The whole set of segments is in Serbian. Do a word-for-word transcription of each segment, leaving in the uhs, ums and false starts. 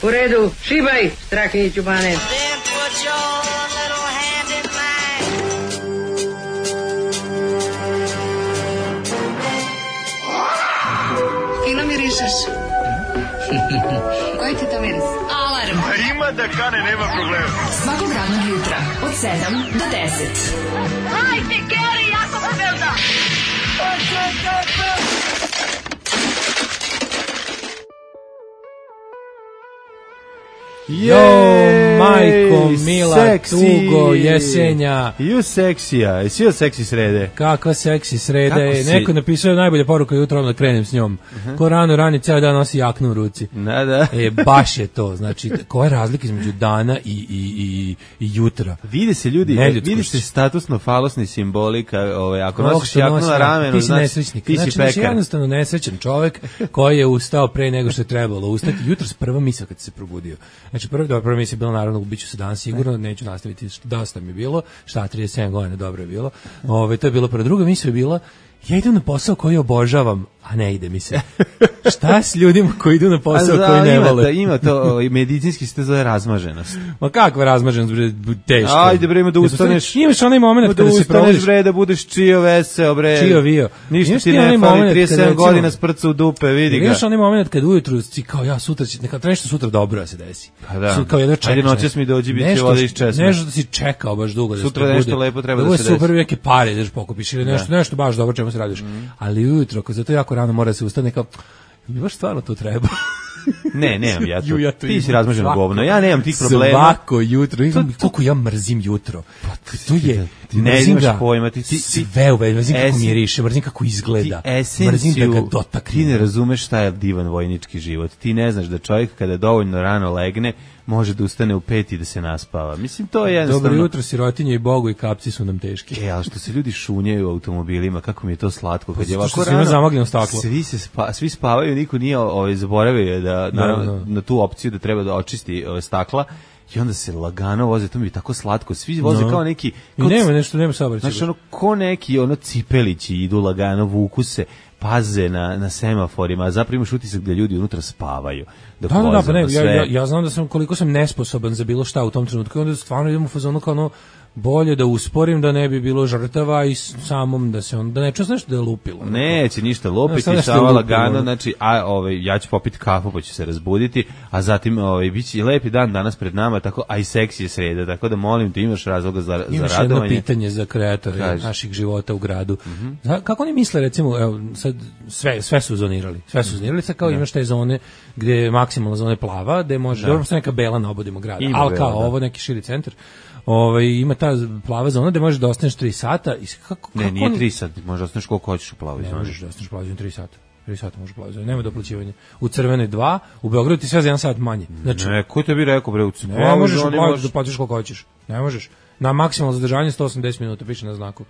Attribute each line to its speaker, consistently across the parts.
Speaker 1: U redu, šibaj, Strahinjiću Bane.
Speaker 2: Fino mirišeš. Koji ti to miris? Alarm.
Speaker 3: A ima da kane, nema problema.
Speaker 2: Svakog radnog jutra, od sedam do deset.
Speaker 4: Hajde, Geri, jako se velda.
Speaker 5: Jo, majko, mila, seksi. Tugo, jesenja.
Speaker 6: Ju seksija, jesi joj seksi srede?
Speaker 5: Kakva seksi srede? Si... Neko napisao najbolja poruka jutro, da krenem s njom. Uh-huh. Ko rano rani, ceo dan nosi jaknu u ruci.
Speaker 6: Da, da.
Speaker 5: E, baš je to. Znači, koja je razlika između dana i, i, i, i jutra?
Speaker 6: Vide se ljudi, vidi se statusno falosni simbolika, ovaj, ako nosiš jaknu na ramenu,
Speaker 5: ti si znači, nesrećnik. Ti si znači, pekar. Jednostavno nesrećan čovek koji je ustao pre nego što je trebalo ustati. Jutro s prva misla kad se probudio. Znači, prva, dobra, prva misla je bila naravno, ubiću se danas sigurno, neću nastaviti, dosta mi je bilo, šta, trideset sedam godina, dobro je bilo. Ove, to je bilo prva. Druga misla je bila, ja idem na posao koji obožavam, a ne ide mi se. Šta s ljudima koji idu na posao za, koji ne
Speaker 6: ima
Speaker 5: vole?
Speaker 6: To, ima to, medicinski se to zove razmaženost.
Speaker 5: Ma kakva razmaženost, bre, teško.
Speaker 6: Ajde, bre, ima da ustaneš.
Speaker 5: Imaš onaj moment kada se provodiš.
Speaker 6: Da ustaneš, bre, da budeš čio veseo, bre.
Speaker 5: Čio vio.
Speaker 6: Ništa ti ne fali, trideset sedam godina sprca u dupe, vidi ga.
Speaker 5: Imaš onaj moment kad ujutru si kao ja sutra, neka treba nešto sutra dobro da se desi.
Speaker 6: Pa da.
Speaker 5: Kao jedno čekaš.
Speaker 6: Ajde, noćas mi dođi, bit će voda iz česme.
Speaker 5: Nešto da si čekao baš dugo da se
Speaker 6: sutra nešto lepo treba da se desi.
Speaker 5: Super, neke pare daš pokupiš ili nešto, nešto baš dobro čemu se radiš. Ali ujutro, ako zato jako rano mora se ustane kao mi baš stvarno to treba.
Speaker 6: Ne, nemam ja to. Ja to ti si razmaženo govno. Ja nemam tih problema.
Speaker 5: Svako jutro. Koliko ja mrzim jutro. Pa to je...
Speaker 6: Ne imaš pojma. Ti, ti,
Speaker 5: sve uveć. Mrzim kako miriše. Mrzim kako izgleda. Mrzim da ga dotaknem.
Speaker 6: Ti ne razumeš šta je divan vojnički život. Ti ne znaš da čovjek kada dovoljno rano legne može da ustane u pet i da se naspava. Mislim, to je jednostavno...
Speaker 5: Dobro jutro, sirotinje i Bogu i kapci su nam teški.
Speaker 6: E, ali što se ljudi šunjaju u automobilima, kako mi je to slatko. Kad je ovako
Speaker 5: rano, zamagljeno staklo.
Speaker 6: Svi, se spa, svi spavaju, niko nije ovaj, zaboravio da, na, no, no. na tu opciju da treba da očisti ove stakla. I onda se lagano voze, to mi je tako slatko. Svi voze no. kao neki...
Speaker 5: Kao, I nema nešto, nema saobraćaja.
Speaker 6: Znači, ono, ko neki ono cipelići idu lagano, vuku se, paze na, na semaforima, a zapravo imaš utisak da ljudi unutra spavaju.
Speaker 5: Da, da, da, pa ne, ja, ja, ja znam da sam koliko sam nesposoban za bilo šta u tom trenutku i onda stvarno idem u fazonu kao ono bolje da usporim da ne bi bilo žrtava i samom da se on da ne čuje nešto da je lupilo.
Speaker 6: Neće ništa lupiti, no, samo lagano, znači a ovaj ja ću popiti kafu pa ću se razbuditi, a zatim ovaj biće lepi dan danas pred nama, tako a i seksi je sreda, tako da molim te imaš razloga za
Speaker 5: imaš
Speaker 6: za radovanje.
Speaker 5: Jedno pitanje za kreatore Kaži. naših života u gradu. Mm -hmm. Kako oni misle recimo evo sad sve sve su zonirali. Sve su zonirali, sad kao da. Imaš te zone gde je maksimalna zona plava, gde može dobro se neka bela na obodima grada. Al kao da. Ovo neki širi centar. Ovaj ima ta plava zona gde možeš da ostaneš tri sata i kako
Speaker 6: ne
Speaker 5: kako
Speaker 6: nije tri sata, možeš da ostaneš koliko hoćeš u plavoj zoni.
Speaker 5: Ne možeš da ostaneš u plavoj zoni tri sata. tri sata možeš u plavoj zoni, nema doplaćivanja. U crvenoj dva, u Beogradu ti sve za jedan sat manje. Znači
Speaker 6: ne, ko te bi rekao bre u
Speaker 5: crvenoj ne možeš da platiš koliko hoćeš. Ne možeš. Na maksimalno zadržanje sto osamdeset minuta piše na znaku.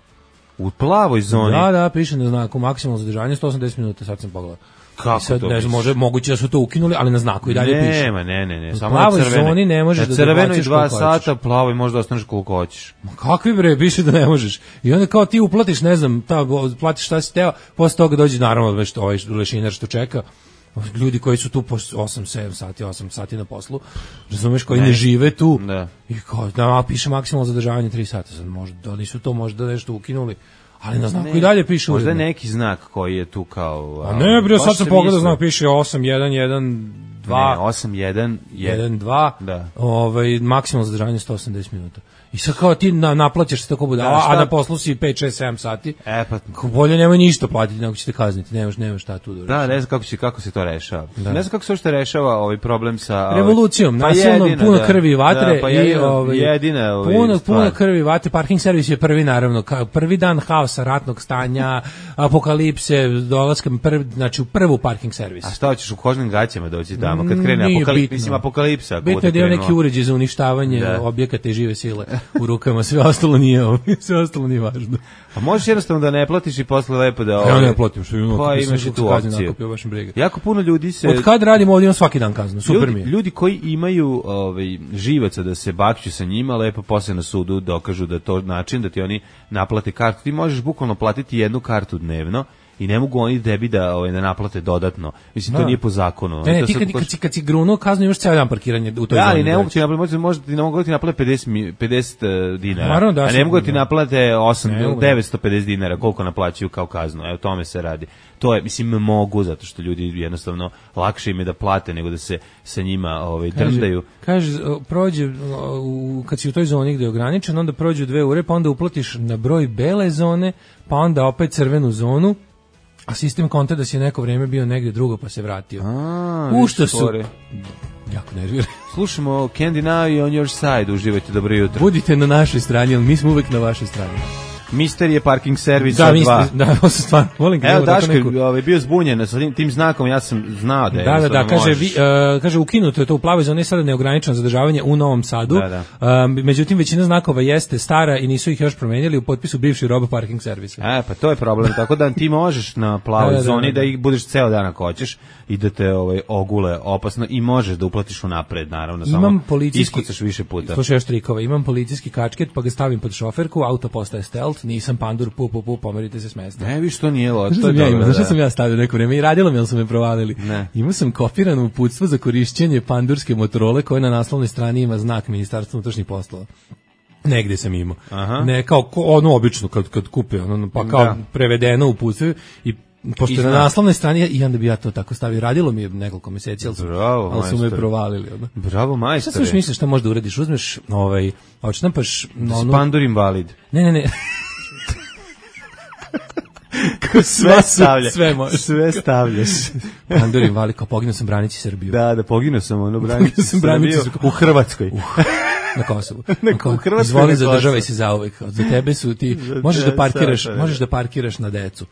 Speaker 6: U plavoj zoni.
Speaker 5: Da, da, piše na znaku maksimalno zadržanje sto osamdeset minuta, sad sam pogledao.
Speaker 6: Kako sad,
Speaker 5: to ne znam, može, moguće da su to ukinuli, ali na znaku i dalje
Speaker 6: nema,
Speaker 5: piše.
Speaker 6: Nema, ne, ne, ne.
Speaker 5: Samo na crvenoj zoni ne možeš da
Speaker 6: crvenoj dva sata, plavoj možda ostaneš koliko hoćeš.
Speaker 5: Ma kakvi bre, piše da ne možeš. I onda kao ti uplatiš, ne znam, ta, platiš šta si teo, posle toga dođe naravno već ovaj lešinar što čeka. Ljudi koji su tu po osam sedam sati, osam sati na poslu, razumeš, koji ne, ne žive tu.
Speaker 6: Da.
Speaker 5: I kao, da, piše maksimalno zadržavanje tri sata. Sad možda, da nisu to možda nešto ukinuli. Ali na znaku ne, i dalje piše
Speaker 6: možda
Speaker 5: uredno.
Speaker 6: Neki znak koji je tu kao...
Speaker 5: A ne, bre, sad sam pogledao, znak piše osam jedan jedan dva.
Speaker 6: Ne, osam jedan
Speaker 5: jedan dva.
Speaker 6: Da.
Speaker 5: Ovaj, maksimalno zadržavanje sto osamdeset minuta. I sad kao ti na, naplaćaš se tako bude, a, a na poslu si pet šest sedam sati.
Speaker 6: E pa
Speaker 5: bolje nemoj ništa platiti, nego ćete kazniti, nemaš nemaš šta tu da.
Speaker 6: Da, ne znam kako se kako se to rešava. Da. Ne znam kako se što rešava ovaj problem sa
Speaker 5: revolucijom,
Speaker 6: pa
Speaker 5: nasilno puno da, krvi i vatre
Speaker 6: da, pa
Speaker 5: i ovaj
Speaker 6: jedina ovaj
Speaker 5: puno puno krvi i vatre. Parking servis je prvi naravno, kao prvi dan haosa, ratnog stanja, apokalipse, dolaska prvi, znači u prvu parking servis.
Speaker 6: A šta hoćeš u kožnim gaćama doći tamo kad krene apokalipsa, mislim apokalipsa,
Speaker 5: bitno je da je neki uređaj za uništavanje da. objekata i žive sile u rukama, sve ostalo nije ovo, sve ostalo nije važno.
Speaker 6: A možeš jednostavno da ne platiš i posle lepo da...
Speaker 5: Ja ne platim, što imamo.
Speaker 6: Pa imaš i tu opciju. Jako puno ljudi se...
Speaker 5: Od kad radimo ovdje, imam svaki dan kaznu, super
Speaker 6: ljudi,
Speaker 5: mi je.
Speaker 6: Ljudi koji imaju ovaj, živaca da se bakću sa njima, lepo posle na sudu dokažu da to način da ti oni naplate kartu. Ti možeš bukvalno platiti jednu kartu dnevno i ne mogu oni tebi da, ovaj, da naplate dodatno. Mislim, to
Speaker 5: da.
Speaker 6: nije po zakonu.
Speaker 5: Ne, ne,
Speaker 6: to
Speaker 5: ti kad, kad, si, kad si grunuo kaznu imaš ceo dan parkiranje u toj
Speaker 6: da,
Speaker 5: zoni.
Speaker 6: ali ne mogu ti naplate, možda ti ne mogu ti naplate pedeset, pedeset dinara,
Speaker 5: Naravno, da,
Speaker 6: a ne mogu ti naplate osam,
Speaker 5: ne mogu.
Speaker 6: devetsto pedeset dinara, koliko naplaćuju kao kaznu, evo tome se radi. To je, mislim, mogu, zato što ljudi jednostavno lakše im je da plate nego da se sa njima ovaj, drndaju.
Speaker 5: Kaže, prođe, u, kad si u toj zoni gde je ograničen, onda prođu dve ure, pa onda uplatiš na broj bele zone, pa onda opet crvenu zonu, a sistem konta da si neko vreme bio negde drugo pa se vratio.
Speaker 6: A,
Speaker 5: u što su...
Speaker 6: Spore.
Speaker 5: Jako nervira.
Speaker 6: Slušamo Candy Now i On Your Side, uživajte, dobro jutro.
Speaker 5: Budite na našoj strani, ali mi smo uvek na vašoj strani.
Speaker 6: Mister je parking servis
Speaker 5: da,
Speaker 6: dva.
Speaker 5: Da, ovo se stvarno volim.
Speaker 6: Evo, Daško je neku... ovaj, bio zbunjen sa tim, tim znakom, ja sam znao da je.
Speaker 5: Da, da, da, kaže, vi, uh, kaže ukinuto je to u plavoj zoni, sada neograničeno zadržavanje u Novom Sadu.
Speaker 6: Da, da.
Speaker 5: Uh, međutim, većina znakova jeste stara i nisu ih još promenjali u potpisu bivši robo parking servisa.
Speaker 6: E, pa to je problem, tako da ti možeš na plavoj
Speaker 5: da, da,
Speaker 6: zoni
Speaker 5: da,
Speaker 6: da ih budeš ceo dan ako hoćeš i da te ovaj, ogule opasno i možeš da uplatiš unapred, naravno,
Speaker 5: imam
Speaker 6: samo
Speaker 5: policijski,
Speaker 6: iskucaš više puta.
Speaker 5: Slušaj još trikova, imam policijski kačket pa ga stavim pod šoferku, auto postaje stealth, nisam pandur, pu, pu, pu, pomerite se s mesta.
Speaker 6: Ne, viš, to nije loš.
Speaker 5: Znaš
Speaker 6: to je
Speaker 5: ja
Speaker 6: dobro,
Speaker 5: znaš
Speaker 6: da.
Speaker 5: sam ja stavio neko vreme i radilo mi, ali su me provalili.
Speaker 6: Ne.
Speaker 5: Imao sam kopirano uputstvo za korišćenje pandurske Motorola koje na naslovnoj strani ima znak Ministarstva unutrašnjih poslova. Negde sam imao.
Speaker 6: Aha.
Speaker 5: Ne, kao ko, ono obično kad, kad kupe, ono, pa kao
Speaker 6: da.
Speaker 5: prevedeno uputstvo i pošto je na naslovnoj strani i onda bi ja to tako stavio. Radilo mi je nekoliko meseci, ali su,
Speaker 6: Bravo,
Speaker 5: ali su me
Speaker 6: majstore.
Speaker 5: provalili. Ono.
Speaker 6: Bravo, majstore.
Speaker 5: Šta sam još misliš šta možda uradiš? Uzmeš, ovaj, odštampaš...
Speaker 6: Da si
Speaker 5: ono,
Speaker 6: pandur invalid.
Speaker 5: Ne, ne, ne.
Speaker 6: Sve stavljaš.
Speaker 5: Sve možeš.
Speaker 6: Sve stavljaš.
Speaker 5: Pandur invalid, kao poginuo sam branići Srbiju.
Speaker 6: Da, da, poginuo sam ono branići
Speaker 5: sam branići
Speaker 6: Srbiju u Hrvatskoj.
Speaker 5: Na Kosovu.
Speaker 6: Na
Speaker 5: Kao,
Speaker 6: Hrvatskoj
Speaker 5: izvoli
Speaker 6: na
Speaker 5: zadržavaj
Speaker 6: Kosovu.
Speaker 5: se zauvek. Za tebe su ti možeš da parkiraš, možeš da parkiraš na decu.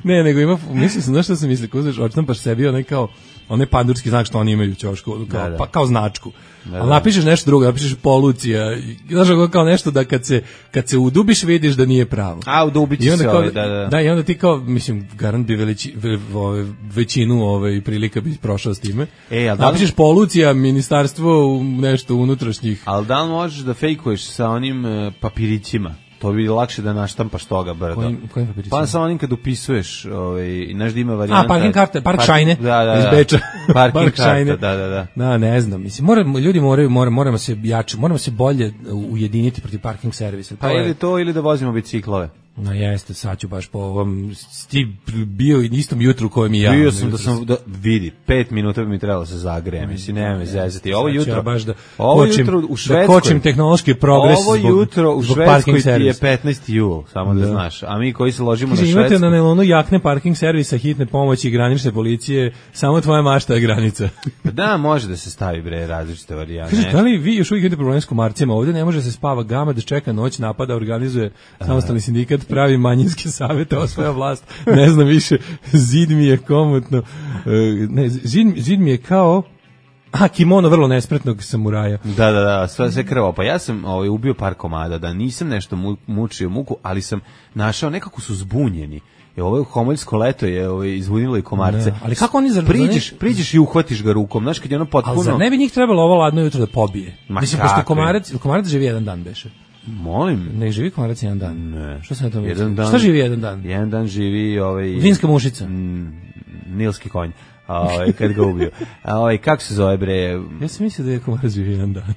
Speaker 5: Ne, nego ima, mislim sam, znaš šta sam mislio, uzmeš, odštampaš sebi onaj kao, onaj pandurski znak što oni imaju u ćošku, kao,
Speaker 6: da, da.
Speaker 5: Pa, kao značku.
Speaker 6: Da,
Speaker 5: ali
Speaker 6: da.
Speaker 5: napišeš nešto drugo, napišeš polucija, znaš kao nešto da kad se, kad se udubiš vidiš da nije pravo.
Speaker 6: A, udubići se
Speaker 5: kao,
Speaker 6: ovaj, da, da.
Speaker 5: Da, i onda ti kao, mislim, garant bi veliči, ve, ve, većinu ove prilika bi prošao s time.
Speaker 6: E, ali da li...
Speaker 5: Napišeš polucija, ministarstvo nešto unutrašnjih.
Speaker 6: Ali da li možeš da fejkuješ sa onim uh, papirićima? To bi lakše da naštampaš toga brdo.
Speaker 5: Kojim, kojim papirićima?
Speaker 6: Pa sa onim kad upisuješ, ovaj, znaš da ima varijanta...
Speaker 5: A, parking karta, park
Speaker 6: park,
Speaker 5: šajne,
Speaker 6: da, da, da.
Speaker 5: iz Beča.
Speaker 6: Parking
Speaker 5: Park
Speaker 6: karta,
Speaker 5: šajne.
Speaker 6: da, da, da.
Speaker 5: Da, ne znam, mislim, moramo, ljudi moraju, moramo, moramo se jače, moramo se bolje ujediniti protiv parking servisa.
Speaker 6: Pa ili to, ili da vozimo biciklove.
Speaker 5: No jeste, sad ću baš po ovom, ti bio i istom jutru kojem i ja.
Speaker 6: Bio sam da sam, da, vidi, pet minuta bi mi trebalo da se zagrejem, mislim, nema me zezati. Ovo jutro,
Speaker 5: ja baš da
Speaker 6: ovo
Speaker 5: kočim,
Speaker 6: jutro u Švedskoj,
Speaker 5: da kočim tehnološki progres
Speaker 6: ovo
Speaker 5: zbog,
Speaker 6: jutro u
Speaker 5: zbog
Speaker 6: Švedskoj ti je petnaesti jul, samo da, da znaš, a mi koji se ložimo
Speaker 5: Kaže,
Speaker 6: na Švedsku.
Speaker 5: imate na nelonu jakne parking servisa, hitne pomoći i granične policije, samo tvoja mašta je granica.
Speaker 6: Da, može da se stavi bre različite varijante.
Speaker 5: Kaže, da li vi još uvijek imate problem s komarcima? Ovdje ne može se spava gama, da čeka noć, napada, organizuje samostalni sindikat, pravi manjinski savete, osvaja vlast, ne znam više, zid mi je komotno, ne, zid, zid mi je kao, a, kimono vrlo nespretnog samuraja.
Speaker 6: Da, da, da, sve, sve krvo. Pa ja sam ovaj, ubio par komada, da nisam nešto mu, mučio muku, ali sam našao, nekako su zbunjeni. Je ovo homoljsko leto je ovaj izvunilo i komarce.
Speaker 5: Ne, ali kako oni zar
Speaker 6: priđeš, priđeš i uhvatiš ga rukom, znaš kad je ono potpuno.
Speaker 5: Ali zar ne bi njih trebalo ovo ladno jutro da pobije?
Speaker 6: Ma
Speaker 5: mislim
Speaker 6: kakve?
Speaker 5: pošto komarac, komarac živi jedan dan beše.
Speaker 6: Molim.
Speaker 5: Ne živi komarac jedan dan.
Speaker 6: Ne.
Speaker 5: Što se na to misli?
Speaker 6: Jedan dan.
Speaker 5: Šta živi jedan dan?
Speaker 6: Jedan dan živi ovaj
Speaker 5: vinska mušica.
Speaker 6: Mm, nilski konj. Ovaj kad ga ubio. A ovaj kako se zove bre?
Speaker 5: Ja sam mislio da je komarac živi jedan dan.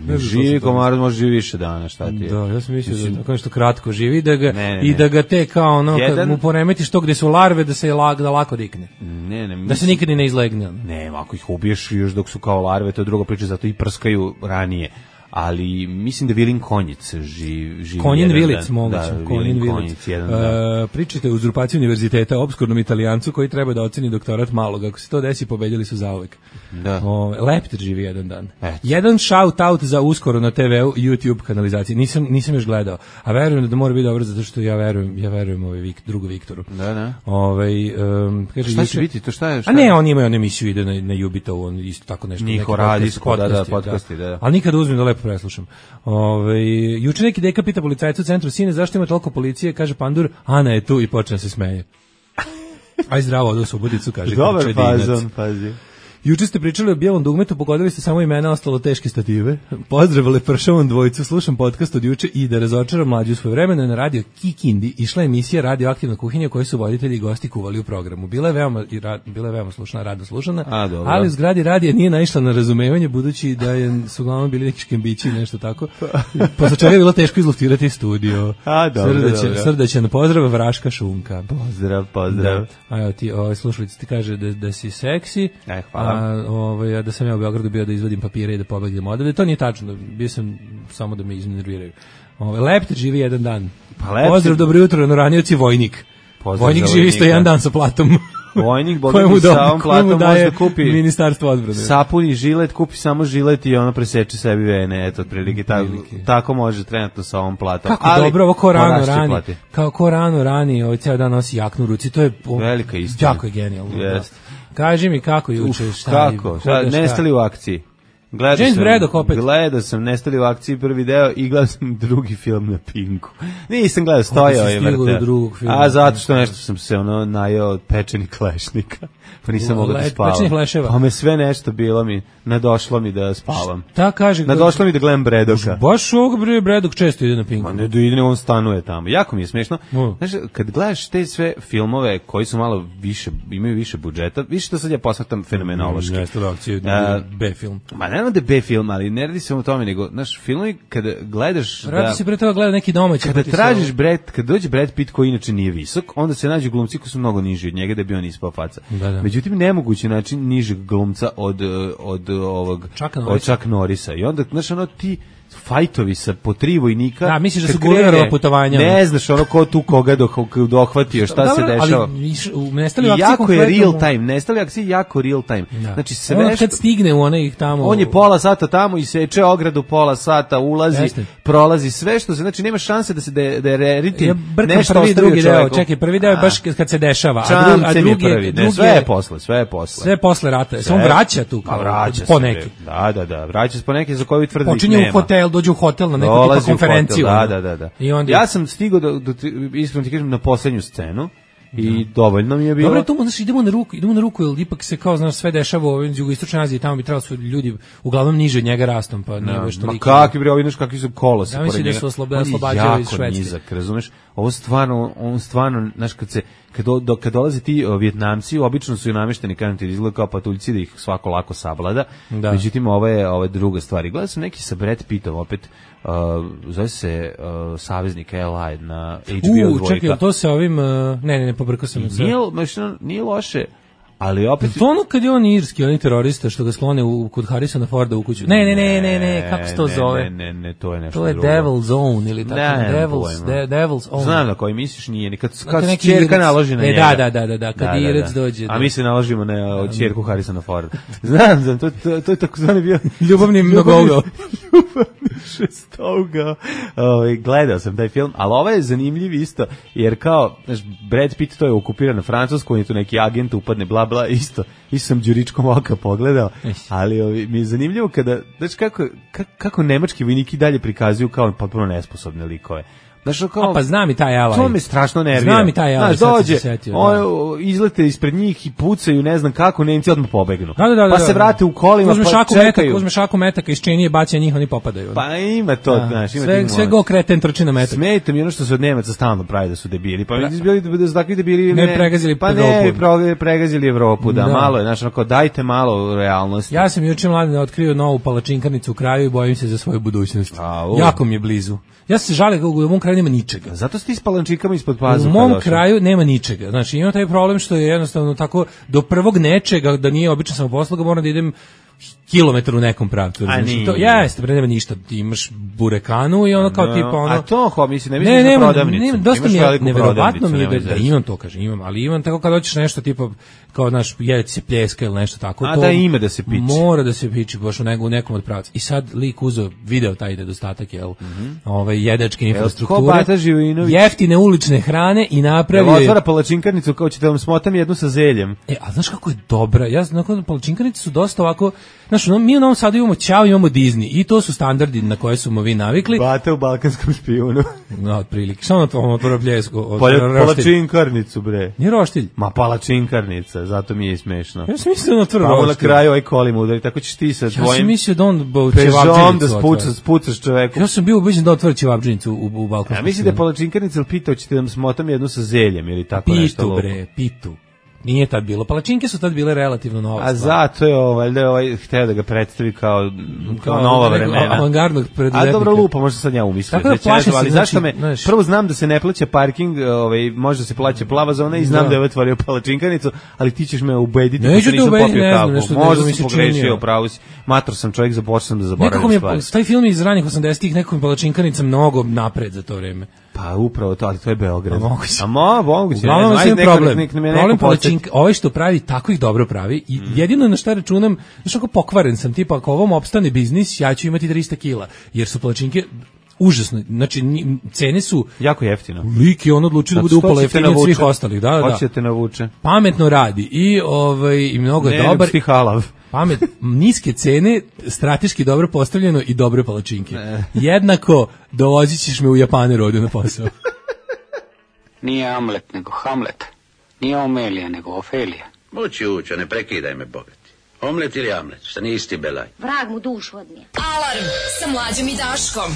Speaker 6: Ne živi komarac, može živi više dana, šta ti je?
Speaker 5: Da, ja sam mislio da tako nešto kratko živi da ga
Speaker 6: ne, ne,
Speaker 5: i da ga te kao ono
Speaker 6: Jedan...
Speaker 5: kad mu poremetiš to gde su larve da se lag, da lako rikne.
Speaker 6: Ne, ne, mislim...
Speaker 5: Da se nikad ni ne izlegne.
Speaker 6: Ne, ako ih ubiješ još dok su kao larve, to je druga priča, zato i prskaju ranije. Ali mislim da Vilin Konjic živi, živi
Speaker 5: Konjin
Speaker 6: jedan
Speaker 5: Vilic,
Speaker 6: dan.
Speaker 5: moguće.
Speaker 6: Da,
Speaker 5: Konjin
Speaker 6: Vilin
Speaker 5: Vilic.
Speaker 6: jedan dan.
Speaker 5: Uh, pričajte o uzurpaciji univerziteta obskurnom Italijancu koji treba da oceni doktorat malog. Ako se to desi, pobedili su zauvek.
Speaker 6: Da.
Speaker 5: O, Leptir živi jedan dan.
Speaker 6: Eto.
Speaker 5: Jedan shout out za uskoro na te ve u YouTube kanalizaciji. Nisam nisam još gledao. A verujem da mora biti dobro zato što ja verujem, ja verujem ovaj Vik, drugu Viktoru.
Speaker 6: Da, da.
Speaker 5: Ovaj um, kaže
Speaker 6: šta
Speaker 5: juče,
Speaker 6: će biti? To šta je? Šta
Speaker 5: a ne, on ima onu emisiju ide na na Jubito, on isto tako nešto.
Speaker 6: Njihovo radijsko, da, da, podcasti, da.
Speaker 5: Ali nikad uzmem da lepo preslušam. Ove, juče neki deka pita policajca u centru, sine, zašto ima toliko policije? Kaže Pandur, Ana je tu i počne se smeje. Aj zdravo, odo Suboticu, kaže.
Speaker 6: Dobar fazon, pazi.
Speaker 5: Juče ste pričali o bijelom dugmetu, pogodili ste samo imena, ostalo teške stative. Pozdrav Lepršavom dvojicu, slušam podcast od juče i da razočaram mlađu svoje vremena na radio Kikindi išla emisija Radioaktivna kuhinja koju su voditelji i gosti kuvali u programu. Bila je veoma, bila je veoma slušana, rado slušana,
Speaker 6: A,
Speaker 5: ali u zgradi radija nije naišla na razumevanje budući da je, su uglavnom bili neki škembići i nešto tako. Posle čega je bilo teško izluftirati studio.
Speaker 6: A, dobro,
Speaker 5: Srdaćan,
Speaker 6: dobro.
Speaker 5: Srdaćan pozdrav, Vraška Šunka.
Speaker 6: Pozdrav, pozdrav.
Speaker 5: Da. A evo ti, ovaj, slušalica ti kaže da, da si seksi,
Speaker 6: E, hvala.
Speaker 5: a ovaj, a da sam ja u Beogradu bio da izvadim papire i da pobegnem odavde. To nije tačno, bio sam samo da me iznerviraju. Ovaj, Leptir živi jedan dan.
Speaker 6: Pa Leptir...
Speaker 5: Pozdrav, dobro jutro, Noranioci Vojnik.
Speaker 6: Pozdrav
Speaker 5: Vojnik živi isto jedan dan sa platom.
Speaker 6: Vojnik,
Speaker 5: Kojemu
Speaker 6: Bogdan
Speaker 5: do-
Speaker 6: sa ovom
Speaker 5: kojemu
Speaker 6: platom
Speaker 5: daje
Speaker 6: može da kupi
Speaker 5: Ministarstvo odbrane.
Speaker 6: sapun i žilet, kupi samo žilet i ono preseče sebi vene, eto, otprilike, tako, tako može trenutno sa ovom platom.
Speaker 5: Kako
Speaker 6: Ali,
Speaker 5: dobro, ovo ko rano
Speaker 6: moraš će
Speaker 5: rani,
Speaker 6: plati.
Speaker 5: kao ko rano rani, ovaj ceo dan nosi jaknu u ruci, to je o,
Speaker 6: Velika istina.
Speaker 5: jako je genijalno.
Speaker 6: Jest.
Speaker 5: Kaži mi kako juče, šta je,
Speaker 6: Kako?
Speaker 5: kuda,
Speaker 6: Šta,
Speaker 5: šta?
Speaker 6: nestali u akciji. Gledao
Speaker 5: James
Speaker 6: sam,
Speaker 5: Braddock opet.
Speaker 6: Gledao sam Nestali u akciji prvi deo i gledao sam drugi film na Pinku. Nisam gledao, stojao
Speaker 5: si
Speaker 6: je
Speaker 5: stigao do
Speaker 6: vrte.
Speaker 5: drugog filma?
Speaker 6: A zato što nešto sam se ono najao od pečenih klešnika. Pa nisam
Speaker 5: U,
Speaker 6: mogao da
Speaker 5: le-
Speaker 6: spavam.
Speaker 5: pečenih leševa.
Speaker 6: Pa me sve nešto bilo mi, nadošlo mi da spavam.
Speaker 5: Ta kaže,
Speaker 6: Nadošlo mi da gledam Braddocka.
Speaker 5: baš ovog bre Braddock često ide na Pinku.
Speaker 6: Ma ne da ide, on stanuje tamo. Jako mi je smešno.
Speaker 5: Mm.
Speaker 6: Znaš, kad gledaš te sve filmove koji su malo više, imaju više budžeta, više što sad ja posmatam fenomenološki.
Speaker 5: Jeste da akcije,
Speaker 6: A,
Speaker 5: B film.
Speaker 6: Ma ne da je B film, ali ne radi se o tome, nego, znaš, filmovi kada gledaš
Speaker 5: Radi
Speaker 6: da...
Speaker 5: se pre toga gleda neki domaći.
Speaker 6: Kada
Speaker 5: pa ti se
Speaker 6: tražiš
Speaker 5: ovo-
Speaker 6: Brad, kad dođe Brad Pitt koji inače nije visok, onda se nađu glumci koji su mnogo niži od njega da bi on ispao faca.
Speaker 5: Da, da.
Speaker 6: Međutim, nemogući način nižeg glumca od, eh, od ovog...
Speaker 5: Chucka
Speaker 6: od
Speaker 5: Norrisa.
Speaker 6: Chuck Norrisa. I onda, znaš, ono ti fajtovi sa po tri vojnika.
Speaker 5: Da, misliš da
Speaker 6: kad
Speaker 5: su
Speaker 6: krene,
Speaker 5: Gulliverova putovanja.
Speaker 6: Ne znaš ono ko tu koga doh- dohvatio, šta
Speaker 5: Dobro,
Speaker 6: se dešava.
Speaker 5: ali iš- u Nestali
Speaker 6: I
Speaker 5: u akciji
Speaker 6: jako je
Speaker 5: konkretno-
Speaker 6: real time, Nestali u akciji jako real time.
Speaker 5: Da.
Speaker 6: Znači sve
Speaker 5: On
Speaker 6: što...
Speaker 5: kad stigne u onaj tamo.
Speaker 6: On je pola sata tamo i seče ogradu pola sata, ulazi,
Speaker 5: Jeste.
Speaker 6: prolazi sve što se, znači nema šanse da se da, da je reritin
Speaker 5: Ja brkam
Speaker 6: nešto
Speaker 5: prvi i
Speaker 6: ostavio
Speaker 5: drugi deo,
Speaker 6: čoveku.
Speaker 5: čekaj, prvi deo je baš kad kad se dešava, a, dru, a
Speaker 6: Čamcem
Speaker 5: drugi
Speaker 6: je prvi, ne,
Speaker 5: drugi
Speaker 6: sve je posle, sve je posle.
Speaker 5: sve posle rata. Se on
Speaker 6: Sve-
Speaker 5: vraća tu
Speaker 6: Pa
Speaker 5: kao
Speaker 6: vraća
Speaker 5: po
Speaker 6: se,
Speaker 5: neki.
Speaker 6: Da, da, da, vraća se po neki za koju tvrdi
Speaker 5: Počinje
Speaker 6: nema.
Speaker 5: u hotel, dođe u hotel na neku tipa
Speaker 6: Dolazi u
Speaker 5: konferenciju.
Speaker 6: hotel,
Speaker 5: ono.
Speaker 6: Da, da, da, da.
Speaker 5: I onda
Speaker 6: Ja sam stigao do, do, iskreno ti kažem, na poslednju scenu i dovoljno mi je bilo.
Speaker 5: Dobro, to mu znači idemo na ruku, idemo na ruku, jer ipak se kao znaš sve dešava u ovoj jugoistočnoj Aziji, tamo bi trebalo su ljudi uglavnom niže od njega rastom, pa nije baš
Speaker 6: Ma
Speaker 5: toliko.
Speaker 6: kakvi bre, ovi znaš kakvi su kolosi
Speaker 5: Ja mislim
Speaker 6: pored
Speaker 5: da
Speaker 6: njega.
Speaker 5: su oslob-
Speaker 6: On je
Speaker 5: oslobađaju iz
Speaker 6: jako
Speaker 5: Švedske.
Speaker 6: nizak, razumeš? Ovo stvarno, on stvarno, znaš, kad se kad, do, do- kad dolaze ti o, Vjetnamci, obično su i namešteni, kažem ti, izgleda kao patuljci da ih svako lako sablada.
Speaker 5: Da.
Speaker 6: Međutim, ovo je, ovo je druga stvar. I gledao sam neki sa Brad Pittom, opet, uh, zove se uh, Saveznik L I na H B O
Speaker 5: U,
Speaker 6: dvojka.
Speaker 5: čekaj, jel to se ovim, uh, ne, ne, ne, pobrkao sam se.
Speaker 6: Nije, znaš, ono, nije loše, ali opet...
Speaker 5: To ono kad je on irski, on je terorista što ga sklone u, kod Harrisona Forda u kuću. Ne, ne, ne, ne, ne, kako se to
Speaker 6: ne,
Speaker 5: zove?
Speaker 6: Ne, ne, ne, to je nešto
Speaker 5: To je
Speaker 6: drugo.
Speaker 5: Devil's Own ili tako,
Speaker 6: Ne,
Speaker 5: Devil's,
Speaker 6: pojma.
Speaker 5: de, Devil's Own.
Speaker 6: Znam na koji misliš, nije nikad
Speaker 5: Znate,
Speaker 6: kad
Speaker 5: neki
Speaker 6: ćerka
Speaker 5: Irec-
Speaker 6: naloži na
Speaker 5: e,
Speaker 6: njega.
Speaker 5: da, da, da, da, kad Irec dođe,
Speaker 6: A
Speaker 5: da.
Speaker 6: mi se naložimo na ćerku Harrisona Forda. Znam, znam, to, to, to je takozvani bio
Speaker 5: Ljubavni mnogougao.
Speaker 6: šestouga. Ovaj, gledao sam taj film, ali ovo je zanimljiv isto, jer kao, znaš, Brad Pitt to je okupiran na Francusku, on je tu neki agent, upadne, bla, bla, isto, isto sam đuričkom oka pogledao, ali ovi, mi je zanimljivo kada, znaš, kako, kako, kako nemački vojniki dalje prikazuju kao potpuno nesposobne likove. Znaš, kao,
Speaker 5: A pa znam i taj Alaj.
Speaker 6: to me strašno nervira.
Speaker 5: Znam i taj Alaj,
Speaker 6: Znaš,
Speaker 5: sad sam
Speaker 6: dođe,
Speaker 5: se setio, da.
Speaker 6: on, izlete ispred njih i pucaju, ne znam kako, Nemci odmah pobegnu.
Speaker 5: Da, da, da,
Speaker 6: pa
Speaker 5: da,
Speaker 6: se
Speaker 5: da.
Speaker 6: vrate u kolima,
Speaker 5: Uzme
Speaker 6: pa
Speaker 5: šaku
Speaker 6: čekaju.
Speaker 5: metaka, uzme šaku metaka iz činije, baca njih, oni popadaju.
Speaker 6: Pa ima to,
Speaker 5: Da.
Speaker 6: znaš, ima
Speaker 5: sve,
Speaker 6: tih
Speaker 5: sve
Speaker 6: momenta.
Speaker 5: go kreten trči na metak.
Speaker 6: Smeta mi ono što se od Nemaca stalno pravi da su debili. Pa mi bili da su takvi debili
Speaker 5: Ne pregazili
Speaker 6: pa
Speaker 5: Evropu.
Speaker 6: ne pro- pregazili Evropu, da,
Speaker 5: Da.
Speaker 6: malo je, znači onako dajte malo realnosti.
Speaker 5: Ja sam juče mladine otkrio novu palačinkarnicu u kraju i bojim se za svoju budućnost.
Speaker 6: Au.
Speaker 5: Jako mi je blizu. Ja se žalim kako u mom kraju nema ničega.
Speaker 6: Zato ste s palančikama ispod
Speaker 5: U
Speaker 6: pazuha
Speaker 5: mom
Speaker 6: došli.
Speaker 5: kraju nema ničega. Znači, imam taj problem što je jednostavno tako, do prvog nečega, da nije obična samoposluga, moram da idem kilometar u nekom pravcu. razumiješ?
Speaker 6: nije.
Speaker 5: To, jeste, bre, nema ništa. Ti imaš burekanu i ono kao
Speaker 6: No,
Speaker 5: tipa ono...
Speaker 6: a to, ho, mislim, ne mislim
Speaker 5: Ne,
Speaker 6: na
Speaker 5: nema,
Speaker 6: prodavnicu.
Speaker 5: nema, dosta
Speaker 6: Imaš
Speaker 5: mi je,
Speaker 6: veliku
Speaker 5: neverovatno
Speaker 6: prodavnicu,
Speaker 5: mi je da,
Speaker 6: nemoj
Speaker 5: da
Speaker 6: zezati.
Speaker 5: imam to, kažem, imam, ali imam tako kad hoćeš nešto tipa, kao, znaš, jedeti se pljeska ili nešto tako.
Speaker 6: A
Speaker 5: to
Speaker 6: da ima da se piči.
Speaker 5: Mora da se piči, baš u, nego, u nekom od pravaca. I sad lik uzeo, video taj nedostatak, jel, ovaj, jedačke infrastrukture,
Speaker 6: ko Bata Živinović?
Speaker 5: jeftine ulične hrane i
Speaker 6: Evo,
Speaker 5: napravio je...
Speaker 6: otvara palačinkarnicu, kao ćete vam smotam jednu sa zeljem.
Speaker 5: E, a znaš kako je dobra? Ja znam da palačinkanice su dosta ovako Znaš, no, mi u Novom Sadu imamo Ćao, imamo Disney i to su standardi na koje smo vi navikli.
Speaker 6: Bata u balkanskom špijunu.
Speaker 5: No, otprilike. Samo na tom otvoru pljesko.
Speaker 6: Palačinkarnicu, bre.
Speaker 5: Nije roštilj.
Speaker 6: Ma palačinkarnica, zato mi je smešno.
Speaker 5: Ja sam mislio na otvor
Speaker 6: roštilj. Pa na kraju ovaj kolim udari, tako ćeš ti sa tvojim...
Speaker 5: Ja sam mislio da on
Speaker 6: Pežom da spucaš, spucaš čoveku.
Speaker 5: Ja sam bio ubeđen da otvori ćevabdžinicu u, u balkanskom.
Speaker 6: Ja mislim da je palačinkarnica, ali pitao ćete da smotam jednu sa zeljem ili tako
Speaker 5: pitu,
Speaker 6: nešto.
Speaker 5: Pitu, bre, pitu. Nije tad bilo. Palačinke su tad bile relativno nova
Speaker 6: A stvar. Zato je ovaj, da je ovaj hteo da ga predstavi kao, kao, kao nova vremena.
Speaker 5: Avangardnog preduzetnika.
Speaker 6: A dobro lupa, možda sad ja umislio.
Speaker 5: Tako da plašim se,
Speaker 6: ali
Speaker 5: znači,
Speaker 6: zašto me,
Speaker 5: znaš,
Speaker 6: prvo znam da se ne plaća parking, ovaj, možda se plaća plava zona i znam da, da je otvorio palačinkanicu, ali ti ćeš me ubediti
Speaker 5: da nisam popio kavu.
Speaker 6: Možda si pogrešio, pravo si. Mator sam čovjek, započeo sam da zaboravim stvari.
Speaker 5: Nekako mi je, taj film iz ranih osamdesetih, nekako mi palačinkanica mnogo napred za to vreme.
Speaker 6: Pa upravo to, ali to je Beograd.
Speaker 5: A moguće.
Speaker 6: A mo, moguće.
Speaker 5: Uglavnom je problem. Nek, nek problem palačinka, ovaj što pravi, tako ih dobro pravi. I mm. jedino na šta računam, znaš ako pokvaren sam, tipa ako ovom opstane biznis, ja ću imati trista kila. Jer su palačinke užasno, znači cene su
Speaker 6: jako jeftino.
Speaker 5: Lik je on odlučio da bude upala jeftinije od svih ostalih, da, da.
Speaker 6: Hoće te navuče.
Speaker 5: Pametno radi i ovaj i mnogo je dobar.
Speaker 6: Ne, halav.
Speaker 5: Pamet, niske cene, strateški dobro postavljeno i dobre palačinke. Ne. Jednako dovozit ćeš me u Japaneru ovdje na posao.
Speaker 7: Nije Amlet, nego Hamlet. Nije Omelija, nego Ofelija.
Speaker 8: Mući učo, ne prekidaj me, bogati. Omlet ili Amlet, šta nisi ti belaj?
Speaker 2: Vrag mu dušu odnije. Alarm sa Mlađom i Daškom.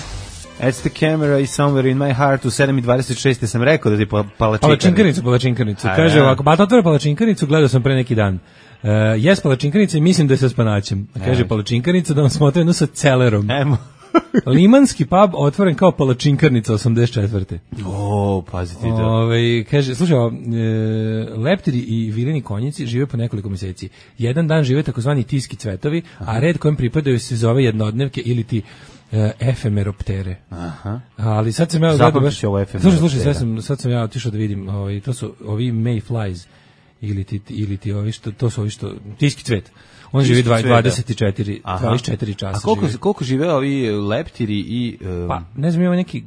Speaker 6: That's the camera is somewhere in my heart. U sedam i dvadeset šest sam rekao da ti palačinkarnicu.
Speaker 5: Palačinkarnicu, palačinkarnicu. Kaže ovako, Bata otvore palačinkarnicu, gledao sam pre neki dan. Uh, jes palačinkarnica i mislim da je sa spanaćem. Kaže palačinkarnica da vam smotre jednu sa celerom.
Speaker 6: Emo.
Speaker 5: Limanski pub otvoren kao palačinkarnica osamdeset četvrte.
Speaker 6: O, pazite to.
Speaker 5: Ove, kaže, slušaj, e, leptiri i vilini konjici žive po nekoliko mjeseci. Jedan dan žive takozvani tiski cvetovi, aha, a red kojem pripadaju se zove jednodnevke ili ti e, efemeroptere.
Speaker 6: Aha.
Speaker 5: Ali sad sam ja gledao baš. Slušaj, slušaj, sad sam, sad sam ja otišao da vidim, ovaj, to su ovi mayflies ili ti, ili ti ovi što, to su ovi što, tiski cvet. On živi dvadeset četiri, dvadeset četiri časa.
Speaker 6: A koliko,
Speaker 5: živi.
Speaker 6: koliko žive ovi leptiri i... Um,
Speaker 5: pa, ne znam, ima neki...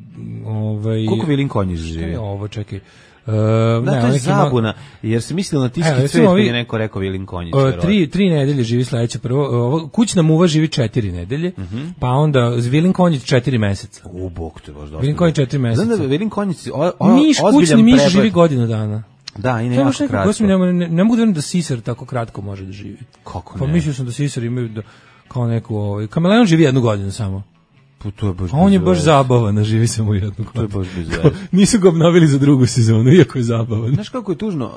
Speaker 5: Ovaj,
Speaker 6: koliko vilin konji žive?
Speaker 5: Ovo, čekaj. Uh,
Speaker 6: da,
Speaker 5: ne,
Speaker 6: to je zabuna, jer se mislilo na tiski evo, cvet, ovi, je neko rekao vilin konjić.
Speaker 5: Uh, tri, tri nedelje živi sledeće prvo. Ovo, kućna muva živi četiri nedelje, uh -huh, pa onda vilin konjić četiri meseca.
Speaker 6: U, bog te baš dosta.
Speaker 5: Vilin konjić četiri meseca.
Speaker 6: Znam da vilin konjić...
Speaker 5: Miš, kućni miš živi godinu dana.
Speaker 6: Da, i ne jako kratko.
Speaker 5: Ne, ne, ne mogu da da sisar tako kratko može da živi.
Speaker 6: Kako ne?
Speaker 5: Pa mislio sam da sisar imaju da, kao neku... Ovaj, kameleon živi jednu godinu samo.
Speaker 6: Pa to je baš
Speaker 5: a on je baš zabavan, živi samo jednu godinu.
Speaker 6: To je baš bizarno.
Speaker 5: Nisu ga obnovili za drugu sezonu, iako je zabavan.
Speaker 6: Znaš kako je tužno?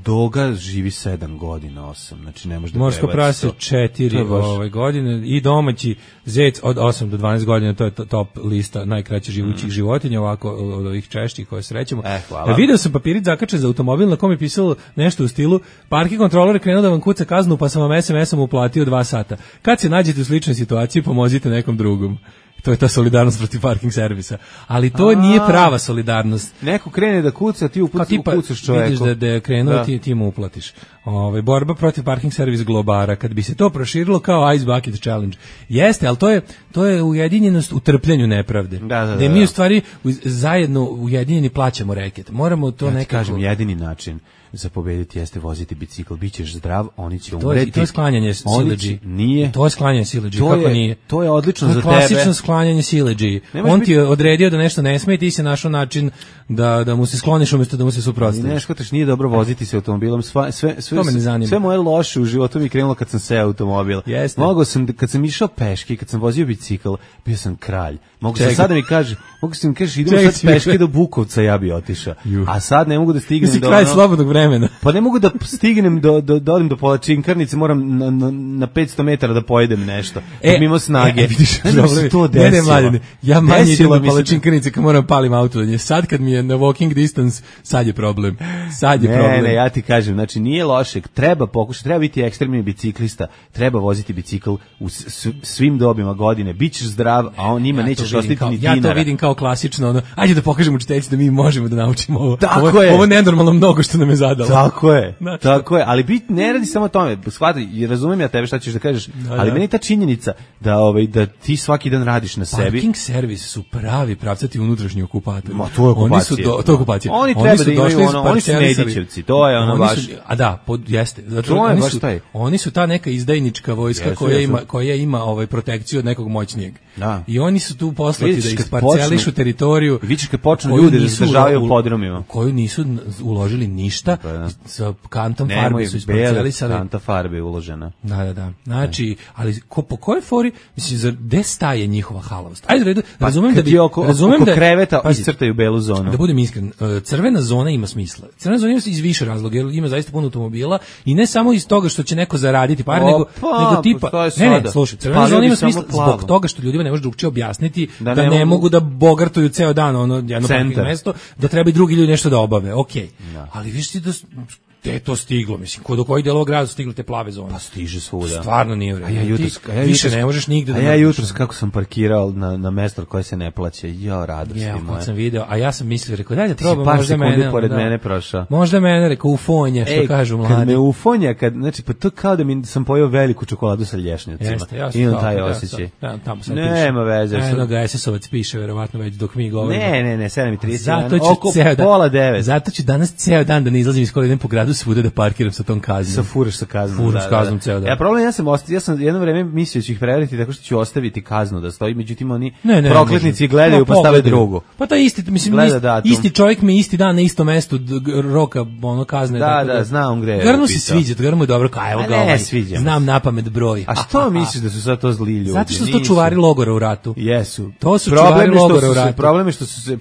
Speaker 6: Doga živi sedam godina, osam. Znači ne može da
Speaker 5: morsko prase četiri baš... ove godine i domaći zec od osam do dvanaest godina, to je top lista najkraće živućih mm. životinja, ovako od ovih češćih koje srećemo.
Speaker 6: Eh, hvala.
Speaker 5: Video sam papirić zakačen za automobil na kom je pisalo nešto u stilu parking kontroler krenuo da vam kuca kaznu pa sam vam es em esom uplatio dva sata. Kad se nađete u sličnoj situaciji, pomozite nekom drugom. To je ta solidarnost protiv parking servisa. Ali to a, nije prava solidarnost.
Speaker 6: Neko krene da kuca, ti upucaš čoveku.
Speaker 5: Vidiš da, da je krenuo, da. ti, ti mu uplatiš. Ove, borba protiv parking servis globara. Kad bi se to proširilo kao Ice Bucket Challenge. Jeste, ali to je, to je ujedinjenost u trpljenju nepravde.
Speaker 6: Da, da, da,
Speaker 5: da mi u stvari zajedno ujedinjeni plaćamo reket. Moramo to
Speaker 6: ja
Speaker 5: nekako...
Speaker 6: kažem, jedini način za pobediti jeste voziti bicikl, bićeš zdrav, oni će
Speaker 5: to
Speaker 6: umreti.
Speaker 5: Je, to je sklanjanje sileđi.
Speaker 6: Nije.
Speaker 5: To je sklanjanje sileđi, kako
Speaker 6: je,
Speaker 5: nije?
Speaker 6: To je odlično
Speaker 5: to je
Speaker 6: za tebe.
Speaker 5: Klasično sklanjanje sileđi. On biti... ti je odredio da nešto ne sme i ti se našao način da, da mu se skloniš umjesto da mu se suprotstaviš.
Speaker 6: Ne, škotaš, nije dobro voziti se automobilom. Sve, sve, sve, sve, sve moje loše u životu mi krenulo kad sam seo automobil.
Speaker 5: Jeste.
Speaker 6: Mogao sam, kad sam išao peške, kad sam vozio bicikl, bio sam kralj. Mogu se sada mi kaže, mogu se mi kaže idemo Čekaj, sad peške do Bukovca, ja bi otišao. A sad ne mogu da stignem do
Speaker 5: kraj slobodnog vremena.
Speaker 6: Pa ne mogu da stignem do do do odem do palačinkarnice, moram na, na, na petsto metara da pojedem nešto. E, mimo snage. E,
Speaker 5: vidiš, ne, ne, to ne, ne, mladine, ja manje idem do palačinkarnice kad moram palim auto. Sad kad mi je na walking distance, sad je problem. Sad je
Speaker 6: ne,
Speaker 5: problem.
Speaker 6: Ne, ne, ja ti kažem, znači nije loše, treba pokušati, treba biti ekstremni biciklista, treba voziti bicikl u svim dobima godine, bićeš zdrav, a on njima ja nećeš ostati ni dinara.
Speaker 5: Ja to vidim kao klasično, ono, ajde da pokažemo učiteljci da mi možemo da naučimo ovo.
Speaker 6: Tako
Speaker 5: ovo,
Speaker 6: je.
Speaker 5: Ovo nenormalno mnogo što nam je stradala.
Speaker 6: Tako je, znači, tako je, ali bit ne radi samo o tome, shvati, i razumijem ja tebe šta ćeš da kažeš, da, ali da. Meni ta činjenica da ovaj da ti svaki dan radiš na sebi.
Speaker 5: Parking servis su pravi pravcati unutrašnji okupatori.
Speaker 6: Ma to je okupacija.
Speaker 5: Oni su do, to je okupacija.
Speaker 6: Oni treba oni da imaju ono, oni su Nedićevci, to je ono baš.
Speaker 5: Su, a da, pod, jeste. Zato
Speaker 6: to je
Speaker 5: oni
Speaker 6: baš
Speaker 5: su,
Speaker 6: taj.
Speaker 5: Oni su ta neka izdajnička vojska jesu, koja jesu. ima koja ima ovaj protekciju od nekog moćnijeg. Da. I oni su tu poslati vidiš, da isparcelišu teritoriju.
Speaker 6: Vidiš kad počnu ljudi da se državaju u podrumima.
Speaker 5: Koju nisu uložili ništa, pa, da. Sa kantom Nemoj, farbe su isparcelisali.
Speaker 6: Kanta farbe je uložena.
Speaker 5: Da, da, da. Znači, ali ko, po kojoj fori, mislim, za gde staje njihova halavost? Ajde, redu, pa, razumem da bi...
Speaker 6: Oko, razumem oko da, kreveta pazi, iscrtaju belu zonu.
Speaker 5: Da budem iskren, crvena zona ima smisla. Crvena zona ima iz više razloga, jer ima zaista puno automobila i ne samo iz toga što će neko zaraditi par, nego, nego tipa... Ne, ne, slušaj, crvena zona ima smisla zbog toga što ljudima ne može drugčije objasniti da, da ne, ne mogu da bogartuju ceo dan ono jedno parking mesto, da treba i drugi ljudi nešto da obave, okej. Okay. No. Ali viš ti da gde je to stiglo, mislim, kod kojih delova grada su stigle te plave zone?
Speaker 6: Pa stiže svuda.
Speaker 5: Stvarno nije vredno.
Speaker 6: A ja jutros,
Speaker 5: a ja više ne možeš nigde
Speaker 6: a
Speaker 5: da...
Speaker 6: A ja jutros kako sam parkirao na, na mesto koje se ne plaća, ja radost
Speaker 5: ja,
Speaker 6: moja.
Speaker 5: Ja, sam video, a ja sam mislio, rekao, dajde probam, možda mene...
Speaker 6: pored
Speaker 5: da,
Speaker 6: mene prošao.
Speaker 5: Možda mene, rekao, ufonja, što
Speaker 6: Ej,
Speaker 5: kažu mladi.
Speaker 6: Kad me ufonja, kad, znači, pa to kao da mi sam pojeo veliku čokoladu sa lješnjacima.
Speaker 5: Jeste, ja sam
Speaker 6: imam taj osjećaj.
Speaker 5: Ja, tamo sad
Speaker 6: Nema veze.
Speaker 5: Eno ga es es ovac piše, verovatno već dok mi govorimo.
Speaker 6: Ne, ne, ne, sedam i trideset.
Speaker 5: Zato ću pola devet. Zato ću danas ceo dan da ne izlazim iz škole, idem po gradu svuda da parkiram sa tom kaznom.
Speaker 6: Sa furaš sa kaznom.
Speaker 5: Furaš da, kaznom ceo dan.
Speaker 6: Ja problem ja sam ostavio, ja sam jedno vreme mislio da ću ih prevariti tako što ću ostaviti kaznu da stoji, međutim oni
Speaker 5: ne, ne,
Speaker 6: prokletnici gledaju no, pa stave drugu.
Speaker 5: Pa ta isti, mislim isti, isti čovjek mi isti dan na istom mestu roka ono kazne.
Speaker 6: Da, tako da, da, znam gde je.
Speaker 5: Garmu se sviđa, garmu je dobro, kaj evo ga ovaj. Znam napamet broj.
Speaker 6: A što misliš da su sad to zli ljudi?
Speaker 5: Zato što su to čuvari logora u ratu.
Speaker 6: Jesu.
Speaker 5: To su čuvari logora u ratu.
Speaker 6: Problem je što su se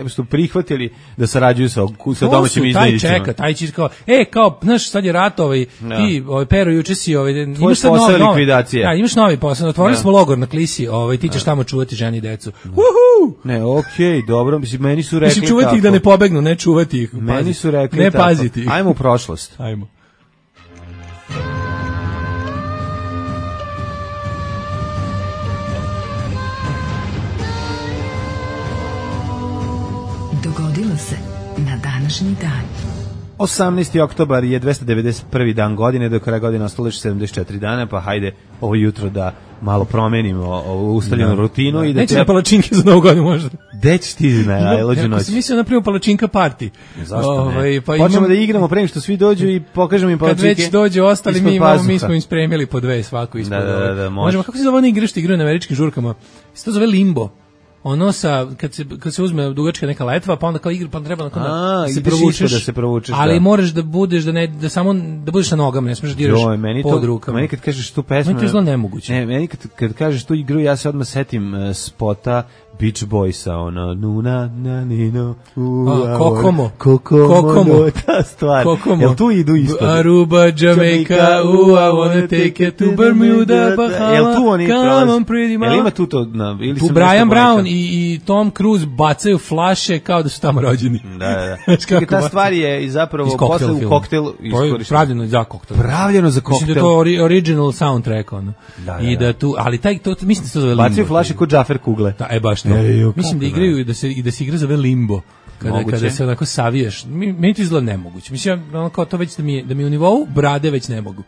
Speaker 6: su prihvatili da sarađuju sa sa domaćim izdajnicima.
Speaker 5: Taj čeka, taj će kao, e, kao, znaš, sad je rat ovaj,
Speaker 6: no.
Speaker 5: ti, ovaj, Pero, juče si, ovaj,
Speaker 6: imaš sad novi, likvidacija.
Speaker 5: Da, imaš novi posao, otvorili no. smo logor na Klisi, ovaj, ti ćeš no. tamo čuvati ženi i decu. No. Uhu!
Speaker 6: Ne, okej, okay, dobro, mislim, meni su rekli
Speaker 5: mislim, čuvati
Speaker 6: tako.
Speaker 5: Ih da ne pobegnu, ne čuvati ih.
Speaker 6: Meni
Speaker 5: paziti.
Speaker 6: su rekli
Speaker 5: ne
Speaker 6: tako.
Speaker 5: Paziti ih.
Speaker 6: Ajmo u prošlost.
Speaker 5: Ajmo.
Speaker 2: Dogodilo se na današnji dan.
Speaker 6: osamnaesti oktobar je dvesta devedeset prvi dan godine, do kraja godine ostalo još sedamdeset četiri dana, pa hajde ovo jutro da malo promenimo ovu ustaljenu
Speaker 5: da,
Speaker 6: rutinu.
Speaker 5: Da.
Speaker 6: I da
Speaker 5: neće
Speaker 6: treba...
Speaker 5: na palačinke za novu godinu možda.
Speaker 6: Gde ćeš ti na najlođu noć?
Speaker 5: Ja sam mislio napravimo palačinka party.
Speaker 6: Zašto ovaj, ne? Pa počnemo imam... da igramo pre nego što svi dođu i pokažemo im palačinke.
Speaker 5: Kad već dođe ostali, mi, imamo, mi smo im spremili po dve svaku ispod.
Speaker 6: Da, da, da, da,
Speaker 5: možemo, kako se zove one igre što igraju na američkim žurkama? Se to zove limbo. Ono sa kad se kad se uzme dugačka neka letva, pa onda kao igra, pa treba nakon da se provučeš,
Speaker 6: da se provučeš.
Speaker 5: Ali
Speaker 6: da.
Speaker 5: moraš da budeš da ne da samo da budeš na nogama, ne smeš da diraš pod rukama.
Speaker 6: Meni kad kažeš tu pesmu,
Speaker 5: meni to izgleda nemoguće.
Speaker 6: Ne, meni kad kad kažeš tu igru, ja se odmah setim uh, spota Beach Boysa, ono nuna na nino u
Speaker 5: Kokomo
Speaker 6: Kokomo ta stvar. Jel tu idu isto?
Speaker 5: Aruba, Jamaica, u I wanna take it to Bermuda, Bahamas.
Speaker 6: Jel tu oni
Speaker 5: prolaze?
Speaker 6: Jel ima tu to na ili
Speaker 5: tu Brian Brown i, i Tom Cruise bacaju flaše kao da su tamo rođeni.
Speaker 6: Da, da. Čekaj, ta stvar je i zapravo posle u koktelu
Speaker 5: iskorištena. Pravljeno za koktel.
Speaker 6: Pravljeno za koktel.
Speaker 5: Mislim da to ori, original soundtrack ono.
Speaker 6: Da, da,
Speaker 5: I da tu, ali taj to mislim da se zove
Speaker 6: bacaju flaše kod Džafer kugle.
Speaker 5: Da, e baš to. E, mislim da igraju i da se i da se igra zove limbo. Kada moguće. Kada se onako savijaš, meni to izgleda nemoguće. Mislim ono kao to već da mi da mi u nivou brade već ne mogu.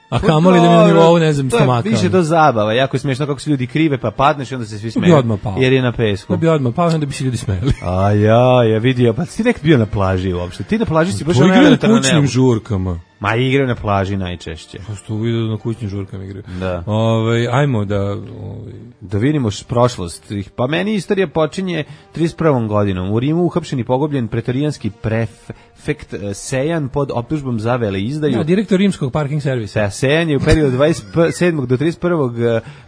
Speaker 5: A kamoli da mi u nivou, ne znam, stomaka.
Speaker 6: To je više do zabava, jako je smiješno kako se ljudi krive, pa padneš i onda se svi smeju. Jer je na pesku.
Speaker 5: Da bi odmah pao, onda bi se ljudi smeli.
Speaker 6: A ja, ja vidio, pa ti nek bio na plaži uopšte. Ti na plaži si baš
Speaker 5: ono elementarno na kućnim žurkama.
Speaker 6: Ma igraju na plaži najčešće.
Speaker 5: Pa što vidio na kućnim žurkama igraju.
Speaker 6: Da.
Speaker 5: Ove, ajmo da... Ove...
Speaker 6: Da vidimo prošlost. Pa meni istorija počinje trideset prvom godinom. U Rimu uhapšen i pogobljen pretorijanski prefekt Sejan pod optužbom za veleizdaju.
Speaker 5: Ja, direktor rimskog parking servisa.
Speaker 6: Da, Sejan je u periodu dvadeset sedmog do trideset prvog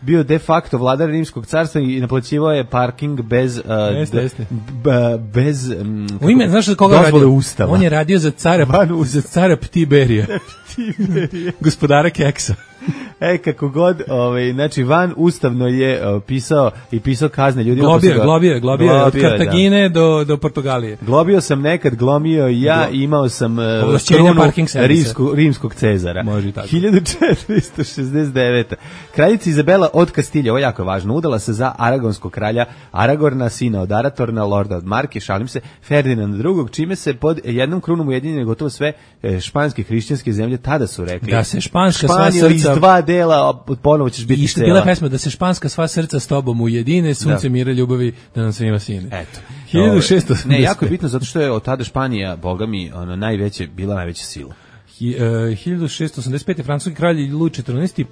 Speaker 6: bio de facto vladar rimskog carstva i naplaćivao je parking bez... Uh,
Speaker 5: jeste, jeste.
Speaker 6: B, bez... Um,
Speaker 5: u ime, znaš koga radio?
Speaker 6: Ustava.
Speaker 5: On je radio za cara, za cara Ptiberija. Gospodara keksa.
Speaker 6: E, kako god, ovaj, znači, van ustavno je uh, pisao i pisao kazne ljudima.
Speaker 5: Globio, ga, globio, globio, globio, od Kartagine da. do, do Portugalije.
Speaker 6: Globio sam nekad, glomio ja, Glo... imao sam uh, krunu rimskog, rimskog Cezara.
Speaker 5: Može tako.
Speaker 6: hiljadu četiristo šezdeset devete. Kraljica Izabela od Kastilja, ovo je jako važno, udala se za aragonskog kralja Aragorna, sina od Aratorna, lorda od Marke, šalim se, Ferdinanda drugog, čime se pod jednom krunom ujedinjene gotovo sve španske hrišćanske zemlje, tada su rekli.
Speaker 5: Da se španska
Speaker 6: Španija
Speaker 5: sva srca...
Speaker 6: iz dva dela, ponovo ćeš biti
Speaker 5: cela. I bila pesma da se španska sva srca s tobom ujedine, sunce da. Mira ljubavi, da nam svima sine.
Speaker 6: Eto.
Speaker 5: hiljadu šeststo osamdeset pet.
Speaker 6: Ne, jako je bitno zato što je od tada Španija, boga mi, ono, najveće, bila najveća sila.
Speaker 5: Hi, uh, hiljadu šeststo osamdeset pete. francuski kralj Luj četrnaesti.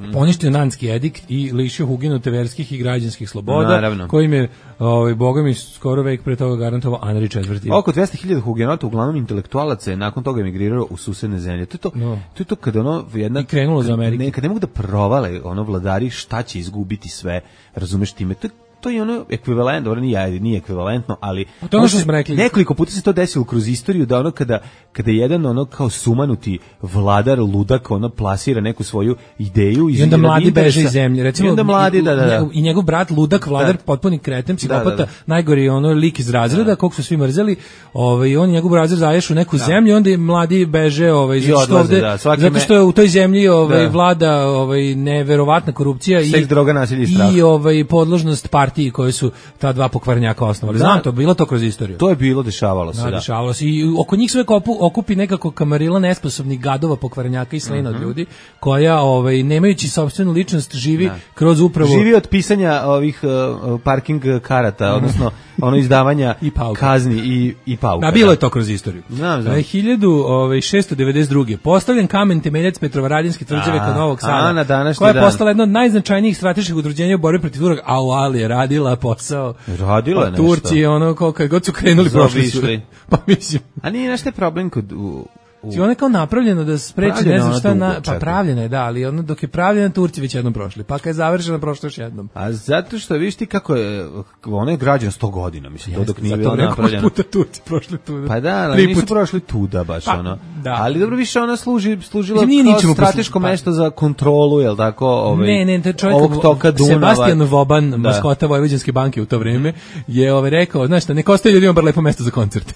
Speaker 5: Mm. poništio Nanski edikt i lišio hugenute verskih i građanskih sloboda,
Speaker 6: naravno,
Speaker 5: kojim je, ovaj, boga mi, skoro vek pre toga garantovao Anri četvrti.
Speaker 6: Oko dvesta hiljada hugenota, uglavnom intelektualaca, je nakon toga emigrirao u susedne zemlje. To je to, no. to, je to kada ono jedna...
Speaker 5: I krenulo za Ameriku.
Speaker 6: Ne, kad ne mogu da provale ono vladari šta će izgubiti sve, razumeš time, to je to je ono ekvivalent, dobro nije, nije ekvivalentno, ali
Speaker 5: to ono što smo rekli.
Speaker 6: Nekoliko puta se to desilo kroz istoriju da ono kada kada jedan ono kao sumanuti vladar ludak ono plasira neku svoju ideju
Speaker 5: i onda mladi beže iz zemlje, recimo.
Speaker 6: I onda mladi da da, da.
Speaker 5: I njegov brat ludak vladar da. potpuni kreten, psihopata, da, da, da. najgori ono lik iz razreda, kog su svi mrzeli, ovaj on njegov razred zaješ u neku da. zemlju, onda mladi beže ovaj zato ovde da, zato što je u toj zemlji ovaj da. vlada ovaj neverovatna korupcija
Speaker 6: i seks, droga, nasilje i strah.
Speaker 5: I ovaj podložnost partiji koje su ta dva pokvarnjaka osnovali. Znam to, bilo to kroz istoriju.
Speaker 6: To je bilo, dešavalo se, da.
Speaker 5: da. Dešavalo se i oko njih sve kopu, okupi nekako kamarila nesposobnih gadova, pokvarnjaka i slena uh-huh. od ljudi, koja ovaj nemajući sopstvenu ličnost živi da. kroz upravo
Speaker 6: živi od pisanja ovih uh, parking karata, odnosno ono izdavanja
Speaker 5: i
Speaker 6: kazni i i pauka.
Speaker 5: Da, bilo je to kroz istoriju.
Speaker 6: Znam, znam.
Speaker 5: hiljadu šeststo devedeset druge. postavljen kamen temeljac Petrovaradinske tvrđave kod Novog Sada, koja je postala jedno od najznačajnijih strateških udruženja u borbi protiv Turaka, a u Ali je radila posao.
Speaker 6: Radila je nešto.
Speaker 5: Turci, ono, koliko god su krenuli, prošli su. Pa mislim.
Speaker 6: A nije nešto problem kod... U, u...
Speaker 5: Ona je kao napravljena da spreči, ne znam šta, na, pa pravljena je, da, ali ono dok je pravljena, Turci već jednom prošli, pa kad je završena, prošlo još jednom.
Speaker 6: A zato što, viš ti kako je, ona je građana sto godina, mislim, to dok nije bilo napravljena.
Speaker 5: Zato puta Turci prošli tuda.
Speaker 6: Pa da, ali nisu prošli tuda baš, pa, ono. Da. Ali dobro, više ona služi, služila kao strateško pa. mesto za kontrolu, jel tako, ovaj,
Speaker 5: ne, ne, to čovjek,
Speaker 6: ovog toka Dunava.
Speaker 5: Sebastian Voban, da. maskota Vojvođanske banke u to vrijeme, je ovaj rekao, znaš šta, neka ostaje ljudima bar lepo mesto za koncert.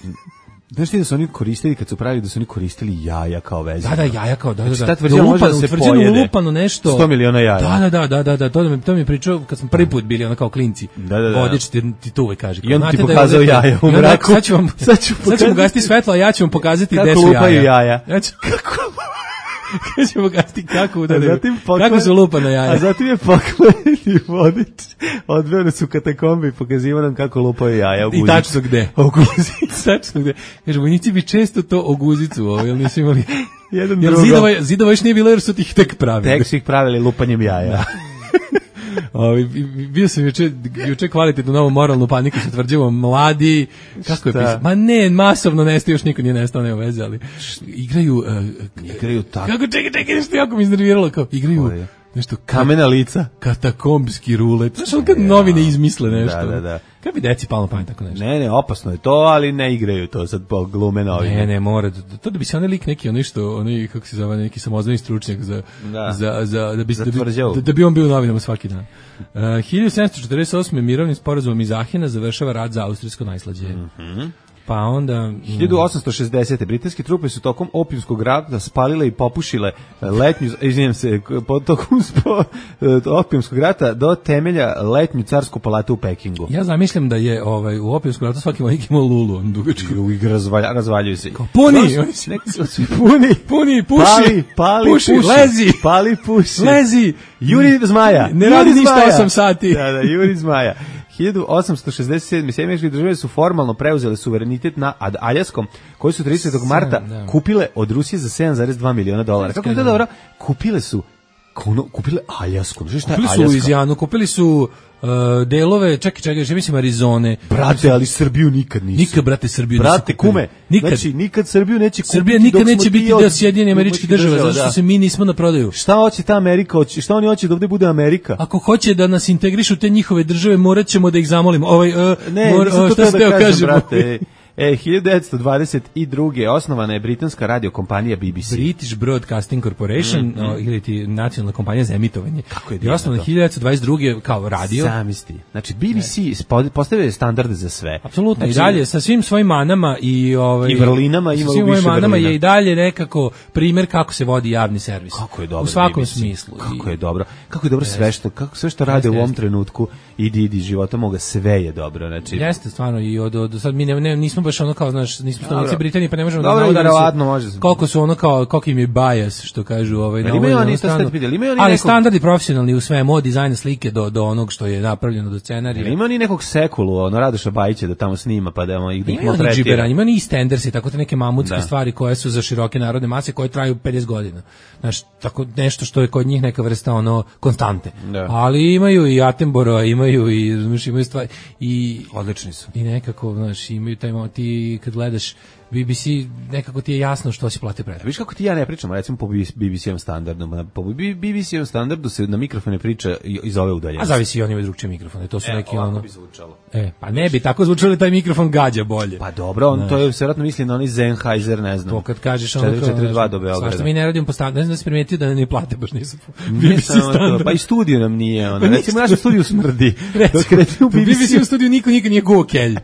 Speaker 6: Znaš ti da su oni koristili, kad su pravili da su oni koristili jaja kao veze?
Speaker 5: Da, da, jaja kao, da, da, da.
Speaker 6: Znači, ta tvrđava može da se pojede.
Speaker 5: Ulupano nešto.
Speaker 6: sto miliona jaja.
Speaker 5: Da, da, da, da, da, to mi, to mi je pričao kad smo prvi put bili ono kao klinci.
Speaker 6: Da, da, da.
Speaker 5: Vodič ti, ti to uvek kaže.
Speaker 6: I on ti pokazao da jaja u mraku.
Speaker 5: Sad ću vam, sad ću sad ću gasiti svetlo, a ja ću vam pokazati gde su jaja.
Speaker 6: Kako lupaju jaja.
Speaker 5: Ja ću, kako Kako ćemo gasti kako udaraju, kako su lupana jaja.
Speaker 6: A zatim je pokleniti vodič, odveo nas u katakombe i pokazivao nam kako lupaju jaja u guzicu.
Speaker 5: I tačno gde? U guzicu. Tačno gde. Kaže, vojnici bi često to o guzicu, ovo, jel nisu imali...
Speaker 6: Jedan
Speaker 5: jer zidova, zidova još nije bilo jer su ih tek pravili.
Speaker 6: Tek su ih pravili lupanjem jaja.
Speaker 5: Da. Ovi, bio sam juče, juče kvalitetnu novu moralnu paniku sa tvrđavom mladi, kako je pisao? Ma ne, masovno nestaje, još niko nije nestao, nema veze, ali igraju... Uh,
Speaker 6: igraju tako.
Speaker 5: Kako, čekaj, čekaj, nešto jako mi iznerviralo, kao igraju... Nešto
Speaker 6: kamena lica,
Speaker 5: katakombski rulet. Znaš, on kad novine izmisle nešto.
Speaker 6: Da, da, da.
Speaker 5: Kad bi deci palo na pamet tako nešto.
Speaker 6: Ne, ne, opasno je to, ali ne igraju to sad po glume novine.
Speaker 5: Ne, ne, mora. To da bi se onaj lik neki, ono što, onaj, kako se zove, neki samozvani stručnjak za,
Speaker 6: da.
Speaker 5: za, za, da bi, da, bi, da, da bi on bio u novinama svaki dan. Uh, hiljadu sedamsto četrdeset osme. mirovnim sporazumom iz Ahena završava rat za austrijsko najslađe.
Speaker 6: Mhm.
Speaker 5: Pa onda...
Speaker 6: hiljadu osamsto šezdesete. britanske trupe su tokom opijumskog rata spalile i popušile letnju, izvinjam se, tokom spo, opijumskog rata do temelja letnju carsku palatu u Pekingu.
Speaker 5: Ja zamišljam da je ovaj, u opijumskom ratu svaki vojnik imao lulu, dugačku.
Speaker 6: I razvalja, razvaljuju se.
Speaker 5: Kao, puni!
Speaker 6: Puni!
Speaker 5: Puni, puši!
Speaker 6: Pali, pali,
Speaker 5: puši,
Speaker 6: puši,
Speaker 5: lezi!
Speaker 6: Pali, puši!
Speaker 5: Lezi!
Speaker 6: Juri zmaja!
Speaker 5: Ne radi ništa osam sati!
Speaker 6: Da, da, Juri zmaja. hiljadu osamsto šezdeset sedme. Sjedinjene države su formalno preuzele suverenitet na Aljaskom, koji su tridesetog marta da. kupile od Rusije za sedam zarez dva miliona dolara. Kako je to dobro? Kupile su kuno, kupile Aljasku.
Speaker 5: Kupili su Luizijanu, kupili su uh, delove, čekaj, čekaj, že mislim Arizone.
Speaker 6: Brate, ali Srbiju nikad nisu.
Speaker 5: Nikad, brate, Srbiju
Speaker 6: brate,
Speaker 5: nisu kupili.
Speaker 6: kume,
Speaker 5: nikad.
Speaker 6: Znači, nikad Srbiju neće kupiti.
Speaker 5: Srbija nikad neće biti deo Sjedinjenih Američkih Država, zato što da. se mi nismo na prodaju.
Speaker 6: Šta hoće ta Amerika? Šta oni hoće da ovde bude Amerika?
Speaker 5: Ako hoće da nas integrišu te njihove države, morat ćemo da ih zamolimo. Ovaj, uh,
Speaker 6: ne,
Speaker 5: mor,
Speaker 6: nisam to
Speaker 5: šta
Speaker 6: da kažem,
Speaker 5: kažem,
Speaker 6: brate. E, hiljadu devetsto dvadeset druge. osnovana je britanska radiokompanija B B C.
Speaker 5: British Broadcasting Corporation, mm -hmm. ili ti nacionalna kompanija za emitovanje.
Speaker 6: Kako je
Speaker 5: I osnovana hiljadu devetsto dvadeset druge kao radio.
Speaker 6: Zamisli. Znači, B B C postavio je standarde za sve.
Speaker 5: Apsolutno,
Speaker 6: znači,
Speaker 5: i dalje sa svim svojim manama i, ovaj,
Speaker 6: i vrlinama ima
Speaker 5: svim
Speaker 6: više
Speaker 5: manama
Speaker 6: vrlina.
Speaker 5: je i dalje nekako primjer kako se vodi javni servis.
Speaker 6: Kako je dobro
Speaker 5: u svakom
Speaker 6: B B C.
Speaker 5: smislu.
Speaker 6: Kako je dobro. Kako je dobro sve što, kako sve što rade u ovom trenutku, idi, idi, života moga, sve je dobro. Znači,
Speaker 5: jeste stvarno i od, od sad mi ne, ne, nismo baš ono kao, znaš, nismo stanovnici Britanije, pa ne možemo
Speaker 6: dobro,
Speaker 5: da znamo
Speaker 6: može.
Speaker 5: koliko su ono kao, koliko im je bias, što kažu ovaj, na
Speaker 6: ovoj
Speaker 5: oni stranu. Ali nekog... standardi profesionalni u svemu, od dizajna slike do, do onog što je napravljeno, do scenarija.
Speaker 6: Ima oni nekog sekulu, ono Radoša Bajića da tamo snima, pa da ih
Speaker 5: ih maltretira. Ima oni standardi, tako te neke mamutske da. stvari koje su za široke narodne mase, koje traju pedeset godina. Znaš, tako nešto što je kod njih neka vrsta ono konstante. Da. Ali imaju i Attenborough, imaju i znaš, imaju stvari i
Speaker 6: odlični su.
Speaker 5: I nekako, znaš, imaju taj moment, ti kad gledaš B B C, nekako ti je jasno što si platio pretplatu.
Speaker 6: Viš kako ti ja ne pričam, recimo po B B C-ovom standardu, po B B C-ovom standardu se na mikrofone priča iz ove udaljenosti.
Speaker 5: A zavisi i oni imaju drugčije mikrofone, to su
Speaker 6: e,
Speaker 5: neki ono...
Speaker 6: bi zvučalo.
Speaker 5: E, pa ne bi tako zvučalo, taj mikrofon gađa bolje.
Speaker 6: Pa dobro, on, to je vjerojatno misli na oni Sennheiser, ne znam.
Speaker 5: To kad kažeš ono...
Speaker 6: četiri četiri dva do Beograda.
Speaker 5: Svašta mi ne radimo po standardu, ne znam da si primetio da ne plate, baš nisu po B B C standardu.
Speaker 6: Pa i studio nam nije, ono. Recimo, naš studiju smrdi.
Speaker 5: U B B C u studiju niko nikad nije guo kelj.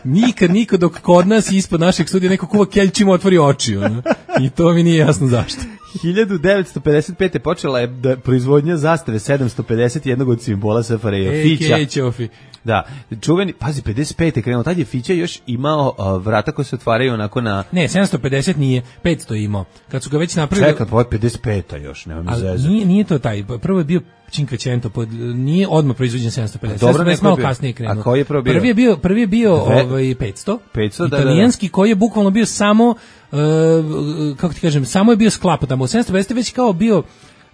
Speaker 5: Nikad, niko, dok kod nas ispod našeg studija neko kuva kelj čim otvori oči. Ono. I to mi nije jasno zašto.
Speaker 6: hiljadu devetsto pedeset pete počela je da proizvodnja zastave sedamsto pedeset jednog od simbola S F R J, Fića.
Speaker 5: Ej, Ćofi.
Speaker 6: Da, čuveni, pazi, pedeset pete krenuo, tad je Fića još imao uh, vrata koje se otvaraju onako na...
Speaker 5: Ne, sedamsto pedeset nije, petsto je imao. Kad su ga već napravili...
Speaker 6: Čekaj, ovo je pedeset peta još, nema mi zezati.
Speaker 5: Nije, nije to taj, prvo je bio Cinquecento, pod, nije odmah proizvođen sedamsto pedeset.
Speaker 6: Dobro,
Speaker 5: neko malo kasnije krenuo.
Speaker 6: A koji je prvo bio?
Speaker 5: Prvi je bio, prvi je bio ovaj, petsto,
Speaker 6: petsto,
Speaker 5: italijanski,
Speaker 6: da, da.
Speaker 5: koji je bukvalno bio samo, uh, kako ti kažem, samo je bio sklap tamo. U sedamsto pedeset već kao bio...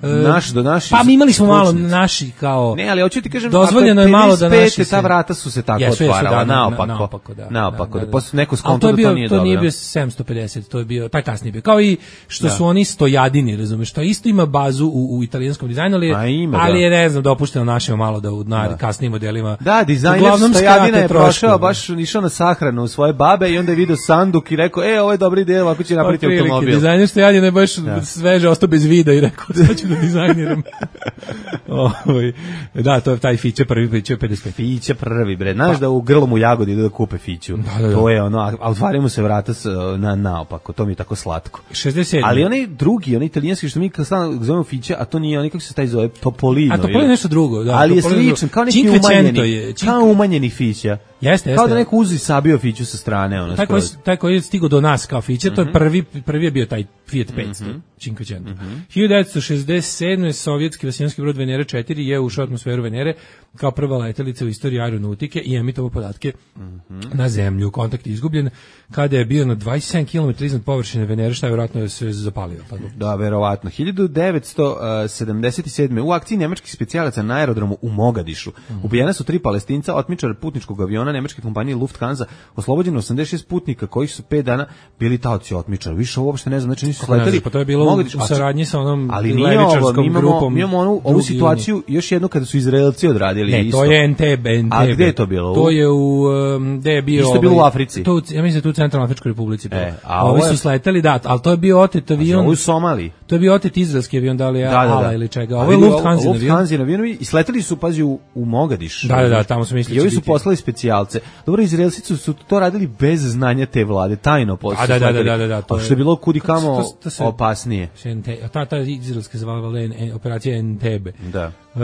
Speaker 6: Naš do naši.
Speaker 5: Pa mi imali smo malo naši kao.
Speaker 6: Ne, ali hoću ti kažem,
Speaker 5: dozvoljeno je malo da naši
Speaker 6: ta vrata su se tako
Speaker 5: jesu,
Speaker 6: otvarala,
Speaker 5: jesu, da,
Speaker 6: naopako.
Speaker 5: Naopako, da.
Speaker 6: Naopako,
Speaker 5: da,
Speaker 6: da, posle neko
Speaker 5: skonto
Speaker 6: da to nije
Speaker 5: to
Speaker 6: dobro.
Speaker 5: To nije bio sedamsto pedeset, to je bio taj kasniji bio. Kao i što da. su oni stojadini, razumeš, to isto ima bazu u, u italijanskom dizajnu, ali,
Speaker 6: ima,
Speaker 5: ali
Speaker 6: da.
Speaker 5: je ne znam dopušteno našima malo da u na kasnijim modelima.
Speaker 6: Da, dizajner stojadina je prošao, baš išao na sahranu u svoje babe i onda je video sanduk i rekao: "E, ovo je dobri ideja, ovako će napraviti automobil."
Speaker 5: Dizajner stojadina je baš sveže, ostao bez vida i rekao: "Sad ću da dizajniram." Oh, da, to je taj Fića prvi, Fića pedeset pet.
Speaker 6: Fića prvi, bre. Znaš pa, da u Grlom u Jagodi idu da kupe Fiću.
Speaker 5: Da, da, da.
Speaker 6: To je ono, a otvaraju mu se vrata na naopako, to mi je tako slatko.
Speaker 5: šezdeset sedam.
Speaker 6: Ali onaj drugi, onaj italijanski što mi kad stalno zovemo Fića, a to nije, onaj kako se taj zove, Topolino.
Speaker 5: A Topolino je nešto drugo, da.
Speaker 6: Ali je sličan, kao neki umanjeni, je, kao umanjeni Fića.
Speaker 5: Jeste, jeste.
Speaker 6: Kao da neko uzi sabio Fiću sa strane. Ono,
Speaker 5: taj, koji, taj koji je stigao do nas kao Fića, mm-hmm. to je prvi, prvi je bio taj Fiat petsto, mm-hmm. Cinquecento. Mm-hmm. hiljadu devetsto šezdeset sedme sovjetski vasijanski brod Venera četiri je ušao u atmosferu Venere kao prva letelica u istoriji aeronautike i emitovao podatke mm-hmm. na zemlju. Kontakt je izgubljen kada je bio na dvadeset sedam kilometara iznad površine Venere, šta je vjerojatno se zapalio.
Speaker 6: Da, verovatno. hiljadu devetsto sedamdeset sedme u akciji nemačkih specijalaca na aerodromu u Mogadišu mm-hmm. ubijena su tri Palestinca, otmičar putničkog aviona nemačke kompanije Lufthansa, oslobođeno osamdeset šest putnika kojih su pet dana bili taoci otmičara. Više uopšte ne znam, znači nisu sleteli.
Speaker 5: Pa to je bilo Mogadiš, u saradnji sa onom
Speaker 6: ali
Speaker 5: levičarskom
Speaker 6: ovo,
Speaker 5: grupom.
Speaker 6: Mi imamo onu, ovu situaciju još jednu kada su Izraelci odradili
Speaker 5: ne,
Speaker 6: isto.
Speaker 5: Ne, to je Entebbe, Entebbe.
Speaker 6: A gde je to bilo?
Speaker 5: To je u, um, gde je bio...
Speaker 6: Isto je bilo u Africi.
Speaker 5: To, ja mislim da tu u Centralnoj Afričkoj Republici.
Speaker 6: E,
Speaker 5: a ovi su sleteli, da, ali to je bio otet avion.
Speaker 6: A u Somaliji.
Speaker 5: To je bio otet izraelski avion, da li je
Speaker 6: da, da,
Speaker 5: Ala
Speaker 6: da.
Speaker 5: ili čega. Ovo je Lufthansa avion.
Speaker 6: Lufthansa avion i sleteli su, pazi, u, u Mogadiš.
Speaker 5: Da, da, da, tamo su mislili.
Speaker 6: I ovi su poslali specijalce. Dobro, Izraelci su, su to radili bez znanja te vlade, tajno posle.
Speaker 5: Da, da, da, da, da, da.
Speaker 6: To što je bilo kudi kamo opasnije.
Speaker 5: Ta, ta izraelska zvala operacija Entebbe.
Speaker 6: Da.
Speaker 5: Uh,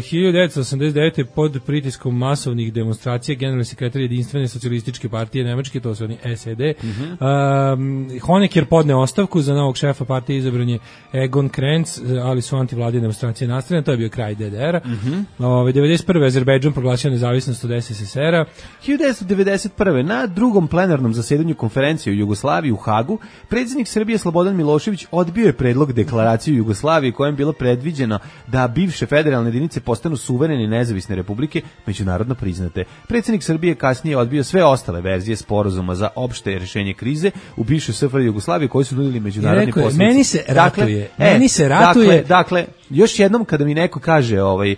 Speaker 5: hiljadu devetsto osamdeset devete pod pritiskom masovnih demonstracija generalni sekretar jedinstvene socijalističke partije Nemačke, to su oni S E D, mm-hmm. uh, Honecker podne ostavku, za novog šefa partije izabran je Egon Krenz, ali su antivladine demonstracije nastavljene, to je bio kraj D D R-a. Mm-hmm. uh, devedeset prve Azerbejdžan proglasio nezavisnost od S S S R-a.
Speaker 6: hiljadu devetsto devedeset prve na drugom plenarnom zasedanju konferencije u Jugoslaviji u Hagu, predsjednik Srbije Slobodan Milošević odbio je predlog deklaracije Jugoslavije kojem bilo predviđeno da bivše federalne jedinice postanu suverene i nezavisne republike, međunarodno priznate. Predsjednik Srbije kasnije odbio sve ostale verzije sporazuma za opšte rješenje krize u bivšoj S F R J Jugoslaviji koji su nudili međunarodni poslanici.
Speaker 5: Meni se ratuje,
Speaker 6: dakle,
Speaker 5: meni se ratuje.
Speaker 6: Dakle, dakle još jednom kada mi neko kaže ovaj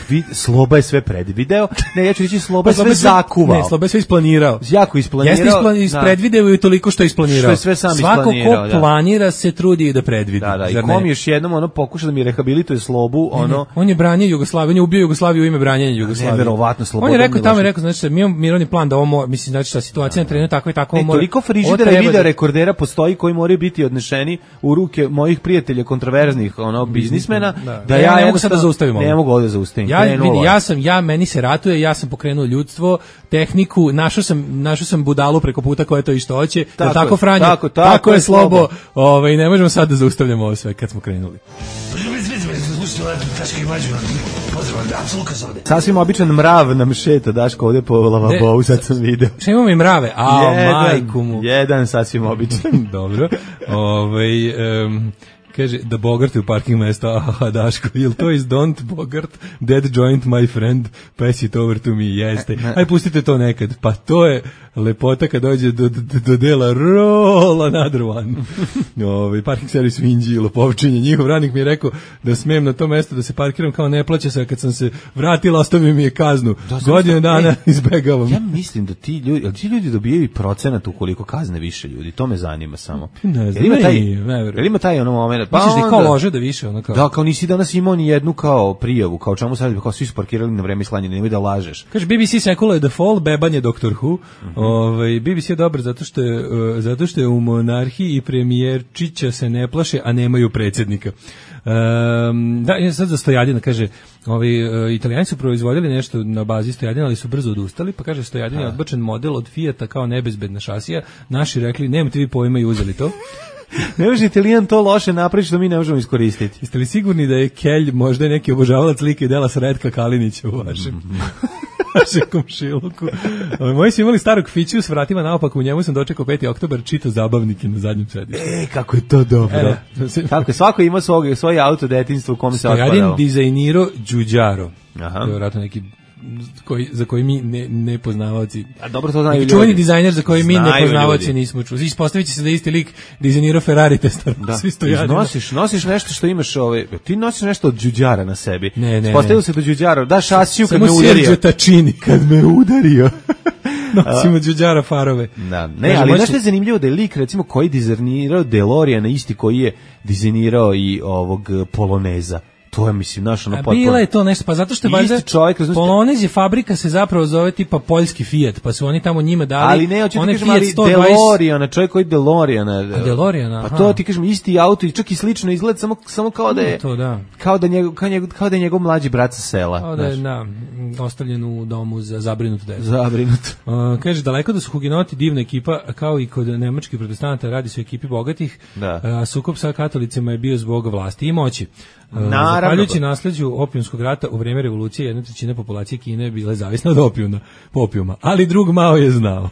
Speaker 6: vid, Sloba je sve predvideo, ne, ja ću reći Sloba je sve zakuvao.
Speaker 5: Ne, Sloba je sve isplanirao.
Speaker 6: Jako isplanirao.
Speaker 5: Jeste isplan, ispredvideo i toliko što je isplanirao.
Speaker 6: Što je sve sam
Speaker 5: Svako
Speaker 6: isplanirao,
Speaker 5: ko
Speaker 6: da.
Speaker 5: planira se trudi da predvidi.
Speaker 6: Da, da, i kom još jednom ono pokuša da mi rehabilituje Slobu, ono...
Speaker 5: Ne, on je branio Jugoslaviju, on je ubio Jugoslaviju u ime branjenja Jugoslavije.
Speaker 6: Neverovatno, Slobodan
Speaker 5: On je rekao tamo,
Speaker 6: Milošević.
Speaker 5: je rekao, znači, mi imamo mirovni plan da ovo, mislim, znači, ta situacija na terenu tako i tako
Speaker 6: Ne,
Speaker 5: mora.
Speaker 6: toliko frižidera i video rekordera postoji koji moraju biti odnešeni u ruke mojih prijatelja kontroverznih ono biznismena da,
Speaker 5: da ja ne mogu sad da zaustavim ovo.
Speaker 6: Ne mogu ovde zaustavim.
Speaker 5: Ja vidi, ja sam ja meni se ratuje, ja sam pokrenuo ljudstvo, tehniku, našao sam našao sam budalu preko puta koja to isto hoće. Tako, je, tako Franjo,
Speaker 6: tako, tako,
Speaker 5: tako je
Speaker 6: Slobo.
Speaker 5: Slobo. Ovaj ne možemo sad da zaustavljamo ovo sve kad smo krenuli.
Speaker 6: Sasvim običan mrav nam šeta, Daško, ovde po lavabou, sad sam video.
Speaker 5: Šta imamo i mrave? A,
Speaker 6: jedan,
Speaker 5: majku mu.
Speaker 6: Jedan sasvim običan.
Speaker 5: Dobro. Ovaj um, kaže, da Bogart je u parking mesta, aha, Daško, jel to is don't Bogart, dead joint my friend, pass it over to me, jeste. Aj, pustite to nekad. Pa to je lepota kad dođe do, do, do dela roll another one. Ovaj parking servis u Inđiji, lopovčinje. Njihov radnik mi je rekao da smem na to mesto da se parkiram kao ne plaća se, kad sam se vratila, ostavio mi je kaznu. Da, Godinu dana e, izbegavam.
Speaker 6: Ja mislim da ti ljudi, ti ljudi dobijaju procenat ukoliko kazne više ljudi, to me zanima samo.
Speaker 5: Ne znam,
Speaker 6: ima taj,
Speaker 5: ne,
Speaker 6: ne ima taj ono moment.
Speaker 5: Pa misliš da kao lože da više ono kao.
Speaker 6: Da, kao nisi danas imao ni jednu kao prijavu, kao čemu sad kao svi su parkirali na vreme slanja, nemoj da lažeš.
Speaker 5: Kaže B B C Secular the Fall, bebanje Doktor Who. Mm-hmm. Ovaj B B C je dobar zato što je uh, zato što je u monarhiji i premijerčića se ne plaše, a nemaju predsjednika. Um, da, je sad za Stojadina, kaže, ovi uh, Italijani su proizvodili nešto na bazi Stojadina, ali su brzo odustali, pa kaže Stojadin je odbačen model od Fijata kao nebezbedna šasija. Naši rekli, nemate vi pojma i uzeli to.
Speaker 6: Ne može Italijan to loše napraviti što mi ne možemo iskoristiti.
Speaker 5: Jeste li sigurni da je Kelj možda neki obožavalac slike i dela Sretka Kalinića u vašem, vašem komšiluku? Moji su imali starog fiću s vratima naopako, u njemu sam dočekao peti oktobar, čito zabavnike na zadnjem sedištu.
Speaker 6: E, kako je to dobro. E, kako je, svako ima svog, svoj auto detinjstvo u kome se otpadao.
Speaker 5: Stojadin dizajnirao Đuđaro.
Speaker 6: Aha.
Speaker 5: To je vratno neki koji, za koji mi ne, ne poznavaoci.
Speaker 6: A dobro to znaju ljudi.
Speaker 5: Čuveni dizajner za koji mi ne poznavaoci
Speaker 6: ljudi.
Speaker 5: Nismo čuli. Ispostavit će se da isti lik dizajnirao Ferrari Testar.
Speaker 6: Da.
Speaker 5: Svi Stojadina.
Speaker 6: Nosiš, nosiš nešto što imaš, ovaj, ti nosiš nešto od Đuđara na sebi.
Speaker 5: Ne, ne.
Speaker 6: Ispostavilo se do Đuđara. Da šasiju kad
Speaker 5: Samo
Speaker 6: me udario.
Speaker 5: Sergio Tacchini.
Speaker 6: Kad me udario.
Speaker 5: Nosimo Đuđara farove.
Speaker 6: Da. Ne, ali znaš što je zanimljivo da je lik, recimo, koji dizajnirao DeLoreana, isti koji je dizajnirao i ovog Poloneza. To je, mislim, naš ono potpuno.
Speaker 5: Bila je to nešto, pa zato što je valjda Polonez je fabrika se zapravo zove tipa poljski Fiat, pa su oni tamo njima dali.
Speaker 6: Ali ne, hoću ti kažem, ali
Speaker 5: sto dvadeset
Speaker 6: DeLoreana, čovjek koji DeLoreana.
Speaker 5: DeLoreana,
Speaker 6: pa to ti kažem, isti auto i čak i slično izgleda, samo, samo kao da je,
Speaker 5: to, da.
Speaker 6: Kao, da njegov, kao, njegov, kao da je njegov mlađi brat sa sela.
Speaker 5: Kao da je, da, ostavljen u domu za zabrinutu decu.
Speaker 6: Zabrinutu.
Speaker 5: Uh, kaže, daleko da su hugenoti divna ekipa, kao i kod nemačkih protestanata, radi se o ekipi bogatih,
Speaker 6: da.
Speaker 5: A sukob sa katolicima je bio zbog vlasti i moći.
Speaker 6: Naravno.
Speaker 5: Zahvaljujući nasleđu opijumskog rata u vrijeme revolucije, jedna trećina populacije Kine je bila zavisna od opijuma, popijuma, ali drug Mao je znao.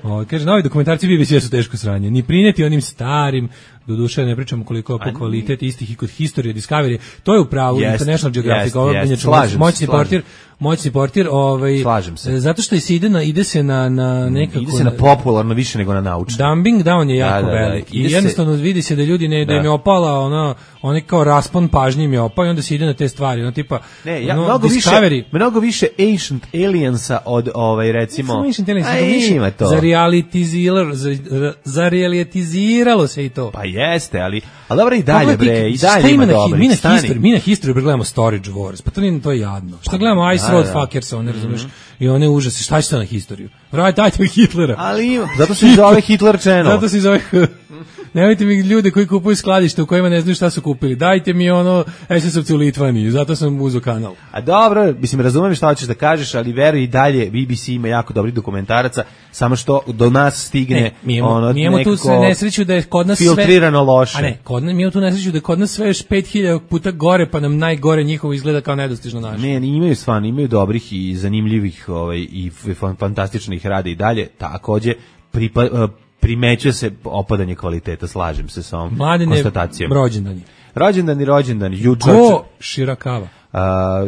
Speaker 5: o, kaže, novi dokumentarci B B C su teško sranje. Ni prineti onim starim, doduše ne pričamo koliko po kvalitet istih i kod History Discovery, to je u pravu yes, International Geographic,
Speaker 6: yes, yes,
Speaker 5: yes, moćni portir, moćni portir, ovaj,
Speaker 6: slažem se.
Speaker 5: Zato što se ide na, ide se na, na nekako...
Speaker 6: Ide se na popularno više nego na naučno.
Speaker 5: Dumbing down je jako
Speaker 6: da, da, da.
Speaker 5: velik. I jednostavno se, vidi se da ljudi ne, da, da im je opala, ono, oni kao raspon pažnje im je opao i onda se ide na te stvari, ono tipa,
Speaker 6: ne, ja,
Speaker 5: ono,
Speaker 6: mnogo
Speaker 5: Discovery.
Speaker 6: Više, mnogo više Ancient Aliensa od, ovaj, recimo...
Speaker 5: Samo Ancient Aliensa,
Speaker 6: a,
Speaker 5: više
Speaker 6: ima to.
Speaker 5: Za realitiziralo, za, za realitiziralo se i to.
Speaker 6: Pa jeste, ali, ali dobro i dalje, bre, i dalje ima dobro.
Speaker 5: Mi na History, mi na History gledamo Storage Wars, pa to nije, to je jadno. Šta gledamo Ice Road Fuckers, one, razumiješ, i one užase, šta će to na Historiju? Vraj, dajte mi Hitlera.
Speaker 6: Ali ima, zato se zove Hitler Channel.
Speaker 5: Zato se zove... Nemojte mi ljude koji kupuju skladište u kojima ne znaju šta su kupili. Dajte mi ono es es ovce u Litvaniji, zato sam uzeo kanal.
Speaker 6: A dobro, mislim, razumijem šta hoćeš da kažeš, ali veruj i dalje, B B C ima jako dobri dokumentaraca, samo što do nas stigne
Speaker 5: ne, mi imamo,
Speaker 6: ono
Speaker 5: mi imamo tu nesreću da je kod nas
Speaker 6: filtrirano
Speaker 5: sve,
Speaker 6: loše.
Speaker 5: A ne, kod nas, mi imamo tu nesreću da je kod nas sve još pet hiljada puta gore, pa nam najgore njihovo izgleda kao nedostižno naše.
Speaker 6: Ne, imaju stvarno, imaju dobrih i zanimljivih ovaj, i fantastičnih rada i dalje, takođe pripa, primećuje se opadanje kvaliteta, slažem se sa ovom
Speaker 5: Mladine,
Speaker 6: konstatacijom.
Speaker 5: Rođendani.
Speaker 6: Rođendani, rođendani, jučer.
Speaker 5: Go Shirakava.
Speaker 6: Uh,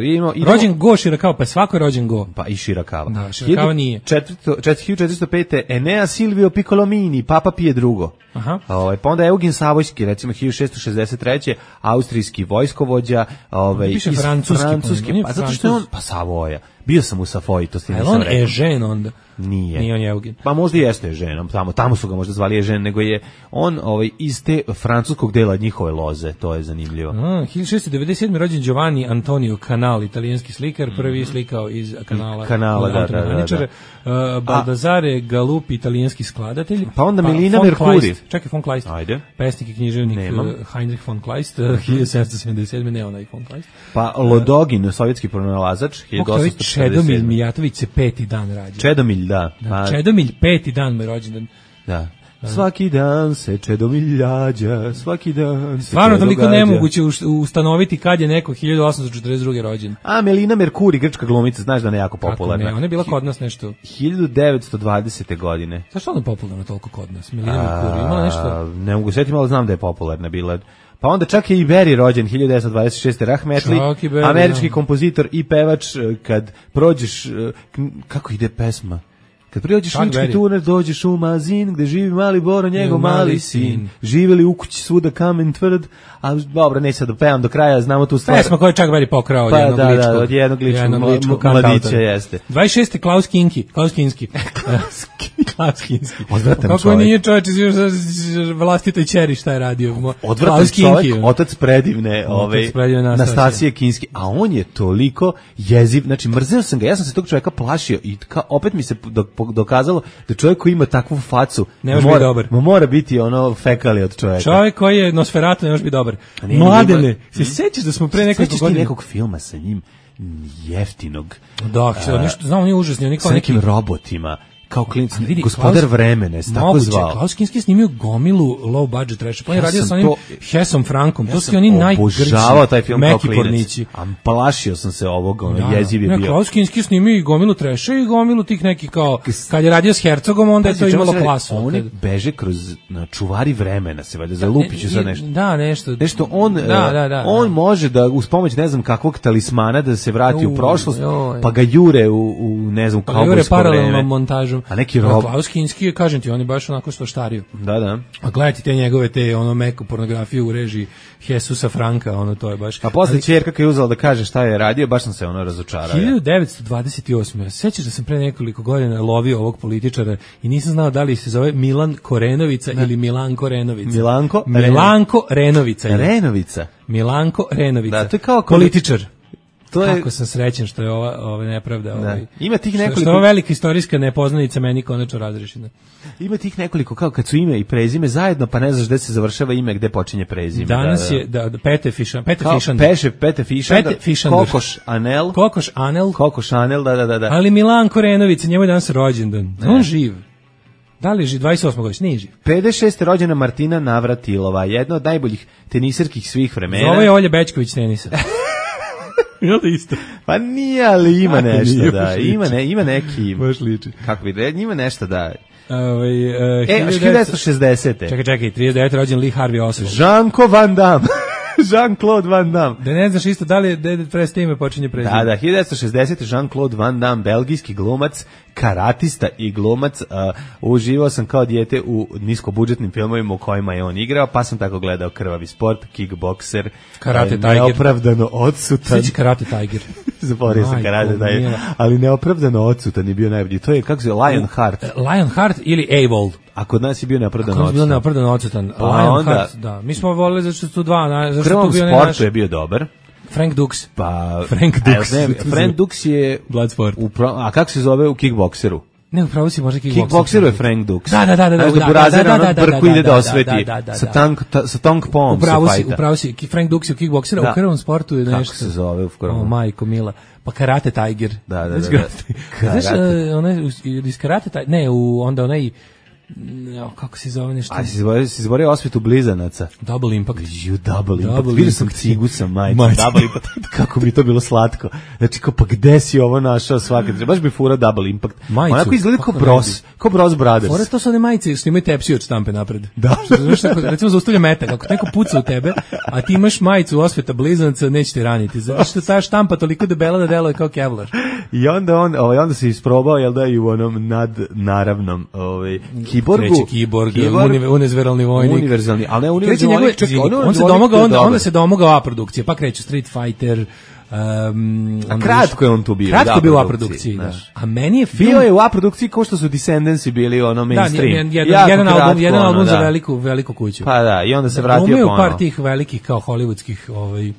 Speaker 6: idemo, idemo.
Speaker 5: Rođen Go Širakava, pa svako je rođen Go.
Speaker 6: Pa i Širakava.
Speaker 5: Da, Širakava nije.
Speaker 6: hiljadu četiristo pet. Enea Silvio Piccolomini, Papa Pije drugo.
Speaker 5: Aha.
Speaker 6: Ovaj, pa onda Eugen Savojski, recimo hiljadu šessto šezdeset treće. Austrijski vojskovođa. Ovaj,
Speaker 5: piše
Speaker 6: iz
Speaker 5: francuski.
Speaker 6: francuski pa zato što je on, pa Savoja. Bio sam u Savoji, to ste nisam
Speaker 5: on
Speaker 6: rekao.
Speaker 5: je žen onda?
Speaker 6: Nije.
Speaker 5: Nije on je Eugen.
Speaker 6: Pa možda i jeste ženom, tamo, tamo su ga možda zvali je žen, nego je on ovaj, iz te francuskog dela njihove loze, to je zanimljivo.
Speaker 5: A, hiljadu šessto devedeset sedme. rođen Giovanni Antonio Canal, italijanski slikar, prvi je slikao iz kanala.
Speaker 6: Kanala, da, da, da, da.
Speaker 5: Uh, Baldassare Galuppi, italijanski skladatelj.
Speaker 6: Pa onda Melina
Speaker 5: von
Speaker 6: Mercuri.
Speaker 5: Kleist, čekaj, von Kleist.
Speaker 6: Ajde.
Speaker 5: Pesnik i književnik
Speaker 6: Nemam.
Speaker 5: uh, Heinrich von Kleist, uh, hiljadu sedamsto sedamdeset sedme. ne onaj von Kleist.
Speaker 6: Pa Lodogin, sovjetski pronalazač, hiljadu osamsto šezdeset sedme.
Speaker 5: Čedomilj Mijatović se peti dan rađa.
Speaker 6: Čedomilj, da.
Speaker 5: Da,
Speaker 6: Pa,
Speaker 5: Čedomilj, peti dan mu je rođendan.
Speaker 6: da. Svaki dan se Čedomilj rađa, svaki dan se
Speaker 5: Stvarno
Speaker 6: Čedo
Speaker 5: toliko
Speaker 6: gađa.
Speaker 5: nemoguće ustanoviti kad je neko hiljadu osamsto četrdeset druge. rođen.
Speaker 6: A Melina Mercuri, grčka glumica, znaš da ne jako
Speaker 5: Kako
Speaker 6: popularna.
Speaker 5: ne, ona je bila kod nas nešto.
Speaker 6: hiljadu devetsto dvadesete. godine.
Speaker 5: Zašto ona je popularna toliko kod nas? Melina Mercuri, imala nešto?
Speaker 6: A, ne mogu setiti, ali znam da je popularna bila. Pa onda čak je i Berry rođen hiljadu devetsto dvadeset šeste. Rahmetli,
Speaker 5: Čak i Berry,
Speaker 6: američki
Speaker 5: da.
Speaker 6: kompozitor i pevač. Kad prođeš, kako ide pesma? Kad prođeš
Speaker 5: Chuck
Speaker 6: lički
Speaker 5: Berry.
Speaker 6: tunel, dođeš u Mazin, gde živi mali Boro, njegov
Speaker 5: Njegov
Speaker 6: mali
Speaker 5: mali
Speaker 6: sin.
Speaker 5: sin.
Speaker 6: Živeli u kući svuda kamen tvrd, a dobro, neće sad da pevam do kraja, znamo tu stvar.
Speaker 5: Pesma koju je Chuck Berry pokrao od
Speaker 6: Pa
Speaker 5: jednog
Speaker 6: da, da,
Speaker 5: ličkog.
Speaker 6: od jednog ličkog
Speaker 5: jednog
Speaker 6: mla-
Speaker 5: ličkog
Speaker 6: mladića,
Speaker 5: kantautora.
Speaker 6: jeste.
Speaker 5: dvadeset šeste. Klaus Kinski. Klaus Kinski. Klaus Kinski.
Speaker 6: Odvratan
Speaker 5: Kako
Speaker 6: čovjek.
Speaker 5: nije čovječ iz vlastitoj ćeri šta je radio?
Speaker 6: Odvratan
Speaker 5: Klaus
Speaker 6: čovjek,
Speaker 5: Kinski.
Speaker 6: otac predivne, ove,
Speaker 5: predivne Nastasije.
Speaker 6: Nastasije Kinski, a on je toliko jeziv, znači mrzeo sam ga, ja sam se tog čovjeka plašio i ka, opet mi se dok- dokazalo da čovjek koji ima takvu facu
Speaker 5: Ne može
Speaker 6: mora,
Speaker 5: biti dobar.
Speaker 6: ma mora biti ono fekali od čovjeka.
Speaker 5: Čovjek koji je Nosferatu ne može biti dobar.
Speaker 6: ne,
Speaker 5: Mladene,
Speaker 6: ima-
Speaker 5: se sećaš da smo pre nekoliko
Speaker 6: Sećaš ti
Speaker 5: godina...
Speaker 6: nekog filma sa njim jeftinog,
Speaker 5: Da, što, nešto, znam, on je užasni, on je kao
Speaker 6: sa
Speaker 5: neki...
Speaker 6: nekim robotima, kao klinac,
Speaker 5: Ali vidi,
Speaker 6: gospodar
Speaker 5: Klaus-
Speaker 6: vremena, je se tako
Speaker 5: Moguće,
Speaker 6: zvao.
Speaker 5: Klaus Kinski je snimio gomilu low budget trash. Pa on je
Speaker 6: Ja
Speaker 5: radio
Speaker 6: sam
Speaker 5: sa onim
Speaker 6: to-
Speaker 5: Hesom Frankom.
Speaker 6: Ja
Speaker 5: To su
Speaker 6: sam
Speaker 5: oni najgrđi,
Speaker 6: obožavao taj film kao
Speaker 5: meki
Speaker 6: klinac.
Speaker 5: pornići.
Speaker 6: A plašio sam se ovog, ono,
Speaker 5: Da,
Speaker 6: jeziv je
Speaker 5: ne,
Speaker 6: bio.
Speaker 5: Klaus Kinski je snimio i gomilu treša i gomilu tih nekih kao, kad je radio s Hercogom, onda je to
Speaker 6: Pazi, čemu
Speaker 5: imalo
Speaker 6: se radi?
Speaker 5: klasu.
Speaker 6: Oni
Speaker 5: Kad-
Speaker 6: beže kroz na čuvari vremena, se valjda zalupiću sad nešto.
Speaker 5: Da, nešto.
Speaker 6: Nešto on,
Speaker 5: Da,
Speaker 6: eh,
Speaker 5: da, da,
Speaker 6: on
Speaker 5: da.
Speaker 6: može da uz pomoć ne znam kakvog talismana da se vrati u
Speaker 5: Uj,
Speaker 6: prošlost,
Speaker 5: joj.
Speaker 6: pa ga jure u, u ne znam,
Speaker 5: Pa jure
Speaker 6: kaubojsko
Speaker 5: paralelnom
Speaker 6: vreme.
Speaker 5: montažom.
Speaker 6: A neki
Speaker 5: A
Speaker 6: rob.
Speaker 5: Klaus Kinski je, kažem ti, on je baš onako stoštario.
Speaker 6: Da, da.
Speaker 5: A gledajte te njegove, te ono meku pornografiju u režiji Jesusa Franka, ono to je baš...
Speaker 6: A posle ćerka kad je uzela da kaže šta je radio, baš sam se ono razočarao. ja.
Speaker 5: hiljadu devetsto dvadeset osme. Sećaš da sam pre nekoliko godina lovio ovog političara i nisam znao da li se zove Milan Korenovica ili Milanko Renovica.
Speaker 6: Milanko
Speaker 5: Milanko Renovica. je.
Speaker 6: Renovica.
Speaker 5: Milanko Renovica.
Speaker 6: Da, to je kao kod-
Speaker 5: političar.
Speaker 6: To je
Speaker 5: Kako sam srećen što je ova, ova nepravda. Ovaj,
Speaker 6: Ima tih
Speaker 5: što-
Speaker 6: nekoliko-
Speaker 5: Što je ova velika istorijska nepoznanica meni konačno razrešena.
Speaker 6: Ima tih nekoliko kao kad su ime i prezime zajedno, pa ne znaš gde se završava ime, gde počinje prezime.
Speaker 5: Danas
Speaker 6: da, da.
Speaker 5: je da, da, Pete Fišan, Pete
Speaker 6: kao
Speaker 5: Fišan.
Speaker 6: Peše, Pete Fišandar,
Speaker 5: Pete Fišandar.
Speaker 6: Kokoš Anel,
Speaker 5: Kokoš Anel,
Speaker 6: Kokoš Anel, da, da, da. da.
Speaker 5: ali Milanko Renovica, njemu je danas rođendan. On živ. Da li je živ? dvadeset osme godišnje? Nije živ.
Speaker 6: pedeset šeste rođena Martina Navratilova, jedna od najboljih teniserskih svih vremena.
Speaker 5: Zove je Olja Bećković tenisa. Jel da isto?
Speaker 6: Pa nije, ali ima
Speaker 5: Kako
Speaker 6: nešto,
Speaker 5: nije,
Speaker 6: da.
Speaker 5: baš liči.
Speaker 6: Ima, ne, ima neki...
Speaker 5: Baš liči.
Speaker 6: Kako bi rekao, ima nešto, da.
Speaker 5: Ovaj, uh,
Speaker 6: E, hiljadu devetsto šezdesete.
Speaker 5: Čekaj, čekaj, trideset devete rođen Lee Harvey Oswald.
Speaker 6: Jean-Claude Van Damme. Jean-Claude Van Damme.
Speaker 5: Da ne znaš isto da li je Dead Press ime počinje prezime.
Speaker 6: Da, da, hiljadu devetsto šezdesete. Jean-Claude Van Damme, belgijski glumac, karatista i glumac. Uh, uživao sam kao dijete u niskobudžetnim filmovima u kojima je on igrao, pa sam tako gledao Krvavi sport, Kickbokser,
Speaker 5: Karate
Speaker 6: uh,
Speaker 5: Tiger.
Speaker 6: neopravdano odsutan.
Speaker 5: Sveći Karate Tiger.
Speaker 6: Zaboravio sam
Speaker 5: Majko
Speaker 6: Karate Tiger,
Speaker 5: mila.
Speaker 6: ali neopravdano odsutan je bio najbolji. To je, kako se zove, Lionheart.
Speaker 5: Lionheart ili Avold.
Speaker 6: A kod nas je bio neopravdano
Speaker 5: Kako je bio
Speaker 6: odsutan.
Speaker 5: neopravdano odsutan?
Speaker 6: Pa
Speaker 5: Lionheart,
Speaker 6: onda-
Speaker 5: da. Mi smo voleli zato što su tu dva, na-
Speaker 6: U
Speaker 5: zato što
Speaker 6: Krvavom
Speaker 5: tu bio ne
Speaker 6: sportu
Speaker 5: naš
Speaker 6: je bio dobar.
Speaker 5: Frank Dux.
Speaker 6: Pa,
Speaker 5: Frank
Speaker 6: a,
Speaker 5: Dux.
Speaker 6: Ne, Frank Dux je...
Speaker 5: Bloodsport.
Speaker 6: U, pro- a kako se zove u kickbokseru?
Speaker 5: Ne, upravo si možda kickboxer.
Speaker 6: Kickbokseru je Frank Dux.
Speaker 5: Da, da, da, da, da,
Speaker 6: Znaš
Speaker 5: da,
Speaker 6: Burazer
Speaker 5: da, da,
Speaker 6: ono
Speaker 5: da, da,
Speaker 6: brku
Speaker 5: da,
Speaker 6: ide
Speaker 5: da,
Speaker 6: da
Speaker 5: da,
Speaker 6: osveti.
Speaker 5: da, da, da.
Speaker 6: Sa Tong, ta, sa Tong Pom se
Speaker 5: Upravo si,
Speaker 6: fajta.
Speaker 5: upravo si. Ki- Frank Dux je u kickboksera,
Speaker 6: Da.
Speaker 5: u krvavom sportu je
Speaker 6: Kako
Speaker 5: nešto.
Speaker 6: se zove u krvavom?
Speaker 5: O, majko mila. Pa Karate Tiger.
Speaker 6: Da, da, da,
Speaker 5: Znaš
Speaker 6: da.
Speaker 5: Karate- Znaš,
Speaker 6: Karate.
Speaker 5: uh, onaj, iz Karate Tiger, ne, u, onda onaj No, kako se zove nešto?
Speaker 6: A si izborio, si izborio osvetu blizanaca.
Speaker 5: Double Impact.
Speaker 6: You double Impact.
Speaker 5: Double
Speaker 6: Vidio sam
Speaker 5: Impact.
Speaker 6: cigu sa majicom. Double Impact. Kako mi to bilo slatko. Znači, kao, pa gde si ovo našao svaka? Baš bi fura Double Impact.
Speaker 5: Majicu.
Speaker 6: Onako izgleda kao
Speaker 5: Kako
Speaker 6: Bros. Kao Bros Brothers.
Speaker 5: Fore, to su one majice što imaju tepsiju od štampe napred.
Speaker 6: Da.
Speaker 5: Što znaš tako, recimo zaustavlja metak, ako neko puca u tebe, a ti imaš majicu osveta blizanaca, neće te raniti. Zato što ta štampa toliko debela da deluje kao Kevlar.
Speaker 6: I onda on, ovaj onda se isprobao, jel da, i u onom nadnaravnom, ovaj kiborgu.
Speaker 5: Treći kiborg, univ, univerzalni vojnik.
Speaker 6: Univerzalni, ali ne univerzalni
Speaker 5: njegove,
Speaker 6: vojnik. Čekaj,
Speaker 5: on, on, se domogao, onda, onda se domogao A produkcije, pa kreće Street Fighter. Um,
Speaker 6: a kratko je on tu bio.
Speaker 5: Kratko je bio u A produkciji, da. A meni je film...
Speaker 6: Bio je u A produkciji kao što su Descendants bili ono mainstream.
Speaker 5: Da, jedan, jedan album, jedan album ono, za da. veliku, veliku kuću.
Speaker 6: Pa da, i onda se vratio
Speaker 5: ponovo.
Speaker 6: ponovo.
Speaker 5: Umeo par tih velikih kao hollywoodskih ovaj,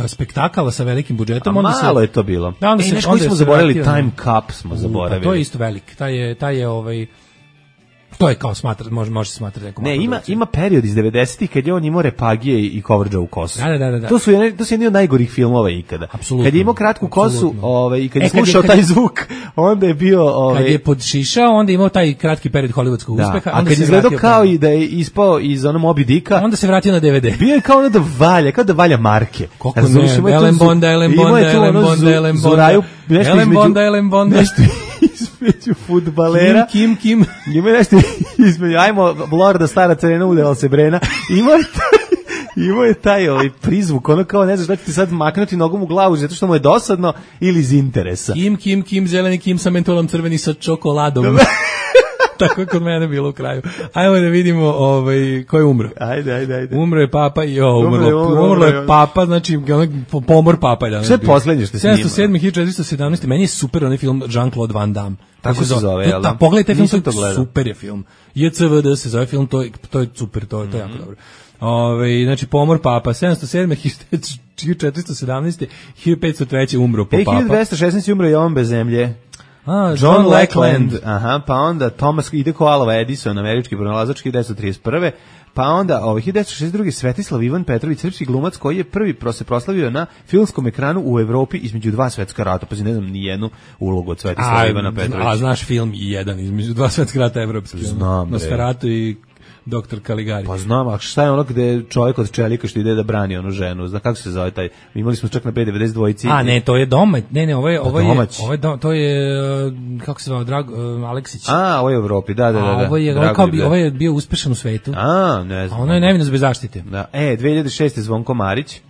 Speaker 5: spektakala sa velikim budžetom.
Speaker 6: A
Speaker 5: onda
Speaker 6: malo
Speaker 5: se,
Speaker 6: je to bilo.
Speaker 5: Da, onda
Speaker 6: e,
Speaker 5: se,
Speaker 6: nešto koji smo zaboravili, Time Cup smo zaboravili.
Speaker 5: Pa to je isto velik. Taj je, taj je ovaj... To je kao smatra, može može se smatrati nekom.
Speaker 6: Ne, ima ima period iz devedesetih kad je on imao repagije i coverage u kosu.
Speaker 5: Da, da, da, da.
Speaker 6: To su jedni, to su jedni od najgorih filmova ikada.
Speaker 5: Apsolutno.
Speaker 6: Kad je imao kratku kosu,
Speaker 5: Apsolutno.
Speaker 6: ovaj i kad je
Speaker 5: e,
Speaker 6: slušao
Speaker 5: kad
Speaker 6: taj zvuk, onda je bio ovaj
Speaker 5: kad je podšišao, onda je imao taj kratki period hollywoodskog
Speaker 6: da,
Speaker 5: uspeha,
Speaker 6: a kad je izgledao kao i da je ispao iz onog Moby Dicka,
Speaker 5: onda se vratio na D V D.
Speaker 6: Bio je kao ono da valja, kao da valja marke.
Speaker 5: Kako ne, Ellen Bonda, Ellen Bonda, Ellen Bonda, Ellen Bonda, Ellen Bonda, Ellen Bonda,
Speaker 6: nešto između fudbalera.
Speaker 5: Kim, Kim,
Speaker 6: Kim. Ima nešto između, ajmo, Lorda stara crena udela se Brena. Ima je taj, ima je taj ovaj prizvuk, ono kao ne znaš da će ti sad maknuti nogom u glavu zato što mu je dosadno ili iz interesa.
Speaker 5: Kim, Kim, Kim, zeleni Kim sa mentolom, crveni sa čokoladom. Tako je kod mene bilo u kraju. Ajmo da vidimo ovaj, ko je umro.
Speaker 6: Ajde, ajde, ajde.
Speaker 5: Umro je papa i jo, umrlo, umro, umro, umrlo je papa, znači pomor papa je danas.
Speaker 6: Sve je poslednje što se snima.
Speaker 5: sedamsto sedam hiljada četiristo sedamnaest. Meni je super onaj film Jean-Claude Van Damme.
Speaker 6: Tako se zove, jel da?
Speaker 5: Pogledajte film, to super je film. J C V D se zove film, to je, to je super, to je, to je jako dobro. Ove, znači pomor papa sedamsto sedam hiljada četiristo sedamnaest. hiljadu petsto tri. umro po papa.
Speaker 6: hiljadu dvesta šesnaest. umro Jovan bez zemlje.
Speaker 5: A,
Speaker 6: John, John Lackland. Aha, pa onda Thomas ide ko Alva Edison, američki pronalazač hiljadu devetsto trideset prve. Pa onda ovaj hiljadu devetsto šezdeset druge. Svetislav Ivan Petrović, srpski glumac koji je prvi se proslavio na filmskom ekranu u Evropi između dva svetska rata. Pa ne znam ni jednu ulogu od Svetislava a, Ivana Petrovića.
Speaker 5: A znaš film i jedan između dva svetska rata evropski.
Speaker 6: Znam.
Speaker 5: Nosferatu i doktor Caligari.
Speaker 6: Pa znam, a šta je ono gde čovjek od čelika što ide da brani onu ženu? Zna kako se zove taj? Imali smo čak na B devedeset dva.
Speaker 5: A ne, to je domać. Ne, ne, ovo je ovo je
Speaker 6: domać.
Speaker 5: ovo je do, to je kako se zove Drag uh, Aleksić.
Speaker 6: A, ovo je u Evropi, da, da, da.
Speaker 5: A ovo je ovo kao bi, ovo je bio uspešan u svetu.
Speaker 6: A, ne znam.
Speaker 5: A ono je nevinost bez zaštite.
Speaker 6: Da. E, dve hiljade šeste. Zvonko Marić.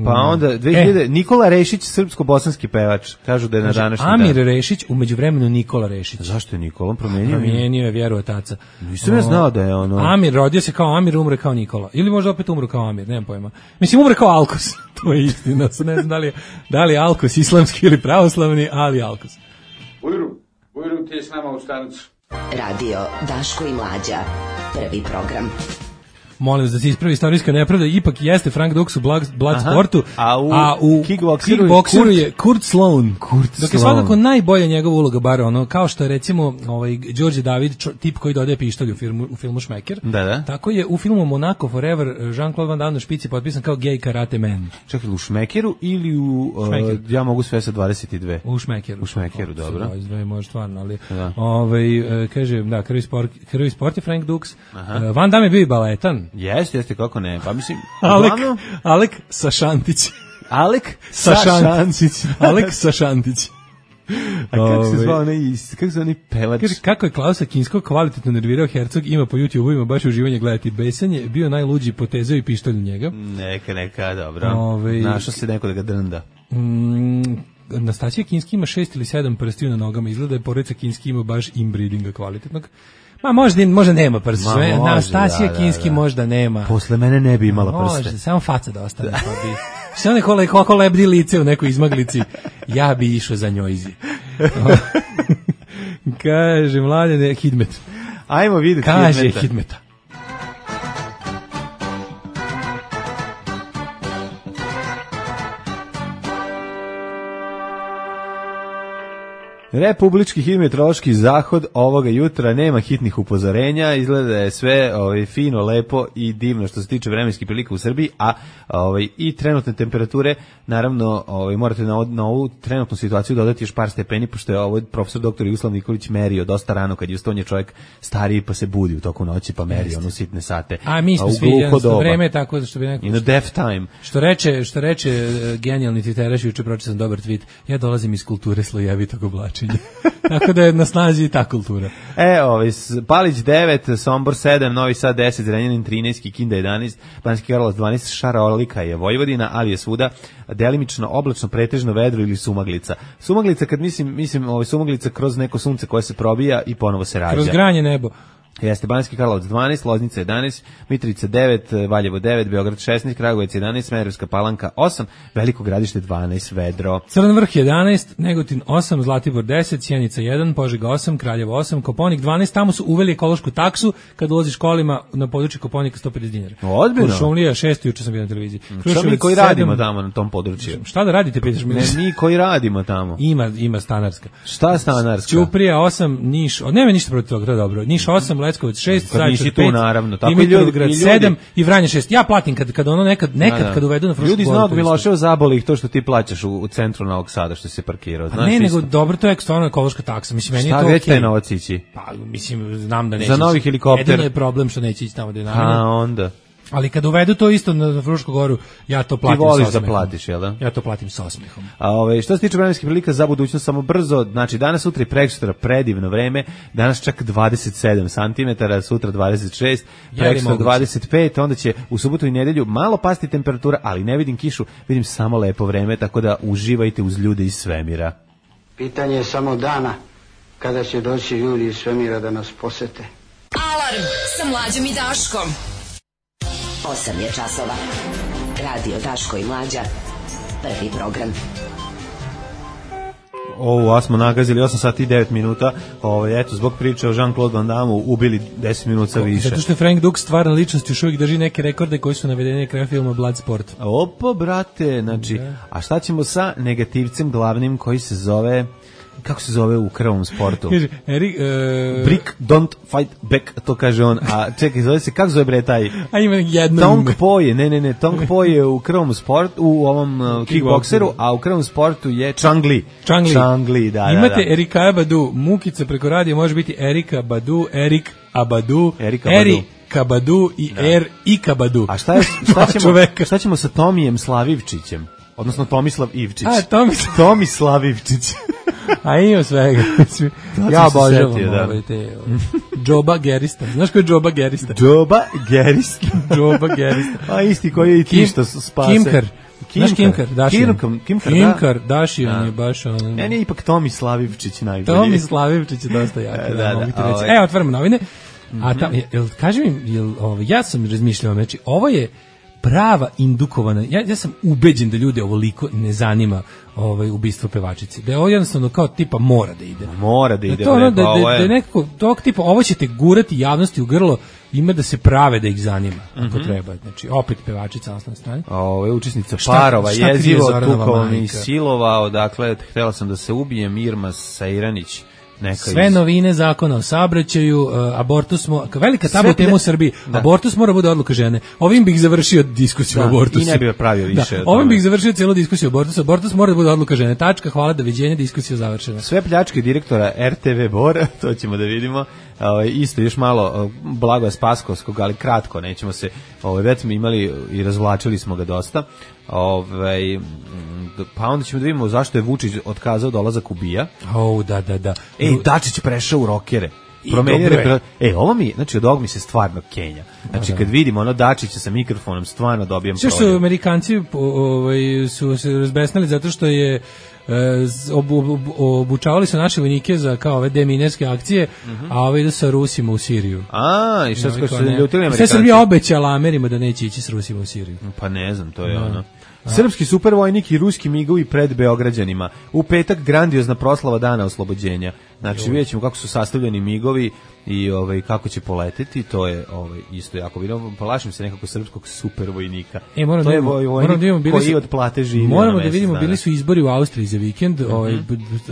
Speaker 6: Pa onda dve hiljade. E. Nikola Rešić, srpsko-bosanski pevač, kažu da je na današnji dan.
Speaker 5: Amir Rešić, u međuvremenu Nikola Rešić.
Speaker 6: Zašto je Nikola promenio?
Speaker 5: Promenio je vjeru otaca.
Speaker 6: Nisam ja znao da je ono.
Speaker 5: Amir rodio se kao Amir, umre kao Nikola. Ili možda opet umro kao Amir, nemam pojma. Mislim umre kao Alkos. To je istina, ne znam da li je, da li je Alkos islamski ili pravoslavni, ali Alkos.
Speaker 9: Ujru, ujru ti je s nama u stanicu.
Speaker 2: Radio Daško i Mlađa, prvi program.
Speaker 5: Molim vas da se ispravi istorijska nepravda, ipak jeste Frank Dux u Bloodsportu,
Speaker 6: a u,
Speaker 5: a u
Speaker 6: kickbokseru,
Speaker 5: kickbokseru je Kurt Sloan.
Speaker 6: Kurt
Speaker 5: Dok je svakako najbolja njegova uloga, bar ono, kao što je recimo ovaj, Đorđe David, čo, tip koji dodaje pištolj u filmu, u filmu Šmeker,
Speaker 6: da, da.
Speaker 5: Tako je u filmu Monaco Forever Jean-Claude Van Damme na špici potpisan kao gay karate man.
Speaker 6: Čekaj, u Šmekeru ili u uh, ja mogu sve sa dvadeset dve?
Speaker 5: U Šmekeru.
Speaker 6: U Šmekeru, dobro.
Speaker 5: dvadeset dve može stvarno, ali ovaj, kaže, da, krvi sport, krvi sport je Frank Dux. Uh, Van Damme je bio i baletan.
Speaker 6: Jeste, jeste, kako ne, pa mislim...
Speaker 5: Alek, uglavnom... Alek Sašantić.
Speaker 6: Alek
Speaker 5: Sašantić. Alek Sašantić.
Speaker 6: A kako se zvao onaj, kako se onaj pevač?
Speaker 5: Kaže, kako je Klausa Kinskog kvalitetno nervirao Hercog, ima po YouTube-u, ima baš uživanje gledati. Besan je bio najluđi, potezao i pištolj u njega.
Speaker 6: Neka, neka, dobro.
Speaker 5: Ove...
Speaker 6: Našao se neko da ga drnda.
Speaker 5: Mm, Nastasija Kinski ima šest ili sedam prstiju na nogama, izgleda je porodica Kinski ima baš inbreedinga kvalitetnog. Ma možda, možda nema prste. Nastasija da, Kinski da, da. možda nema.
Speaker 6: Posle mene ne bi imala prste.
Speaker 5: Možda, samo faca da ostane. Da. Pa bi, sve one kole, kako lebdi lice u nekoj izmaglici, ja bi išao za njojzi. Kaže, Mladene, Hidmet.
Speaker 6: Ajmo vidjeti
Speaker 5: Kaže
Speaker 6: Hidmeta.
Speaker 5: Hidmeta.
Speaker 6: Republički hidrometeorološki zahod ovoga jutra, nema hitnih upozorenja, izgleda da je sve ovaj, fino, lepo i divno što se tiče vremenskih prilika u Srbiji, a ovaj, i trenutne temperature, naravno ovaj, morate na, na ovu trenutnu situaciju dodati još par stepeni, pošto je ovaj profesor doktor Jugoslav Nikolić merio dosta rano kad je ustonje čovjek stariji pa se budi u toku noći pa meri ono sitne sate.
Speaker 5: A mi smo svi jednostavno vreme tako što bi neko...
Speaker 6: In a death time.
Speaker 5: Što reče, što reče uh, genijalni tviteraš, juče pročitao sam dobar tweet, ja dolazim iz kulture slojevitog oblačenja. Tako da je na snazi i ta kultura.
Speaker 6: E, ovaj, Palić devet, Sombor sedam, Novi Sad deset, Zrenjanin trinaest, Kikinda jedanaest, Banski Karlovac dvanaest, Šarolika je Vojvodina, ali je svuda delimično oblačno, pretežno vedro ili sumaglica. Sumaglica, kad mislim, mislim ovaj, sumaglica kroz neko sunce koje se probija i ponovo se rađa.
Speaker 5: Kroz granje nebo.
Speaker 6: Jeste Banski Karlovac dvanaest, Loznica jedanaest, Mitrovica devet, Valjevo devet, Beograd šesnaest, Kragujevac jedanaest, Smederevska Palanka osam, Veliko Gradište dvanaest, vedro.
Speaker 5: Crni Vrh jedanaest, Negotin osam, Zlatibor deset, Sjenica jedan, Požega osam, Kraljevo osam, Koponik dvanaest, tamo su uveli ekološku taksu kad ulaziš kolima na području Koponika sto pedeset dinara.
Speaker 6: Odbino.
Speaker 5: Kuršumlija šest, juče sam bio na televiziji.
Speaker 6: Šta mi koji radimo tamo na tom području?
Speaker 5: Šta da radite, pitaš mi?
Speaker 6: Ne, mi koji radimo tamo.
Speaker 5: Ima, ima stanarska.
Speaker 6: Šta stanarska?
Speaker 5: Ćuprija osam, Niš, o, nema ništa protiv toga, to je dobro. Niš osam, Leskovac šest,
Speaker 6: Zaječar pet,
Speaker 5: naravno, tako Dimitrovgrad sedam i Vranje šest. Ja platim kad kad ono nekad nekad da, da. kad uvedu na Frušku.
Speaker 6: Ljudi iz Novog Miloševa zaboli ih to što ti plaćaš u, u centru Novog Sada što se parkirao,
Speaker 5: znaš. Ne, nego dobro, to je stvarno ekološka taksa. Mislim meni je to okej.
Speaker 6: Šta već taj novac ići?
Speaker 5: Pa mislim znam da neće.
Speaker 6: Za novi helikopter.
Speaker 5: Jedino je problem što neće ići tamo da je naravno.
Speaker 6: A onda
Speaker 5: ali kad uvedu to isto na Frušku goru, ja to platim sa osmehom.
Speaker 6: Ti voliš da platiš, jel da?
Speaker 5: Ja to platim sa osmehom.
Speaker 6: A ove, što se tiče vremenskih prilika za budućnost, samo brzo, znači danas, sutra i prekosutra predivno vreme, danas čak dvadeset sedam centimetara, sutra dvadeset šest, prekosutra dvadeset pet, onda će u subotu i nedelju malo pasti temperatura, ali ne vidim kišu, vidim samo lepo vreme, tako da uživajte uz ljude iz svemira.
Speaker 10: Pitanje je samo dana kada će doći ljudi iz svemira da nas posete.
Speaker 2: Alarm sa Mlađom i Daškom. osam je časova. Radio Daško i Mlađa. Prvi program.
Speaker 6: Ovo, a smo nagazili osam sati i devet minuta. Ovo, eto, zbog priče o Jean-Claude Van Damme ubili deset minuta više.
Speaker 5: Zato što je Frank Dux stvarna ličnost, još uvijek drži neke rekorde koji su navedeni na kraju filma Bloodsport.
Speaker 6: Opa, brate, znači, a šta ćemo sa negativcem glavnim koji se zove... Kako se zove u krvom sportu?
Speaker 5: Kaže, Erik... Uh...
Speaker 6: Brick, don't fight back, to kaže on. A čekaj, zove se, kako zove bre taj?
Speaker 5: A ima jedno
Speaker 6: Tong Po je, ne, ne, ne, Tong Po je u krvom sportu, u ovom uh, kickbokseru, a u krvom sportu je Chang Li.
Speaker 5: Chang Li.
Speaker 6: Chang Li, da,
Speaker 5: imate
Speaker 6: da, da.
Speaker 5: Erika Abadu, Mukica preko radija, može biti Erika Badu, Erik Abadu,
Speaker 6: Erika Badu.
Speaker 5: Eri Kabadu i da. Er i Kabadu.
Speaker 6: A šta, je, šta, ćemo, šta ćemo sa Tomijem Slavivčićem? Odnosno Tomislav Ivčić.
Speaker 5: A, Tomislav.
Speaker 6: Tomislav Ivčić.
Speaker 5: A ima svega. Ja obožavam da. Ove te... Džoba Gerista. Znaš ko je Džoba Gerista?
Speaker 6: Džoba Gerista.
Speaker 5: Džoba Gerista.
Speaker 6: A isti koji je i ti što spase.
Speaker 5: Kimkar. Znaš Kimkar? Dašijan.
Speaker 6: Kimkar,
Speaker 5: Kimkar, Dašijan je baš on...
Speaker 6: Meni je ipak Tomislav Ivčić najbolji.
Speaker 5: Tomislav Ivčić je dosta jak.
Speaker 6: da,
Speaker 5: da,
Speaker 6: da,
Speaker 5: mogu ti
Speaker 6: da,
Speaker 5: reći.
Speaker 6: ovaj.
Speaker 5: E, otvaramo novine. A tam, jel, kaži mi, jel, ovo, ja sam razmišljao, znači, ovo je prava indukovana, ja, ja sam ubeđen da ljude ovoliko ne zanima ovaj ubistvo pevačice. Da je ovo jednostavno kao tipa mora da ide.
Speaker 6: Mora da ide.
Speaker 5: Da to ono, da, da, da nekako tog tipa, ovo ćete gurati javnosti u grlo, ima da se prave da ih zanima, ako mm-hmm. treba. Znači, opet pevačica na osnovnoj strani.
Speaker 6: Ovo je učesnica šta, Parova, šta jezivo, tukao mi silovao, dakle, htjela sam da se ubijem, Irma Sejranić.
Speaker 5: Sve iz... novine zakona o saobraćaju, uh, abortus, mo, velika tabu tema u Srbiji, da. Abortus mora bude odluka žene. Ovim bih završio diskusiju da, o abortusu.
Speaker 6: I ne bih pravio više.
Speaker 5: Da, ovim bih završio cijelu diskusiju o abortusu. Abortus mora da bude odluka žene. Tačka, hvala, doviđenja, diskusija završena.
Speaker 6: Sve pljačke direktora R T V Bor, to ćemo da vidimo. Ovaj isto još malo Blagoja Spaskovskog, ali kratko, nećemo se, ovaj već smo imali i razvlačili smo ga dosta. Ovaj pa onda ćemo da vidimo zašto je Vučić otkazao dolazak u BIA.
Speaker 5: Oh, da, da, da.
Speaker 6: Ej, Dačić prešao u rokere. Promenio repre... E, ovo mi, znači od ovog mi se stvarno kenja. Znači kad vidimo ono Dačića sa mikrofonom, stvarno dobijam
Speaker 5: prođe. Što su Amerikanci ovaj, su se razbesnali zato što je Ob, ob, obučavali su naše vojnike za kao ove deminerske akcije, mm-hmm. a ove idu sa Rusima u Siriju.
Speaker 6: A, i šta su se ljutili Amerikanci?
Speaker 5: Sve Srbija obećala Amerima da neće ići s Rusima u Siriju.
Speaker 6: Pa ne znam, to je no. ono. Srpski supervojnik i ruski migovi pred Beograđanima. U petak grandiozna proslava dana oslobođenja. Znači vidjet ćemo kako su sastavljeni migovi i ovaj kako će poleteti, to je ovaj isto jako bitno. Plašim se nekako srpskog supervojnika.
Speaker 5: E, moram
Speaker 6: to
Speaker 5: da
Speaker 6: je
Speaker 5: vidimo,
Speaker 6: vojnik
Speaker 5: moram da vidimo, bili
Speaker 6: koji
Speaker 5: su,
Speaker 6: od plate živi.
Speaker 5: Moramo da vidimo, bili su izbori u Austriji za vikend, mm-hmm. ovaj,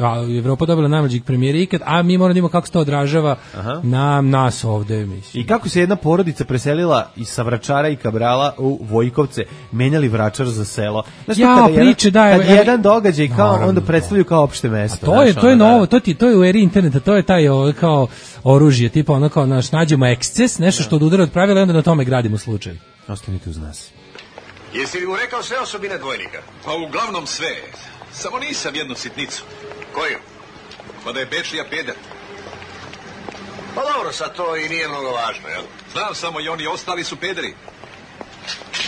Speaker 5: a, Evropa dobila najmlađeg premijera ikad, a mi moramo da vidimo kako se to odražava Aha. na nas ovde. Mislim.
Speaker 6: I kako se jedna porodica preselila iz Savračara i Kabrala u Vojkovce, menjali Vračar za selo. Znaš,
Speaker 5: ja,
Speaker 6: kada
Speaker 5: priče,
Speaker 6: jedan,
Speaker 5: da,
Speaker 6: kad
Speaker 5: evo,
Speaker 6: jedan događaj kao
Speaker 5: naravno,
Speaker 6: onda predstavljaju kao opšte mesto.
Speaker 5: A to je,
Speaker 6: znaš,
Speaker 5: to je
Speaker 6: ono,
Speaker 5: novo,
Speaker 6: da.
Speaker 5: to ti, to je u eri interneta, to je taj ovo, kao oružje, tipa ono kao naš nađemo eksces, nešto što odudara od pravila i onda na tome gradimo slučaj.
Speaker 6: Ostanite uz nas.
Speaker 11: Jesi li mu rekao sve osobine dvojnika?
Speaker 12: Pa uglavnom sve. Samo nisam jednu sitnicu.
Speaker 11: Koju?
Speaker 12: Pa da je Bečija peder.
Speaker 11: Pa dobro, sad to i nije mnogo važno, jel?
Speaker 12: Znam samo i oni ostali su pederi.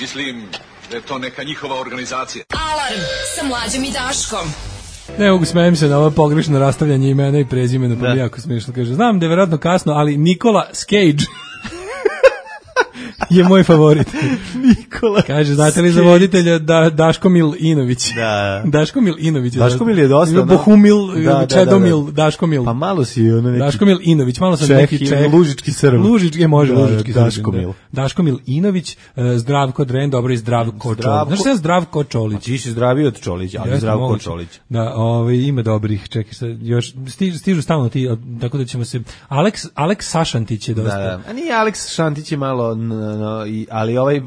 Speaker 12: Mislim da je to neka njihova organizacija.
Speaker 2: Alarm sa Mlađom i Daškom.
Speaker 5: Ne mogu, smijem se na ovo pogrešno rastavljanje imena i prezimena, pa mi jako smiješno kaže. Znam da je verovatno kasno, ali Nikola Cage je moj favorit.
Speaker 6: Nikola.
Speaker 5: Kaže, znate li za voditelja da, Daško Mil Inović?
Speaker 6: Da.
Speaker 5: Daško Mil Inović.
Speaker 6: Daško Mil je dosta.
Speaker 5: Bohumil,
Speaker 6: da,
Speaker 5: Čedomil,
Speaker 6: da, da, da.
Speaker 5: Daško Mil.
Speaker 6: Pa malo si ono neki...
Speaker 5: Daško Mil Inović, malo sam
Speaker 6: Čeh,
Speaker 5: neki Čeh.
Speaker 6: Lužički Srb.
Speaker 5: Lužički, je može,
Speaker 6: da,
Speaker 5: Lužički
Speaker 6: da,
Speaker 5: Srb.
Speaker 6: Daško Mil.
Speaker 5: Daško Mil Inović, Zdravko Dren, dobro i Zdravko Čolić. Znaš se Zdravko Čolić?
Speaker 6: Ti si zdraviji od Čolića, ali Zdravko Čolić.
Speaker 5: Da, ovaj, ima dobrih, čekaj sad, još, stižu, stižu stalno ti, tako da ćemo se... Aleks, Aleks Sašantić je dosta.
Speaker 6: Da, da. A nije Aleks Šantić je malo, no, no, i, ali ovaj...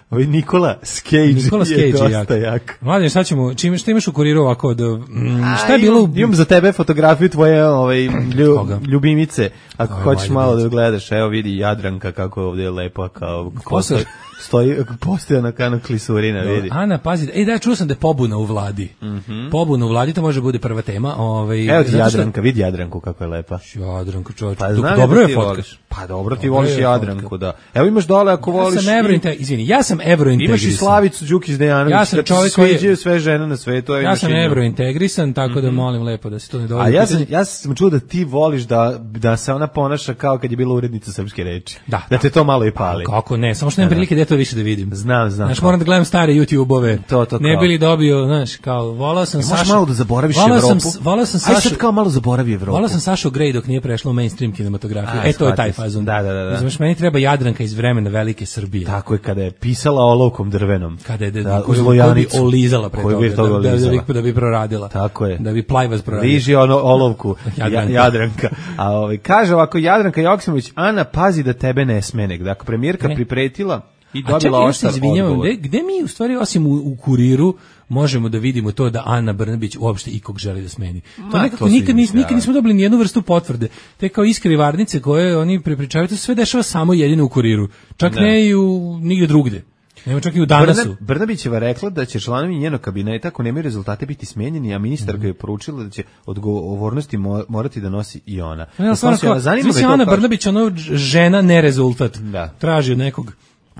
Speaker 6: Ovaj Nikola Cage
Speaker 5: Nikola
Speaker 6: je dosta
Speaker 5: jak.
Speaker 6: jak.
Speaker 5: Mladen, šta ćemo, čim, šta imaš u kuriru ovako? Da, mm, šta je bilo? U...
Speaker 6: Imam za tebe fotografiju tvoje ovaj, lju, ljubimice. Ako Oj, hoćeš malo da gledaš, evo vidi Jadranka kako je ovdje lepa, kao kosa, stoji, postoja na kanu klisurina, vidi.
Speaker 5: Ana, pazi, ej da, čuo sam da je pobuna u vladi.
Speaker 6: Mm-hmm.
Speaker 5: Pobuna u vladi, to može bude prva tema. Ovaj,
Speaker 6: evo ti Jadranka, vidi Jadranku kako je lepa.
Speaker 5: Jadranka, čovječ,
Speaker 6: pa,
Speaker 5: dobro je fotka.
Speaker 6: Pa dobro, ti voliš Jadranku, da. Evo imaš dole ako voliš...
Speaker 5: Ja sam evrointegrisan, izvini, ja sam evrointegrisan.
Speaker 6: Imaš i Slavicu Đukić-Dejanović,
Speaker 5: ja sam čovjek
Speaker 6: koji sviđaju sve žene na svetu.
Speaker 5: Ja sam evrointegrisan, tako da molim lepo da se to ne dovede.
Speaker 6: A ja sam, ja sam čuo da ti voliš da, da se ona ponaša kao kad je bila urednica Srpske reči.
Speaker 5: Da,
Speaker 6: da te to malo i pali.
Speaker 5: Pa, kako ne, samo što nemam prilike da to više da vidim.
Speaker 6: Znam, znam.
Speaker 5: Znaš, moram da gledam stare YouTube-ove.
Speaker 6: To, to,
Speaker 5: ne bili dobio, znaš, kao, volao sam Sašu...
Speaker 6: Možeš malo da zaboraviš Evropu?
Speaker 5: Volao sam Sašu...
Speaker 6: Aj sad kao malo zaboravi Evropu.
Speaker 5: Volao sam Sašu Grey dok nije prešlo u mainstream kinematografiju. E, to je taj fazon.
Speaker 6: Da, da, da. da.
Speaker 5: Znaš, meni treba Jadranka iz vremena Velike Srbije.
Speaker 6: Tako je, kada je pisala olovkom drvenom.
Speaker 5: Kada je da,
Speaker 6: da,
Speaker 5: koju, koju bi olizala pre toga, da, da, da, bi, da bi proradila.
Speaker 6: Tako je.
Speaker 5: Da bi Plajvaz proradila.
Speaker 6: Liži ono olovku
Speaker 5: Jadranka.
Speaker 6: Jadranka. A ovaj, kaže ovako, Jadranka Joksimović, Ana, pazi da tebe ne smene. Dakle, premijerka ne. pripretila i dobila oštar odgovor.
Speaker 5: Gde, gde mi u stvari, osim u, u kuriru, možemo da vidimo to da Ana Brnabić uopšte ikog želi da smeni. To Ma, nekako to nikad, nis, nikad nismo dobili nijednu vrstu potvrde. Te kao iskri varnice koje oni prepričavaju, to sve dešava samo jedino u kuriru. Čak ne, ne i u nigde drugde. Nema čak i u Danasu.
Speaker 6: Brnabićeva rekla da će članovi njenog kabineta, ako nemaju rezultate, biti smenjeni, a ministarka mm. je poručila da će odgovornosti morati da nosi i ona.
Speaker 5: Ja, stvarno, kao, zanima me Ana Brnabić, ono žena ne rezultat.
Speaker 6: Da.
Speaker 5: Traži od nekog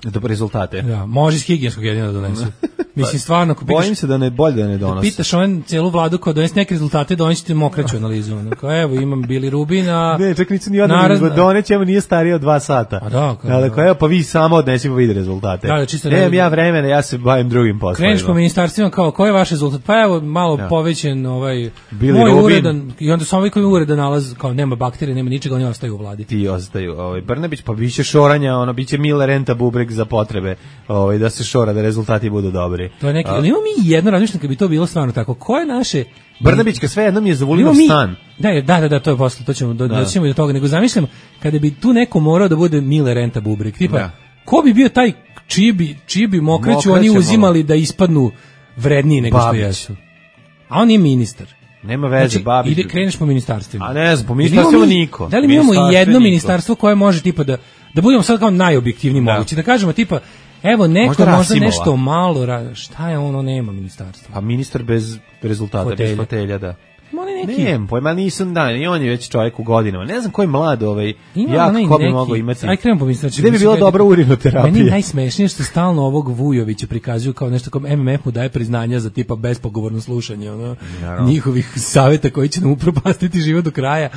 Speaker 6: dobre rezultate.
Speaker 5: Da, može iz higijenskog jedina da donesu. Mislim, stvarno, ako
Speaker 6: pitaš, bojim se da ne bolje da ne donose.
Speaker 5: Pitaš on celu vladu kao donesi neke rezultate, donesite mokraću analizu. Kao, evo, imam Bili Rubin, a...
Speaker 6: Ne, čak nisu ni odmah, donećemo nije starije od dva sata.
Speaker 5: A da, kao,
Speaker 6: da, kao, evo, pa vi samo odnesi pa vidi rezultate.
Speaker 5: Da, da, čisto
Speaker 6: Nemam ja vremena, ja se bavim drugim poslovima.
Speaker 5: Kreneš po ministarstvima, kao, koji je vaš rezultat? Pa evo, malo ja. povećen, ovaj,
Speaker 6: Bili
Speaker 5: moj
Speaker 6: Rubin.
Speaker 5: uredan, i onda samo ovaj koji uredan nalaz, kao, nema bakterije, nema ničega, oni ostaju u vladi.
Speaker 6: Ti ostaju, ovaj, Brnabić, pa biće šoranja, ono, biće Mile Renta bubreg za potrebe, ovaj, da se šora, da rezultati budu dobri.
Speaker 5: To je neki, ali imamo mi jedno razmišljanje kad bi to bilo stvarno tako. Ko je naše
Speaker 6: Brnabićka sve jednom je zavolio stan.
Speaker 5: Da, da, da, da, to je posle, to ćemo do, da. doćemo do toga, nego zamišljam kada bi tu neko morao da bude Mile Renta bubreg, tipa da. Ko bi bio taj čiji bi, čiji bi mokreću oni uzimali malo. Da ispadnu vredniji nego Babić. Što jesu. A on je ministar.
Speaker 6: Nema veze, znači, Babić.
Speaker 5: Ide, kreneš po ministarstvima.
Speaker 6: A ne znam, po ministarstvima niko.
Speaker 5: Da li mi imamo jedno ministarstvo koje može tipa da, da budemo sad kao najobjektivniji da. Mogući, da kažemo tipa evo neko možda, možda nešto malo radi. Šta je ono, nema ministarstva?
Speaker 6: Pa ministar bez rezultata, fotelja. Bez fotelja, da.
Speaker 5: Neki...
Speaker 6: Nijem, pojma nisam dan, i on je već čovjek u godinama. Ne znam ko je mlad, ovaj, jak, ko bi neki... mogao imati.
Speaker 5: Aj, krenemo pomisliti.
Speaker 6: Znači, gde bi bila dobra urinoterapija?
Speaker 5: Meni najsmešnije što stalno ovog Vujovića prikazuju kao nešto kao M M F mu daje priznanja za tipa bespogovorno slušanje, ono, njihovih savjeta koji će nam upropastiti život do kraja.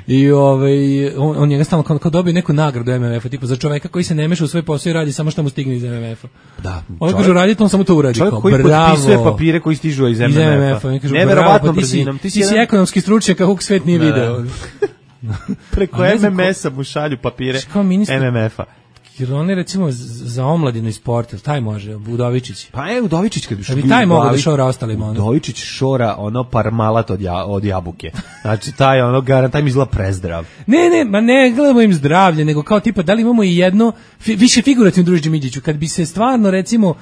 Speaker 5: I ovaj on, on njega stalno kao, kao dobio neku nagradu M M F-a, tipa za čoveka koji se ne meša u svoj posao i radi samo što mu stigne iz M M F-a.
Speaker 6: Da.
Speaker 5: On kaže raditi, on samo to uradi.
Speaker 6: Čovjek koji potpisuje papire koji stižu iz M M F-a. Neverovatno brzinom.
Speaker 5: Ti si, ti si ekonomski stručnjak kako svet nije video.
Speaker 6: Preko M M S-a mu šalju papire M M F-a.
Speaker 5: Jer on je recimo za omladinu i sport, taj može, Udovičić.
Speaker 6: Pa je Udovičić kad bi
Speaker 5: što bi taj mogao da šora ostalima.
Speaker 6: Udovičić šora ono parmalat od, ja, od jabuke. Znači taj ono garant, taj mi izgleda prezdrav.
Speaker 5: Ne, ne, ma ne gledamo im zdravlje, nego kao tipa da li imamo i jedno, fi, više figurativno druži Džimiđiću, kad bi se stvarno recimo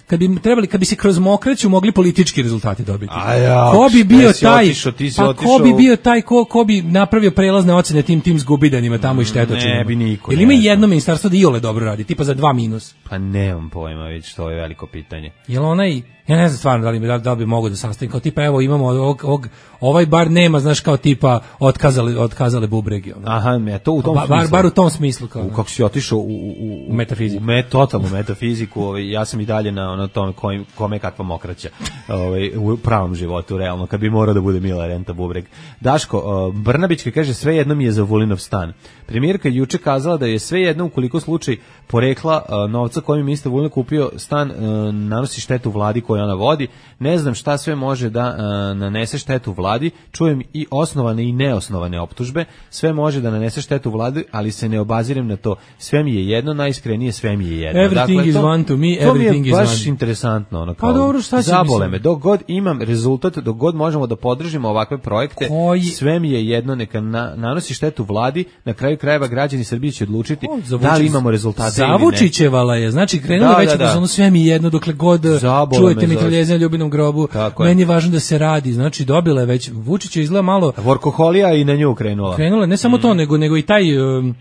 Speaker 5: kad bi trebali, kad bi se kroz mokraću mogli politički rezultati dobiti.
Speaker 6: Ja,
Speaker 5: ko bi bio taj,
Speaker 6: otišao,
Speaker 5: pa
Speaker 6: otišao.
Speaker 5: ko bi bio taj, ko, ko bi napravio prelazne ocene tim tim zgubidanima tamo i štetočinima?
Speaker 6: Ne bi niko.
Speaker 5: Ili ima jedno ministarstvo da iole dobro radi, tipa za dva minus?
Speaker 6: Pa nemam pojma, već to je veliko pitanje.
Speaker 5: Jel onaj, ja ne znam stvarno da li, da, da li bi mogo da sastavim, kao tipa evo imamo ovog, ovog, ovaj bar nema, znaš, kao tipa otkazali, otkazale bubregi. Ono.
Speaker 6: Aha, ne, to u tom
Speaker 5: ba, bar, bar u tom smislu. Kao,
Speaker 6: u, kako si otišao u, u,
Speaker 5: u metafiziku.
Speaker 6: U met, totalnu metafiziku, ovaj, ja sam i dalje na ono tome kojim, kome je kakva mokraća ovaj, u pravom životu, realno, kad bi morao da bude Mila Renta bubreg. Daško, uh, Brnabićka kaže sve jedno mi je za Vulinov stan. Premijerka juče kazala da je sve jedno ukoliko slučaj porekla uh, novca kojim ministar Vulin kupio stan uh, nanosi štetu vladi koju ona vodi. Ne znam šta sve može da uh, nanese štetu vladi. Čujem i osnovane i neosnovane optužbe. Sve može da nanese štetu vladi, ali se ne obazirem na to. Sve mi je jedno, najiskrenije sve mi je jedno.
Speaker 5: Everything dakle, is
Speaker 6: to,
Speaker 5: one to me, everything is one.
Speaker 6: To mi je baš interesantno. Ono, kao,
Speaker 5: pa dobro, šta će
Speaker 6: zabole me. Dok god imam rezultat, dok god možemo da podržimo ovakve projekte, Koji? sve mi je jedno, neka na, nanosi štetu vladi, na kraju krajeva građani Srbije će odlučiti o, da li imamo rezultate ili ne.
Speaker 5: Zavučićevala je, znači krenula
Speaker 6: da,
Speaker 5: već
Speaker 6: da, da.
Speaker 5: ono sve mi jedno, dokle god zabole čujete mitraljeze na Ljubinom grobu,
Speaker 6: tako
Speaker 5: meni je važno da se radi, znači dobila je već, Vučić je izgleda malo...
Speaker 6: Vorkoholija i na nju krenula.
Speaker 5: Krenula, ne samo mm. to, nego, nego i taj... Um,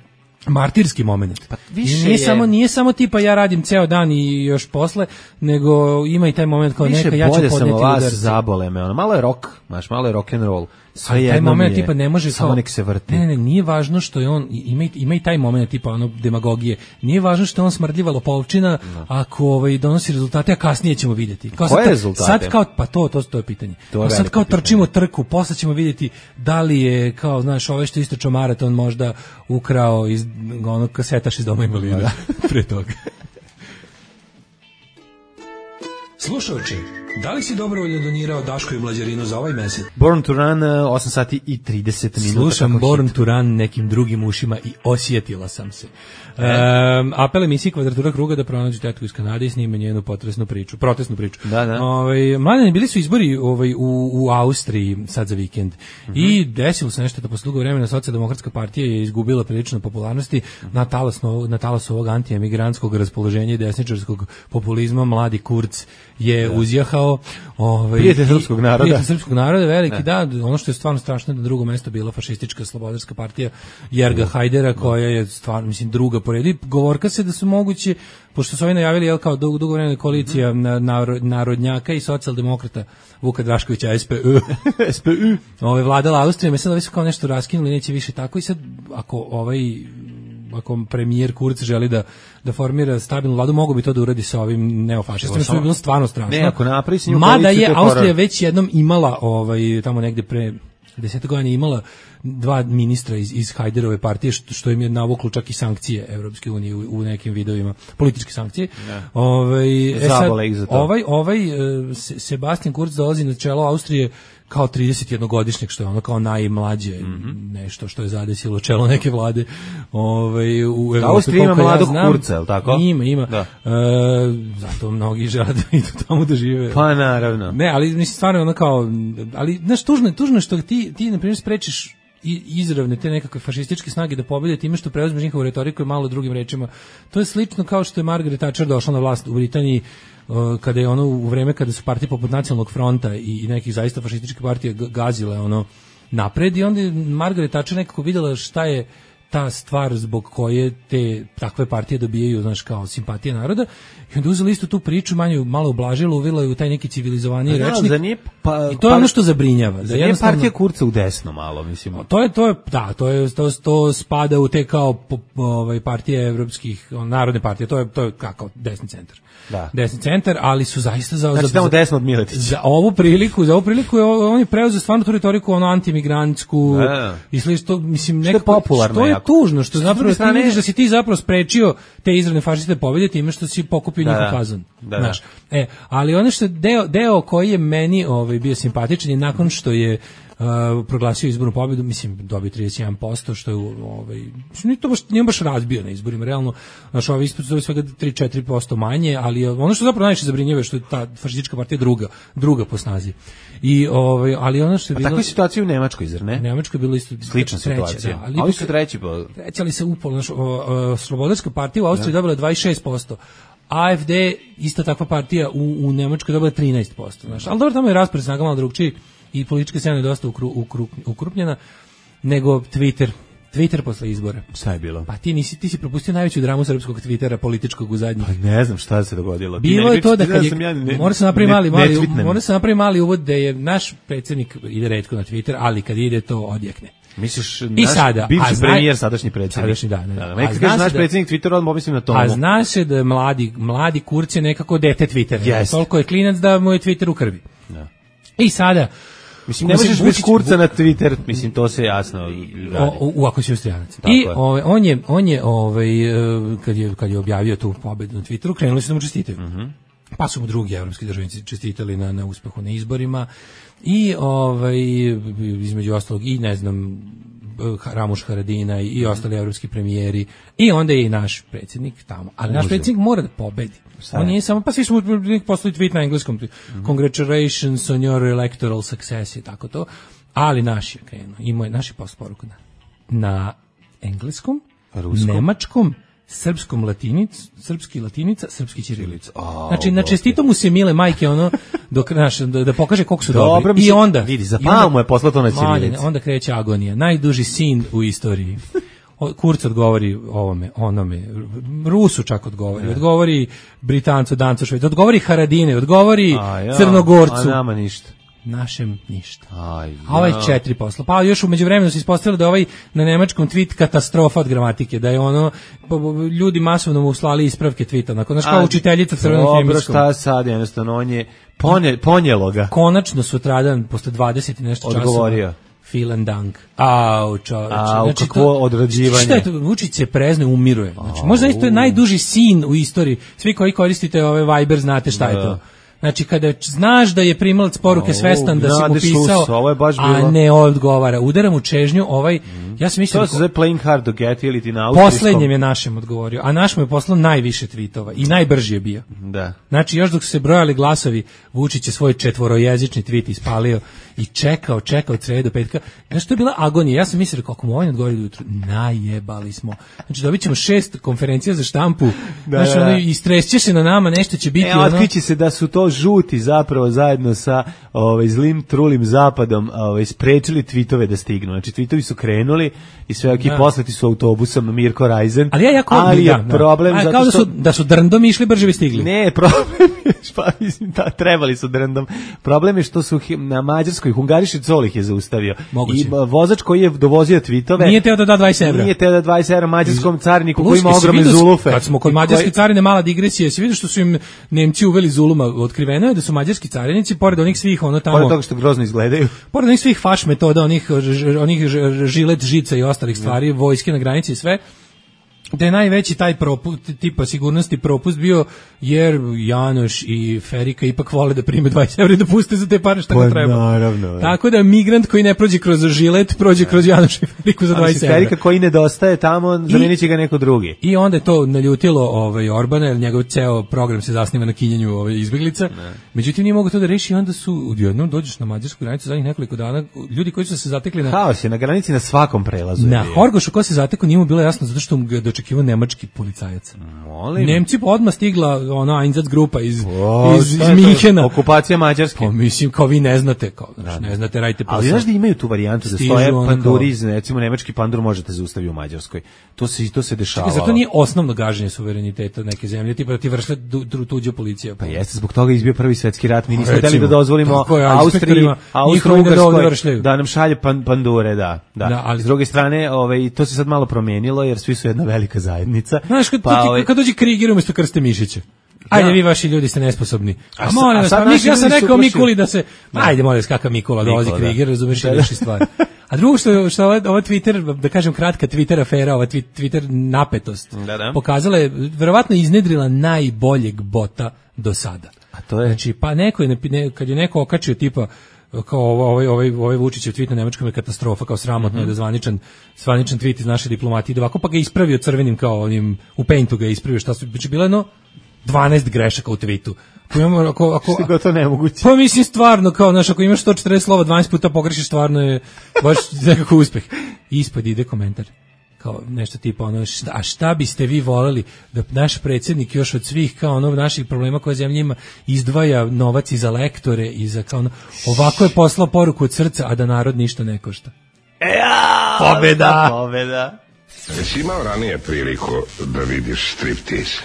Speaker 5: martirski moment.
Speaker 6: Pa više
Speaker 5: nije
Speaker 6: je...
Speaker 5: samo nije samo tipa ja radim ceo dan i još posle, nego ima i taj moment kao
Speaker 6: više
Speaker 5: neka ja ću podneti
Speaker 6: udarce. Zabole me, ono malo je rock, znaš, malo je rock and roll.
Speaker 5: Sve taj moment tipa ne može
Speaker 6: samo
Speaker 5: kao,
Speaker 6: nek se vrti.
Speaker 5: Ne, ne, ne, nije važno što je on ima ima i taj moment tipa ono demagogije. Nije važno što je on smrdljiva lopovčina, no. ako ovaj donosi rezultate, a kasnije ćemo vidjeti.
Speaker 6: Kao Koje sad, rezultate?
Speaker 5: Sad kao pa to to to je pitanje. To je sad kao pitanje. Trčimo trku, posle ćemo vidjeti da li je kao znaš ove što isto čomaraton možda ukrao iz onog kasetaš iz doma invalida pre toga.
Speaker 13: Slušajući, da li si dobrovoljno donirao Daško i Mlađarinu za ovaj mesec?
Speaker 6: Born to Run, osam sati i trideset minuta.
Speaker 5: Slušam Born hit. to Run nekim drugim ušima i osjetila sam se. E. Um, apel emisiji Kvadratura kruga da pronađu tetku iz Kanade i snime njenu potresnu priču, protestnu priču.
Speaker 6: Da, da.
Speaker 5: Ovaj, mladeni, bili su izbori ovaj, u, u Austriji sad za vikend. Mm-hmm. I desilo se nešto da posle dugo vremena Socijaldemokratska partija je izgubila prilično popularnosti mm-hmm. na talasu na talasu ovog antiemigrantskog raspoloženja i desničarskog populizma. Mladi Kurz je da. uzjahao ovaj
Speaker 6: prijatelj srpskog naroda.
Speaker 5: Prijatelj srpskog naroda veliki, da. da, ono što je stvarno strašno da drugo mesto bila fašistička slobodarska partija Jerga Hajdera, koja je stvarno mislim druga po redu. Govorka se da su moguće, pošto su oni najavili jel kao dugo, dugo vremena koalicija mm. narod, narodnjaka i socijaldemokrata Vuka Draškovića S P U
Speaker 6: S P U
Speaker 5: ovaj vladala Austrijom, sad ovi su kao nešto raskinuli, neće više tako i sad ako ovaj ako premijer Kurz želi da da formira stabilnu vladu, mogu bi to da uradi sa ovim neofašistima, što bi bilo stvarno strašno.
Speaker 6: Ne, ako napravi s njim
Speaker 5: mada je Austrija već jednom imala ovaj tamo negde pre deset godina imala dva ministra iz iz Hajderove partije, što, što im je navuklo čak i sankcije Evropske unije u, u nekim videovima, političke sankcije. Ovaj e sad, ovaj ovaj Sebastian Kurz dolazi na čelo Austrije kao tridesetjednogodišnjak, što je ono kao najmlađe mm-hmm. nešto što je zadesilo čelo neke vlade ovaj u Evropi.
Speaker 6: Austrija ima mladog ja Kurca, je li tako?
Speaker 5: Ima, ima. Da. E, zato mnogi žele da idu tamo da žive.
Speaker 6: Pa naravno.
Speaker 5: Ne, ali mislim stvarno ono kao, ali znaš, tužno je, tužno je što ti, ti na primjer sprečiš i izravne te nekakve fašističke snage da pobede time što preuzmeš njihovu retoriku i malo drugim rečima. To je slično kao što je Margaret Thatcher došla na vlast u Britaniji uh, kada je ono u vreme kada su partije poput Nacionalnog fronta i, i nekih zaista fašističkih partija gazile ono napred i onda je Margaret Thatcher nekako vidjela šta je ta stvar zbog koje te takve partije dobijaju, znaš, kao simpatije naroda, i onda uzeli isto tu priču, manje malo ublažilo, uvela je u taj neki civilizovaniji
Speaker 6: no,
Speaker 5: rečnik.
Speaker 6: Nije, pa,
Speaker 5: I to je
Speaker 6: pa,
Speaker 5: ono što zabrinjava.
Speaker 6: Da je partija Kurca u desno malo, mislim.
Speaker 5: To je, to je, da, to je, to, to spada u te kao ovaj, partije evropskih, narodne partije, to je, to je kako, desni centar.
Speaker 6: Da.
Speaker 5: Desni centar, ali su zaista za...
Speaker 6: Znači
Speaker 5: za,
Speaker 6: tamo desno od Miletića.
Speaker 5: Za ovu priliku, za ovu priliku je, on je preuzeo stvarno tu retoriku, ono, antimigrantsku,
Speaker 6: da.
Speaker 5: i slično, mislim, nekako,
Speaker 6: što je popularno
Speaker 5: što je
Speaker 6: jako.
Speaker 5: tužno, što zapravo
Speaker 6: strane...
Speaker 5: ti vidiš da si ti zapravo sprečio te izravne fašiste pobjede time što si pokupio
Speaker 6: da,
Speaker 5: njihov
Speaker 6: da.
Speaker 5: fazon.
Speaker 6: Da,
Speaker 5: znaš. Da. E, ali ono što deo, deo koji je meni ovaj, bio simpatičan je nakon što je Uh, proglasio izbornu pobjedu, mislim, dobio trideset jedan posto, što je, ovaj, nije to baš, nije baš razbio na izborima, realno, znaš, ovaj ispod dobio svega tri do četiri posto manje, ali ono što zapravo najviše zabrinjava što je ta fašistička partija druga, druga po snazi. I, ovaj, ali ono što je bilo...
Speaker 6: A takva situacija u Nemačkoj, zar ne?
Speaker 5: U Nemačkoj je bilo isto...
Speaker 6: Slična
Speaker 5: treća,
Speaker 6: situacija.
Speaker 5: Da, ali
Speaker 6: ali su treći po...
Speaker 5: Treći, ali se upalo, znaš, Slobodarska partija u Austriji dobila dvadeset šest posto. A F D, ista takva partija u, u Nemačkoj dobila trinaest posto, znaš, ali dobro, tamo je raspored snaga malo drugčiji i politička scena je dosta ukru, ukru, ukrupnjena, nego Twitter, Twitter posle izbora.
Speaker 6: Šta je bilo?
Speaker 5: Pa ti nisi, ti si propustio najveću dramu srpskog Twittera političkog u zadnjih.
Speaker 6: Pa ne znam šta se dogodilo.
Speaker 5: Bilo je to da kad je, ja ne, mora se napravi mali, mali,
Speaker 6: ne
Speaker 5: mora se napravi mali uvod da je naš predsjednik ide retko na Twitter, ali kad ide to odjekne.
Speaker 6: Misliš,
Speaker 5: I
Speaker 6: naš
Speaker 5: sada,
Speaker 6: bivši
Speaker 5: zna,
Speaker 6: premijer, sadašnji predsjednik.
Speaker 5: Sadašnji, da. Ne,
Speaker 6: da, da. Kad kažeš naš predsjednik Twittera, odmah mislim na tomu.
Speaker 5: A zna se da je mladi, mladi Kurz je nekako dete Twittera.
Speaker 6: Yes.
Speaker 5: Toliko je klinac da mu je Twitter u krvi.
Speaker 6: Da.
Speaker 5: I sada...
Speaker 6: Mislim, ne možeš bez Kurca na Twitter, mislim, to se jasno radi.
Speaker 5: O, u, ako si Austrijanac. I ove, on je, on je ovaj, kad, je, kad je objavio tu pobedu na Twitteru, krenuli su da mu čestitaju. Mm -hmm. Pa su mu drugi evropski državnici čestitali na, na uspehu na izborima. I ovaj, između ostalog, i ne znam, Ramuš Haradina i, i ostali evropski premijeri. I onda je i naš predsjednik tamo. Ali naš predsjednik mora da pobedi. On nije samo, pa svi smo poslali tweet na engleskom, mm-hmm. Congratulations on your electoral success i tako to, ali naš je krenuo, imao je naši post poruku na, na engleskom, ruskom, nemačkom, srpskom latinic, srpski latinica, srpski ćirilica. Oh, znači, na čestito mu se mile majke, ono, dok, naš, da, da pokaže koliko su
Speaker 6: Dobro,
Speaker 5: dobri. I onda,
Speaker 6: vidi, za palmu je poslao to na ćirilici.
Speaker 5: Onda kreće agonija, najduži sin u istoriji. Kurc odgovori ovome, onome, Rusu čak odgovori, ne. odgovori Britancu, Dancu, Švedu, odgovori Haradine, odgovori a ja, Crnogorcu.
Speaker 6: A nama ništa.
Speaker 5: Našem ništa.
Speaker 6: Aj, ja.
Speaker 5: A ovaj četiri posla. Pa još u međuvremenu se ispostavilo da ovaj na nemačkom tweet katastrofa od gramatike, da je ono, ljudi masovno mu slali ispravke tweeta, nakon znaš kao učiteljica crvenom hemijskom.
Speaker 6: Dobro, šta sad, jednostavno, on je ponje, ponjelo ga.
Speaker 5: Konačno sutradan, posle dvadeset i nešto časova.
Speaker 6: Odgovorio.
Speaker 5: Vielen Dank. Au, čoveče.
Speaker 6: Au, znači, kakvo odrađivanje.
Speaker 5: Šta je to? Vučić se prezne, umiruje. Znači, možda isto je najduži sin u istoriji. Svi koji koristite ove Viber znate šta je to. Znači, kada znaš da je primalac poruke svestan da si mu pisao, a ne odgovara, udara mu čežnju, ovaj, mm. ja sam mislio...
Speaker 6: To se zove playing hard to get, ili ti na austrijskom...
Speaker 5: Poslednjem je našem odgovorio, a naš mu je poslao najviše tweetova i najbrži je bio.
Speaker 6: Da.
Speaker 5: Znači, još dok su se brojali glasovi, Vučić je svoj četvorojezični tweet ispalio i čekao, čekao od srede do petka. Znaš, to je bila agonija. Ja sam mislio, kako mu ovaj odgovori do jutru, najebali smo. Znači, dobit ćemo šest konferencija za štampu, da, znači, ono, istresće se na nama, nešto će biti...
Speaker 6: E, otkriće se da su to žuti zapravo zajedno sa ovaj, zlim, trulim zapadom ovaj, sprečili tweetove da stignu. Znači, tweetovi su krenuli i sve ok, poslati su autobusom Mirko Rajzen.
Speaker 5: Ali, ja jako,
Speaker 6: ali je
Speaker 5: da,
Speaker 6: problem...
Speaker 5: Da.
Speaker 6: Zato
Speaker 5: kao da su,
Speaker 6: što...
Speaker 5: da su drndom išli, brže bi stigli.
Speaker 6: Ne, problem je, pa, mislim, da, trebali su drndom. Problem je što su na Mađarskoj, Hungariši Colih je zaustavio.
Speaker 5: Moguće.
Speaker 6: I vozač koji je dovozio tweetove...
Speaker 5: Nije teo da da dvadeset evra.
Speaker 6: Nije teo da dvadeset evra mađarskom cariniku koji ima ogromne zulufe.
Speaker 5: Kad smo kod mađarske koji... carine, mala digresija, se vidi što su im Nemci uveli zuluma, otkriveno je da su mađarski carinici, pored onih svih ono tamo...
Speaker 6: Pored toga što grozno izgledaju.
Speaker 5: Pored onih svih faš metoda, onih, onih žilet, žica i ostalih stvari, vojske na granici i sve, da je najveći taj propust, tipa sigurnosti propust bio, jer Janoš i Ferika ipak vole da prime dvadeset evra i da puste za te pare šta ga treba.
Speaker 6: Naravno.
Speaker 5: Tako da migrant koji ne prođe kroz žilet, prođe kroz Janoš i Feriku za dvadeset evra.
Speaker 6: Ferika koji nedostaje tamo, zamenit će ga neko drugi.
Speaker 5: I onda je to naljutilo ovaj, Orbana, jer njegov ceo program se zasniva na kinjenju ovaj, izbeglica. Ne. Međutim, nije mogu to da reši, onda su, odjednom dođeš na mađarsku granicu zadnjih nekoliko dana, ljudi koji su se zatekli na...
Speaker 6: Haos je na granici na svakom prelazu.
Speaker 5: Na Horgošu ko se zatekao, nije mu bilo jasno, zato što mu očekivao nemački policajac.
Speaker 6: Molim.
Speaker 5: Nemci odmah stigla ona Einsatz grupa iz,
Speaker 6: o,
Speaker 5: iz, iz Minhena.
Speaker 6: Okupacija Mađarske.
Speaker 5: Pa mislim, kao vi ne znate, kao, znači, ne znate, radite posao.
Speaker 6: Ali znaš da imaju tu varijantu da stoje panduri, iz, recimo nemački pandur možete zaustaviti u Mađarskoj. To se, to se dešavalo.
Speaker 5: Čekaj, zato nije osnovno gaženje suvereniteta neke zemlje, tipa da ti vršle tuđa policija.
Speaker 6: Pa jeste, zbog toga izbio prvi svetski rat, mi nismo hteli da dozvolimo
Speaker 5: je,
Speaker 6: Austriji,
Speaker 5: Austro-Ugarskoj
Speaker 6: da, da nam šalje pan, pandure, da. da. da ali, s druge strane, ovaj, to se sad malo promenilo, jer svi su jedna velika zajednica.
Speaker 5: Znaš, kad,
Speaker 6: pa,
Speaker 5: ovaj, kad dođe Kriger umjesto Krste Mišića. Ajde, da. Vi vaši ljudi ste nesposobni. A, a molim vas, ja sam rekao Mikuli da se... Da. Ajde, molim vas, kakav Mikula, dolazi Kriger, razumeš i reši stvari. A drugo što, što ova, ova Twitter, da kažem kratka Twitter afera, ova Twitter napetost,
Speaker 6: da, da.
Speaker 5: pokazala je, verovatno iznedrila najboljeg bota do sada.
Speaker 6: A to je?
Speaker 5: Znači, pa neko je, ne, kad je neko okačio tipa, kao ovaj ovaj ovaj Vučićev tvit na nemačkom je katastrofa, kao sramotno je mm -hmm. da zvaničan zvaničan tvit iz naše diplomatije da ovako, pa ga ispravio crvenim kao onim u Paintu ga ispravio, šta su znači bilo jedno dvanaest grešaka u tvitu. Ako imamo ako ako
Speaker 6: to nemoguće.
Speaker 5: Pa mislim stvarno kao znaš, ako imaš sto četrdeset slova dvanaest puta pogrešiš, stvarno je baš nekako uspeh. Ispod ide komentar kao nešto tipa ono šta, a šta biste vi voleli da naš predsjednik još od svih kao ono naših problema koje zemlja ima izdvaja novac i za lektore i za kao ono, ovako je poslao poruku od srca, a da narod ništa ne košta.
Speaker 6: E, ja, pobjeda! Pobjeda!
Speaker 14: Jesi imao ranije priliku da vidiš striptease?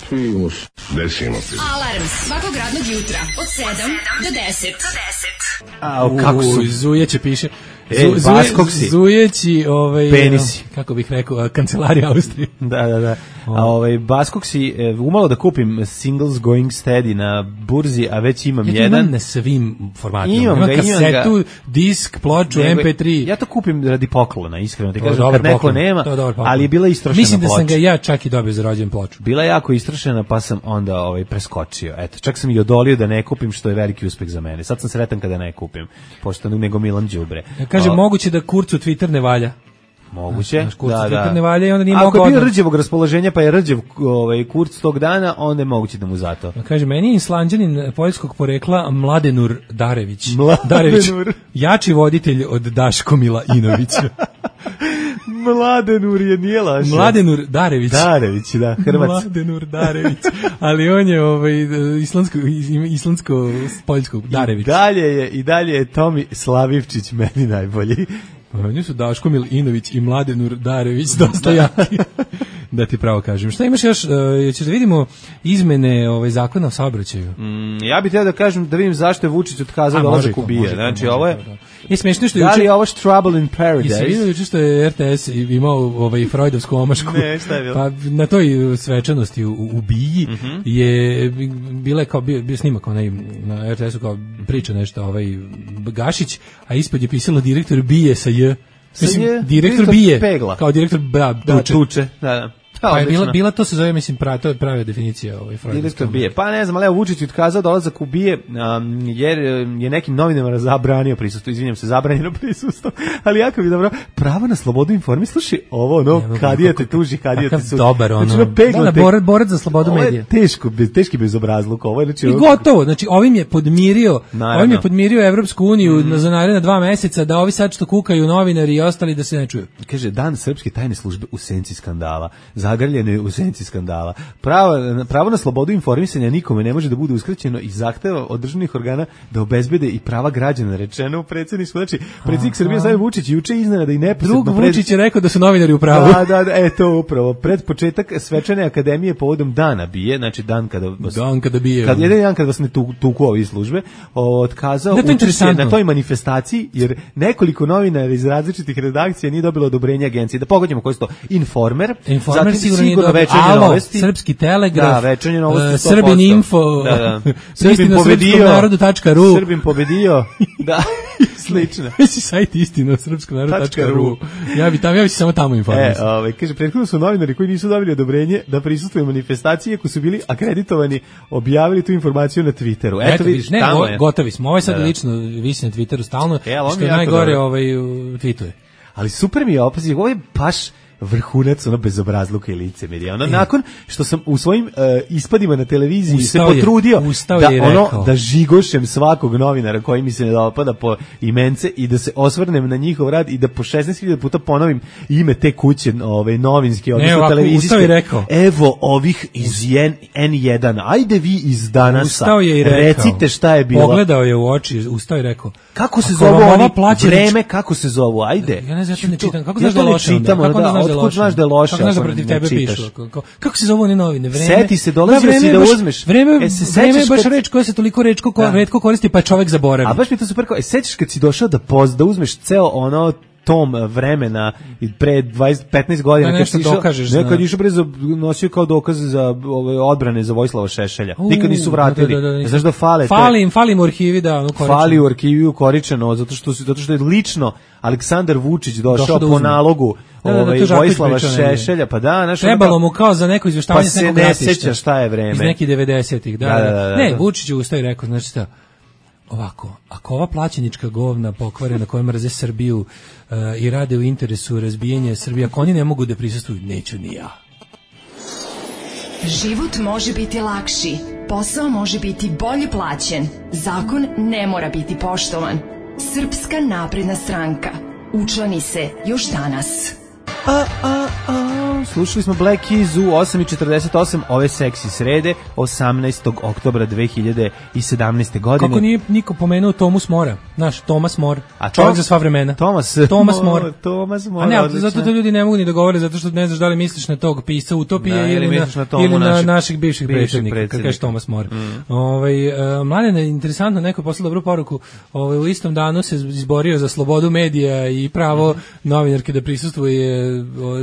Speaker 9: Primus.
Speaker 14: Desimo ti.
Speaker 2: Alarm svakog radnog jutra od sedam do deset.
Speaker 6: A, kako su?
Speaker 5: Zujeće piše.
Speaker 6: E, Baskoksi.
Speaker 5: Zujeći, ovaj,
Speaker 6: penisi.
Speaker 5: Kako bih rekao, kancelarija Austrije.
Speaker 6: Da, da, da. A ovaj Baskoksi, umalo da kupim singles going steady na burzi, a već imam
Speaker 5: ja
Speaker 6: jedan.
Speaker 5: Imam na svim formatima.
Speaker 6: Imam,
Speaker 5: imam
Speaker 6: ga,
Speaker 5: kasetu,
Speaker 6: imam
Speaker 5: disk, ploču, em pe tri.
Speaker 6: Ja to kupim radi poklona, iskreno ti kažem, kad neko nema, ali je bila istrošena
Speaker 5: Mislim da
Speaker 6: ploča.
Speaker 5: sam ga ja čak i dobio za rođendan ploču.
Speaker 6: Bila je jako istrošena, pa sam onda ovaj preskočio. Eto, čak sam i odolio da ne kupim, što je veliki uspeh za mene. Sad sam sretan kada ne kupim, pošto nego Milan đubre.
Speaker 5: Ja kažem, o, moguće da Kurcu Twitter ne valja.
Speaker 6: Moguće,
Speaker 5: naš Kurcu
Speaker 6: da,
Speaker 5: Twitter
Speaker 6: da.
Speaker 5: ne valja i onda nije
Speaker 6: mogao.
Speaker 5: mogao.
Speaker 6: Ako je bio rđevog raspoloženja, pa je rđev ovaj, Kurc tog dana, onda je moguće da mu zato.
Speaker 5: Ja kažem, meni je Islanđanin poljskog porekla Mladenur Darević.
Speaker 6: Mladenur.
Speaker 5: Darević, jači voditelj od Daškomila Inovića.
Speaker 6: Mladenur je nije laže.
Speaker 5: Mladenur Darević.
Speaker 6: Darević, da, Hrvat.
Speaker 5: Mladenur Darević. Ali on je ovaj islandsko islandsko poljsko Darević.
Speaker 6: I dalje je i dalje je Tomi Slavivčić meni najbolji.
Speaker 5: Oni su Daškomil Inović i Mladenur Darević dosta jaki. Da ti pravo kažem. Šta imaš još? Uh, ćeš da vidimo izmene ovaj zakona o saobraćaju?
Speaker 6: Mm, ja bih htio da kažem da vidim zašto je Vučić otkazao dolazak u Bije. Znači,
Speaker 5: može,
Speaker 6: ovo je...
Speaker 5: Da, da. Je smešno što je
Speaker 6: da
Speaker 5: juče...
Speaker 6: li je ovo Trouble in Paradise?
Speaker 5: Jesi vidio juče što je er te es imao ovaj freudovsku omašku?
Speaker 6: Ne, šta je bilo?
Speaker 5: Pa na toj svečanosti u, u Biji
Speaker 6: mm -hmm.
Speaker 5: je bile kao bio, bio snimak onaj na er te esu kao priča nešto ovaj Gašić, a ispod je pisalo direktor Bije sa J. Mislim,
Speaker 6: je,
Speaker 5: direktor Bije,
Speaker 6: pegla.
Speaker 5: kao direktor da,
Speaker 6: da,
Speaker 5: tuče.
Speaker 6: tuče. Da, da.
Speaker 5: Pa je bila, bila to se zove, mislim, pravi, to je prava definicija ovaj
Speaker 6: direktor Bije. Pa ne znam, ali Vučić otkazao dolazak u Bije um, jer je nekim novinarima zabranio prisustvo, izvinjam se, zabranjeno prisustvo, ali jako bi dobro, pravo na slobodu informisanja, slušaj, ovo ono, kadija te tuži, kadija te sudi.
Speaker 5: Dobar, ono,
Speaker 6: znači, pegla,
Speaker 5: da, da, borac, borac za slobodu medija.
Speaker 6: Ovo je teško, bez, teški bezobrazluk, ovo je, znači...
Speaker 5: I gotovo, znači, ovim je podmirio, naravno. Ovim je podmirio Evropsku uniju mm. za naredna dva meseca, da ovi sad što kukaju novinari i ostali da se ne čuju.
Speaker 6: Kaže, dan srpske tajne službe u senci skandala, zagrljeno je u senci skandala. Pravo, pravo na slobodu informisanja nikome ne može da bude uskraćeno i zahteva od državnih organa da obezbede i prava građana, rečeno u predsjedništvu. Znači, predsjednik Srbije Aleksandar Vučić juče iznenada i neposredno...
Speaker 5: Drug pred... Vučić je rekao da su novinari u pravu.
Speaker 6: Da, da, da, e, to upravo. Pred početak svečane akademije povodom dana Bije, znači dan kada... Vas,
Speaker 5: dan kada Bije.
Speaker 6: Kad, jedan dan kada vas ne tu, tuku ovi službe, otkazao učešće na toj manifestaciji, jer nekoliko novinara iz različitih redakcija nije dobilo odobrenje agencije. Da pogodimo koji su to. Informer,
Speaker 5: Informer
Speaker 6: zatim
Speaker 5: sigurno,
Speaker 6: sigurno
Speaker 5: Večernje Alo, novosti, Srpski telegraf,
Speaker 6: da, Večernje novosti,
Speaker 5: uh, Srbin info,
Speaker 6: da, da.
Speaker 5: Srbin pobedio, narodu tačka ru,
Speaker 6: Srbin pobedio, da, slično.
Speaker 5: Jesi sajt istina srpskom narodu tačka ru. Ja bi tamo, ja bi se samo tamo informisao.
Speaker 6: E, ovaj kaže prethodno su novinari koji nisu dobili odobrenje da prisustvuju manifestaciji, ako su bili akreditovani, objavili tu informaciju na Twitteru. Eto,
Speaker 5: Eto vidiš, ne, go, gotovi smo. Ovo je sad da, da. lično visi na Twitteru stalno, e, što je najgore ovaj tweetuje.
Speaker 6: Ali super mi je opazi, ovo je baš vrhunac ono bezobrazluka i licemerja. Ono, nakon što sam u svojim uh, ispadima na televiziji
Speaker 5: ustao
Speaker 6: se potrudio
Speaker 5: je,
Speaker 6: da,
Speaker 5: je
Speaker 6: ono, da žigošem svakog novinara koji mi se ne dopada po imence i da se osvrnem na njihov rad i da po šesnaest hiljada puta ponovim ime te kuće ove, novinske, odnosno televizijske. Evo ovih iz en jedan, ajde vi iz Danasa, recite šta je bilo.
Speaker 5: Pogledao je u oči, ustao i rekao.
Speaker 6: Kako se zove ova vreme, kako se zovu, ajde.
Speaker 5: Ja ne znam, ja ne čitam. Kako znaš da je loše?
Speaker 6: Kako znaš da je loše?
Speaker 5: Kako znaš da protiv tebe pišu? Kako se zove one novine? Vreme.
Speaker 6: Seti se, dolazio si da uzmeš.
Speaker 5: Vreme je baš reč koja se toliko retko koristi, pa čovek zaboravi.
Speaker 6: A baš mi to super kao, sećaš kad si došao da poz, da uzmeš ceo ono tom vremena pre dvadeset petnaest godina
Speaker 5: da,
Speaker 6: kad si išao, nekad
Speaker 5: da.
Speaker 6: išao bre za nosio kao dokaz za ove odbrane za Vojislava Šešelja. Uh, Nikad nisu vratili. Da, da, da, znaš da fale.
Speaker 5: Fali im, fali im u arhivi da, ono koričeno.
Speaker 6: Fali u arhivi ukoričeno zato što su zato što je lično Aleksandar Vučić došao po nalogu
Speaker 5: da, da,
Speaker 6: ovaj
Speaker 5: da,
Speaker 6: Vojislava Šešelja, pa da, znaš,
Speaker 5: trebalo mu kao za neko izveštavanje
Speaker 6: pa
Speaker 5: s nekog
Speaker 6: ratišta. Pa se ne seća šta je vreme.
Speaker 5: Iz nekih devedesetih, da,
Speaker 6: da, da, da, da.
Speaker 5: Ne, Vučić je ustao i rekao, znači šta, ovako, ako ova plaćenička govna pokvare na kojoj mrze Srbiju uh, i rade u interesu razbijanja Srbije, ako oni ne mogu da prisustvuju, neću ni ja.
Speaker 2: Život može biti lakši, posao može biti bolje plaćen, zakon ne mora biti poštovan. Srpska napredna stranka. Učlani se još danas.
Speaker 6: A, a, a. Slušali smo Black Keys u osam i četrdeset osam ove seksi srede osamnaestog oktobra dve hiljade sedamnaeste. godine.
Speaker 5: Kako nije niko pomenuo Tomas Mora, naš Tomas Mor, a čovjek to, za sva vremena.
Speaker 6: Tomas,
Speaker 5: Tomas Mor.
Speaker 6: Tomas Mor.
Speaker 5: A ne, odlično. Zato to ljudi ne mogu ni da govore, zato što ne znaš da li misliš na tog pisca Utopije da, ili, na, na ili na naših, naših bivših predsjednika, kako kažeš Tomas Mor. Mm. Ovaj uh, Mladena, interesantno, neko je poslao dobru poruku, ovaj, u istom danu se izborio za slobodu medija i pravo mm. novinarke da prisustvuje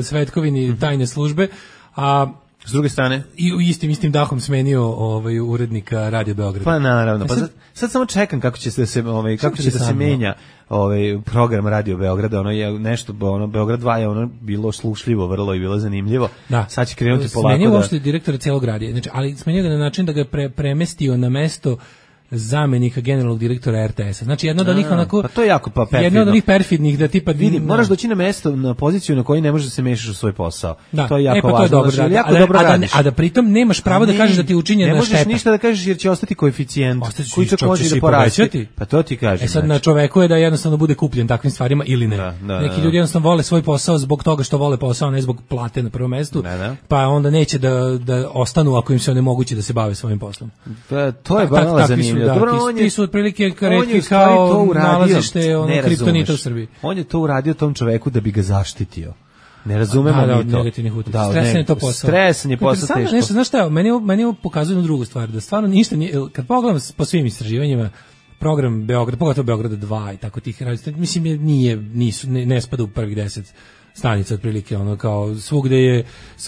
Speaker 5: svetkovini tajne službe, a
Speaker 6: s druge strane
Speaker 5: i u istim istim dahom smenio ovaj urednika Radio Beograda.
Speaker 6: Pa naravno, pa sad, sad samo čekam kako će se ovaj kako će da se menja ovaj program Radio Beograda, ono je nešto ono Beograd dva je ono bilo slušljivo vrlo i bilo zanimljivo. Da. Sad će krenuti polako da.
Speaker 5: Smenio uopšte direktora celog radija. Znači, ali smenio ga na način da ga pre, premestio na mesto zamenika generalnog direktora er te esa. Znači jedno od onih onako
Speaker 6: pa to je jako pa perfidno.
Speaker 5: Jedno od onih perfidnih da tipa
Speaker 6: vidi, moraš doći na mesto, na poziciju na kojoj ne možeš da se mešaš u svoj posao.
Speaker 5: Da.
Speaker 6: To je jako
Speaker 5: e, pa
Speaker 6: važno.
Speaker 5: To je dobro,
Speaker 6: znači,
Speaker 5: da,
Speaker 6: jako
Speaker 5: a,
Speaker 6: dobro
Speaker 5: a,
Speaker 6: radiš.
Speaker 5: A da pritom nemaš pravo da kažeš da ti je učinjena šteta.
Speaker 6: Ne možeš ništa da kažeš jer će ostati koeficijent. Koji će može da porasti. Pa to ti kažem.
Speaker 5: E sad na čoveku je da jednostavno bude kupljen takvim stvarima ili ne.
Speaker 6: Da, da,
Speaker 5: neki ljudi jednostavno vole svoj posao zbog toga što vole posao, ne zbog plate na prvom mestu.
Speaker 6: Da, da.
Speaker 5: Pa onda neće da da ostanu ako im se onemogući da se bave svojim poslom.
Speaker 6: Pa to je baš zanimljivo.
Speaker 5: Dobro, ti su otprilike retki kao nalazište ono kriptonita u Srbiji.
Speaker 6: On je to uradio tom čoveku da bi ga zaštitio. Ne razumemo
Speaker 5: a, da,
Speaker 6: mi to.
Speaker 5: Da, stresan je to posao.
Speaker 6: Stresan je posao teško.
Speaker 5: Nešto, znaš šta, meni, meni ovo pokazuje jednu drugu stvar, da stvarno ništa nije, kad pogledam po svim istraživanjima, program Beograd, pogotovo Beograda dva i tako tih radija, mislim, nije, nisu, ne, ne spada u prvih deset stanica otprilike, ono kao svugde je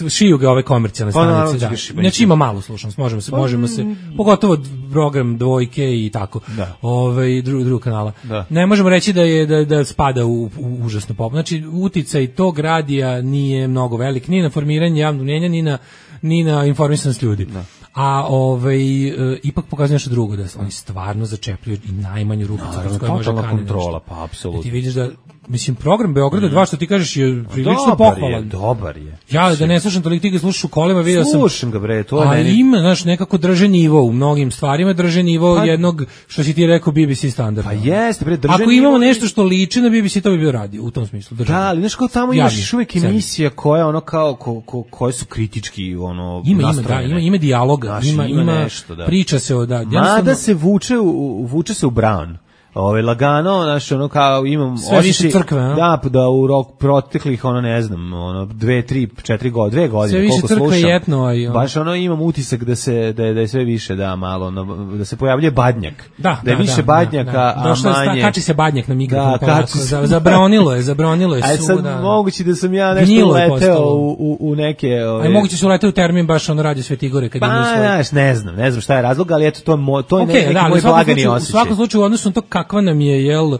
Speaker 5: šiju ga ove komercijalne stanice, da. Znači ima malu slušanost, možemo se, možemo se, pogotovo program dvojke i tako, ove, drugog drug kanala. Da. Ne možemo reći da je da, da spada u, u užasno pop. Znači uticaj tog radija nije mnogo velik, ni na formiranje javnog mnjenja, ni na, ni na informisanost ljudi. Da. A ovaj e, ipak pokazuje nešto drugo, da oni stvarno začepljuju i najmanju ruku
Speaker 6: kroz koju može kaniti kontrola, pa apsolutno.
Speaker 5: Ti vidiš da mislim program Beograda dva što ti kažeš je prilično pohvalan.
Speaker 6: Dobar je.
Speaker 5: Ja da ne slušam toliko, ti ga slušaš u kolima, video sam.
Speaker 6: Slušam ga bre, to je meni.
Speaker 5: A ima, znaš, nekako drže nivo u mnogim stvarima, drže nivo pa, jednog što si ti rekao B B C standarda.
Speaker 6: Pa jeste bre, drže.
Speaker 5: Ako imamo nešto što liči na B B C, to bi bio radio u tom smislu. Drže.
Speaker 6: Da, ali znaš kao tamo imaš još uvijek emisija koja ono kao ko, ko, koje su kritički ono
Speaker 5: ima ima da, ima ima dijaloga, znaš, ima ima, ima nešto, da. Priča se o da.
Speaker 6: Mada se vuče u, vuče se u Brown. Ove lagano, znači ono kao imam
Speaker 5: sve više crkve, a?
Speaker 6: Da, da u rok proteklih ono ne znam, ono dve, tri, četiri godine, dve godine
Speaker 5: sve
Speaker 6: koliko slušam.
Speaker 5: Sve etno, aj, ono.
Speaker 6: Baš ono imam utisak da se da je, da je sve više da malo ono, da se pojavljuje badnjak.
Speaker 5: Da,
Speaker 6: da je
Speaker 5: da,
Speaker 6: više
Speaker 5: da,
Speaker 6: badnjaka,
Speaker 5: da, da.
Speaker 6: a manje.
Speaker 5: Kači se badnjak na mikrofon
Speaker 6: da, kači se.
Speaker 5: Za, zabronilo je, zabronilo je.
Speaker 6: Aj sad
Speaker 5: da.
Speaker 6: moguće da sam ja nešto uleteo u, u, u neke ove...
Speaker 5: Aj moguće se uleteo u termin baš ono radio Svetigore kad
Speaker 6: pa,
Speaker 5: je svoj.
Speaker 6: Znaš, ne znam, ne znam šta je razlog, ali eto to mo, to je
Speaker 5: okay,
Speaker 6: neki
Speaker 5: da,
Speaker 6: moj blagani osjećaj.
Speaker 5: U svakom slučaju u odnosu na to kakva nam je jel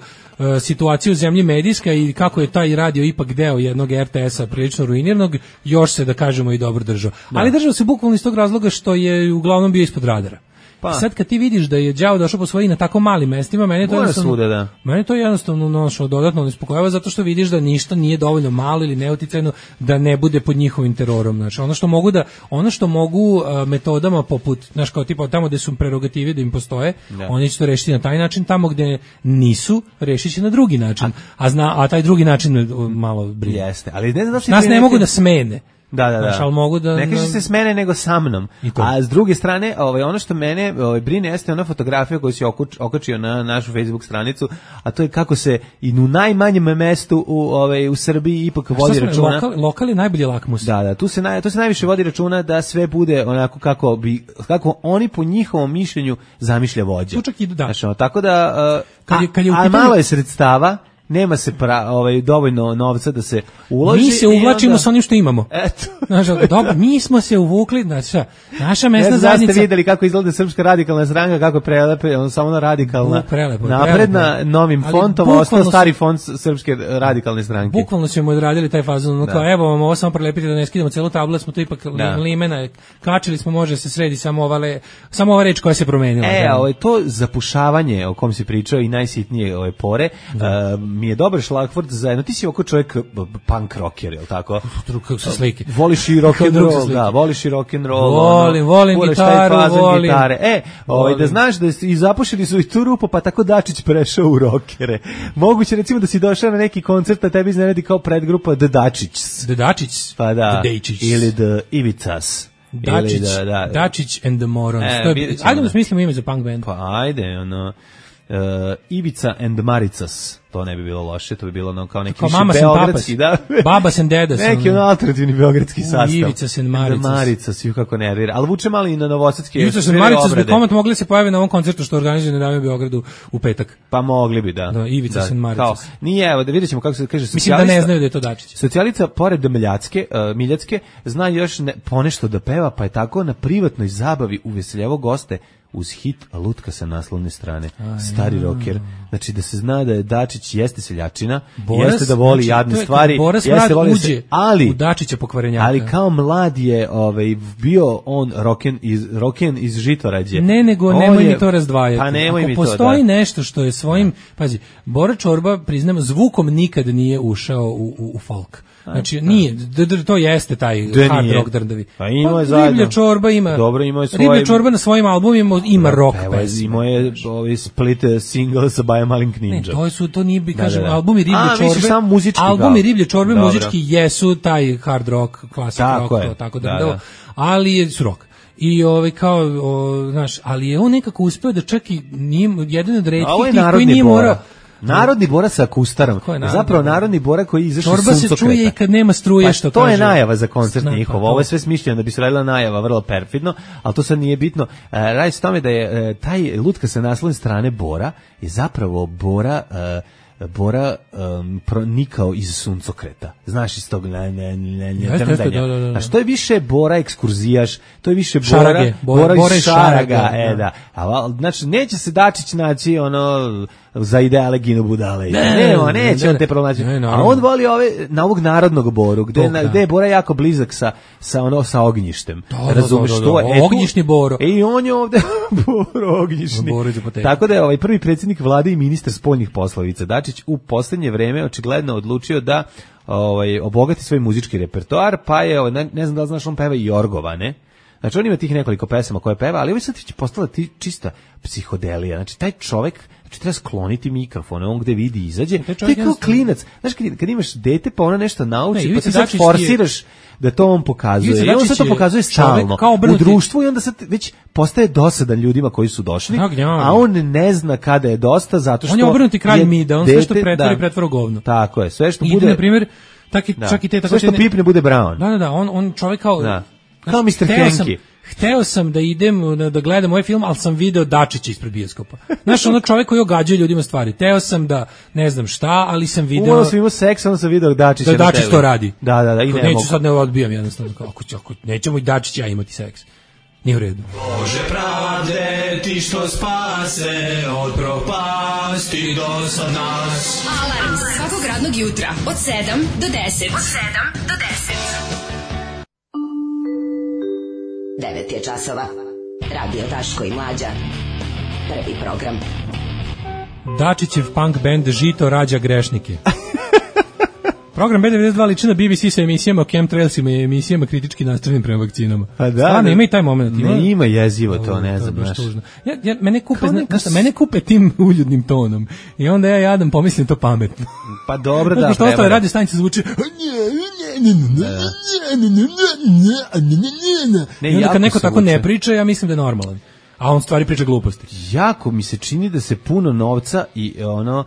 Speaker 5: situacija u zemlji medijska i kako je taj radio ipak deo jednog er te esa prilično ruiniranog, još se da kažemo i dobro držao. Da. Ali držao se bukvalno iz tog razloga što je uglavnom bio ispod radara.
Speaker 6: Pa.
Speaker 5: Sad kad ti vidiš da je đavo došao po svoji na tako malim mestima, meni to
Speaker 6: Mora
Speaker 5: jednostavno,
Speaker 6: svuda, da.
Speaker 5: meni to jednostavno nošo dodatno nespokojava zato što vidiš da ništa nije dovoljno malo ili neuticajno da ne bude pod njihovim terorom. Znači, ono što mogu da ono što mogu uh, metodama poput, znaš, kao tipa tamo gde su prerogative da im postoje, da. Oni će to rešiti na taj način, tamo gde nisu, rešit će na drugi način. A zna, a taj drugi način malo brine.
Speaker 6: Jeste, ali ne znam da
Speaker 5: nas ne neki... mogu da smene.
Speaker 6: Da, da, da.
Speaker 5: Znaš, mogu da,
Speaker 6: ne kaže se s mene nego sa mnom. A s druge strane, ovaj, ono što mene ovaj, brine jeste ona fotografija koju si okačio na našu Facebook stranicu, a to je kako se i u najmanjem mestu u, ovaj, u Srbiji ipak vodi računa.
Speaker 5: Lokal, lokal je najbolji lakmus.
Speaker 6: Da, da, tu se, naj, tu se najviše vodi računa da sve bude onako kako, bi, kako oni po njihovom mišljenju zamišlja vođa.
Speaker 5: Čak i da.
Speaker 6: Znači, tako da, uh,
Speaker 5: kad je, kad je
Speaker 6: a, a malo je sredstava, nema se pra, ovaj dovoljno novca da se uloži.
Speaker 5: Mi se uvlačimo
Speaker 6: onda...
Speaker 5: sa onim što imamo.
Speaker 6: Eto.
Speaker 5: Znaš, dobro, mi smo se uvukli, znači, naša mesna
Speaker 6: ne,
Speaker 5: zajednica.
Speaker 6: Ste videli kako izgleda Srpska radikalna stranka, kako prelepe, on samo ona radikalna.
Speaker 5: U, prelepo,
Speaker 6: napredna
Speaker 5: prelepo.
Speaker 6: Novim fontom, ostao stari font Srpske radikalne stranke.
Speaker 5: Bukvalno smo odradili taj fazon, no, kao, evo vam ovo samo prelepiti da ne skidamo celu tablu, smo to ipak da. limena, kačili smo, može se sredi samo ova, le, samo ova reč koja se promenila.
Speaker 6: E, ovo je to zapušavanje o kom si pričao i najsitnije ove pore, uh, mi je dobar šlagvort zajedno. Ti si oko čovjek punk rocker, je li tako?
Speaker 5: Kako se slike.
Speaker 6: Voliš i rock and roll, da, voliš i rock and roll.
Speaker 5: Volim, ono, volim gitaru, volim.
Speaker 6: Gitare. E, ovaj, da znaš da i zapušili su i tu rupu, pa tako Dačić prešao u rockere. Moguće recimo da si došao na neki koncert, a tebi iznenadi kao predgrupa The Dačić.
Speaker 5: The Dačić?
Speaker 6: Pa da.
Speaker 5: The Dačić.
Speaker 6: Ili The Ivicas.
Speaker 5: Dačić, da, da. Dačić and the Morons. E, je, ajde da smislimo ime za punk band.
Speaker 6: Pa ajde, ono... Uh, Ivica and Maricas, to ne bi bilo loše, to bi bilo ono kao neki
Speaker 5: kao mama
Speaker 6: beogradski, da.
Speaker 5: Babas and Dedas.
Speaker 6: Neki ono alternativni beogradski sastav.
Speaker 5: Ivica and Maricas.
Speaker 6: Maricas, ju kako nervira. Ali vuče malo i na novosadske.
Speaker 5: Ivica and Maricas bi komad mogli se pojaviti na ovom koncertu što organizuje Nedavno u Beogradu u petak.
Speaker 6: Pa mogli bi, da.
Speaker 5: Da, Ivica and Maricas.
Speaker 6: Kao, nije, evo, da vidjet ćemo kako se kaže
Speaker 5: socijalista. Mislim da ne znaju da je to Dačić.
Speaker 6: Socijalica, pored da Miljacke, uh, Miljacke, zna još ne, ponešto da peva, pa je tako na privatnoj zabavi uveseljevo goste uz hit Lutka sa naslovne strane. A, stari ja. rocker. Znači da se zna da je Dačić jeste seljačina, Boras, jeste da voli znači, jadne stvari, jeste voli
Speaker 5: uđe
Speaker 6: se, ali
Speaker 5: u Dačića pokvarenjaka.
Speaker 6: Ali kao mlad je ovaj bio on rocken iz rocken iz Žitorađe.
Speaker 5: Ne, nego
Speaker 6: on
Speaker 5: nemoj
Speaker 6: je,
Speaker 5: mi to razdvajati.
Speaker 6: Pa nemoj
Speaker 5: Ako
Speaker 6: mi
Speaker 5: postoji
Speaker 6: to, da.
Speaker 5: nešto što je svojim, pazi, Bora Čorba, priznamo, zvukom nikad nije ušao u, u, u folk. Znači, nije, d, d, to jeste taj
Speaker 6: da
Speaker 5: hard
Speaker 6: nije.
Speaker 5: rock drndavi.
Speaker 6: Pa ima
Speaker 5: pa,
Speaker 6: je zajedno.
Speaker 5: Riblja Čorba ima,
Speaker 6: dobro, ima je svoje...
Speaker 5: Riblja Čorba na svojim albumima ima da, rock pesme.
Speaker 6: Ima je ovaj split single sa Baja Malink Ninja.
Speaker 5: Ne, to su, to nije, bi, kažem,
Speaker 6: da, da, da.
Speaker 5: albumi Riblje
Speaker 6: A,
Speaker 5: Čorbe,
Speaker 6: sam muzički,
Speaker 5: albumi Riblje Čorbe
Speaker 6: dobro.
Speaker 5: muzički jesu taj hard rock, klasik rock,
Speaker 6: je.
Speaker 5: to, tako da,
Speaker 6: da, da.
Speaker 5: ali je su rock. I ovaj kao, o, znaš, ali je on nekako uspeo da čak i nije, jedan od retkih tih koji nije morao.
Speaker 6: Narodni Bora sa akustarom. Zapravo narodni Bora koji izašao
Speaker 5: Čorba se čuje i kad nema struje,
Speaker 6: pa
Speaker 5: što
Speaker 6: to
Speaker 5: kaže.
Speaker 6: je najava za koncert
Speaker 5: Zna,
Speaker 6: njihov.
Speaker 5: pa,
Speaker 6: Ovo je sve smišljeno da bi se radila najava, vrlo perfidno, ali to sad nije bitno. E, radi se tome da je e, taj Lutka sa naslovne strane Bora je zapravo Bora e, Bora um, pronikao iz suncokreta. Znaš iz tog ne, ne, ne, ne, trndanja. Da, da, da. A što je više Bora ekskurzijaš, to je više Bora,
Speaker 5: Šarage, Bora,
Speaker 6: Bora,
Speaker 5: Bora
Speaker 6: iz Šaraga.
Speaker 5: Šaraga
Speaker 6: e, da. A, znači, neće se Dačić naći ono za ideale Gino Budale. Ne, ne, ne neće ne, on te pronaći. A on voli ove, na ovog narodnog Boru, gde, Tog, na, gde je Bora jako blizak sa, sa, ono, sa ognjištem.
Speaker 5: Da,
Speaker 6: razumeš
Speaker 5: da, da,
Speaker 6: to?
Speaker 5: Da, da. Ognjišni Boro.
Speaker 6: I on je ovde Boro ognjišni.
Speaker 5: Boro
Speaker 6: tako da je ovaj prvi predsjednik vlade i ministar spoljnih poslova Dačić u poslednje vreme očigledno odlučio da ovaj obogati svoj muzički repertoar, pa je ne, ne znam da li znaš, on peva i Jorgova, ne? Znači on ima tih nekoliko pesama koje peva, ali ovo sad će postala ti čista psihodelija. Znači taj čovjek, znači treba skloniti mikrofon, on gde vidi izađe. To je kao klinac. Znaš kad, kad imaš dete pa ona nešto nauči, ne, pa ti sad forsiraš da to on pokazuje. I on sad to pokazuje stalno u društvu i onda sad već postaje dosadan ljudima koji su došli, a on ne zna kada je dosta zato što
Speaker 5: on je obrnuti kralj mida, on sve što pretvori da, pretvara govno.
Speaker 6: Tako je, sve što
Speaker 5: I
Speaker 6: bude
Speaker 5: na primjer tak i, da. čak i te tako
Speaker 6: sve što te, pipne bude Brown.
Speaker 5: Da, da, da, on on čovjek kao
Speaker 6: da. Kao mister Henki.
Speaker 5: Hteo sam da idem da gledam ovaj film, ali sam video Dačića ispred bioskopa. Znaš, ono čovjek koji ogađuje ljudima stvari. Hteo sam da ne znam šta, ali sam video...
Speaker 6: Uvo sam imao seks, onda sam video Dačića
Speaker 5: da Dačić to radi.
Speaker 6: Da, da, da, i ne
Speaker 5: neću
Speaker 6: mogu.
Speaker 5: sad ne odbijam jednostavno. Ako, ako nećemo i Dačić ja imati seks. Nije u redu.
Speaker 15: Bože pravde, ti što spase od propasti do sad nas.
Speaker 2: Alarm svakog radnog jutra od sedam do deset. Od sedam do deset. devet je časova.
Speaker 16: Radio Daško i Mlađa. Prvi program.
Speaker 5: Dačićev punk band Žito rađa grešnike. Program B devedeset dva liči na B B C sa emisijama o chemtrailsima i emisijama kritički nastavljenim prema vakcinama.
Speaker 6: Pa da,
Speaker 5: stvarno, ima i taj moment. Ima,
Speaker 6: ne, ima jezivo to, ne znam.
Speaker 5: To ja, ja, mene, kupe, zna, neka... mene kupe tim uljudnim tonom. I onda ja jadam pomislim to pametno.
Speaker 6: Pa dobro da.
Speaker 5: Što ostale radio stanice zvuči i onda kad neko tako ne priča, ja mislim da je normalan. A on stvari priča gluposti.
Speaker 6: Jako mi se čini da se puno novca i ono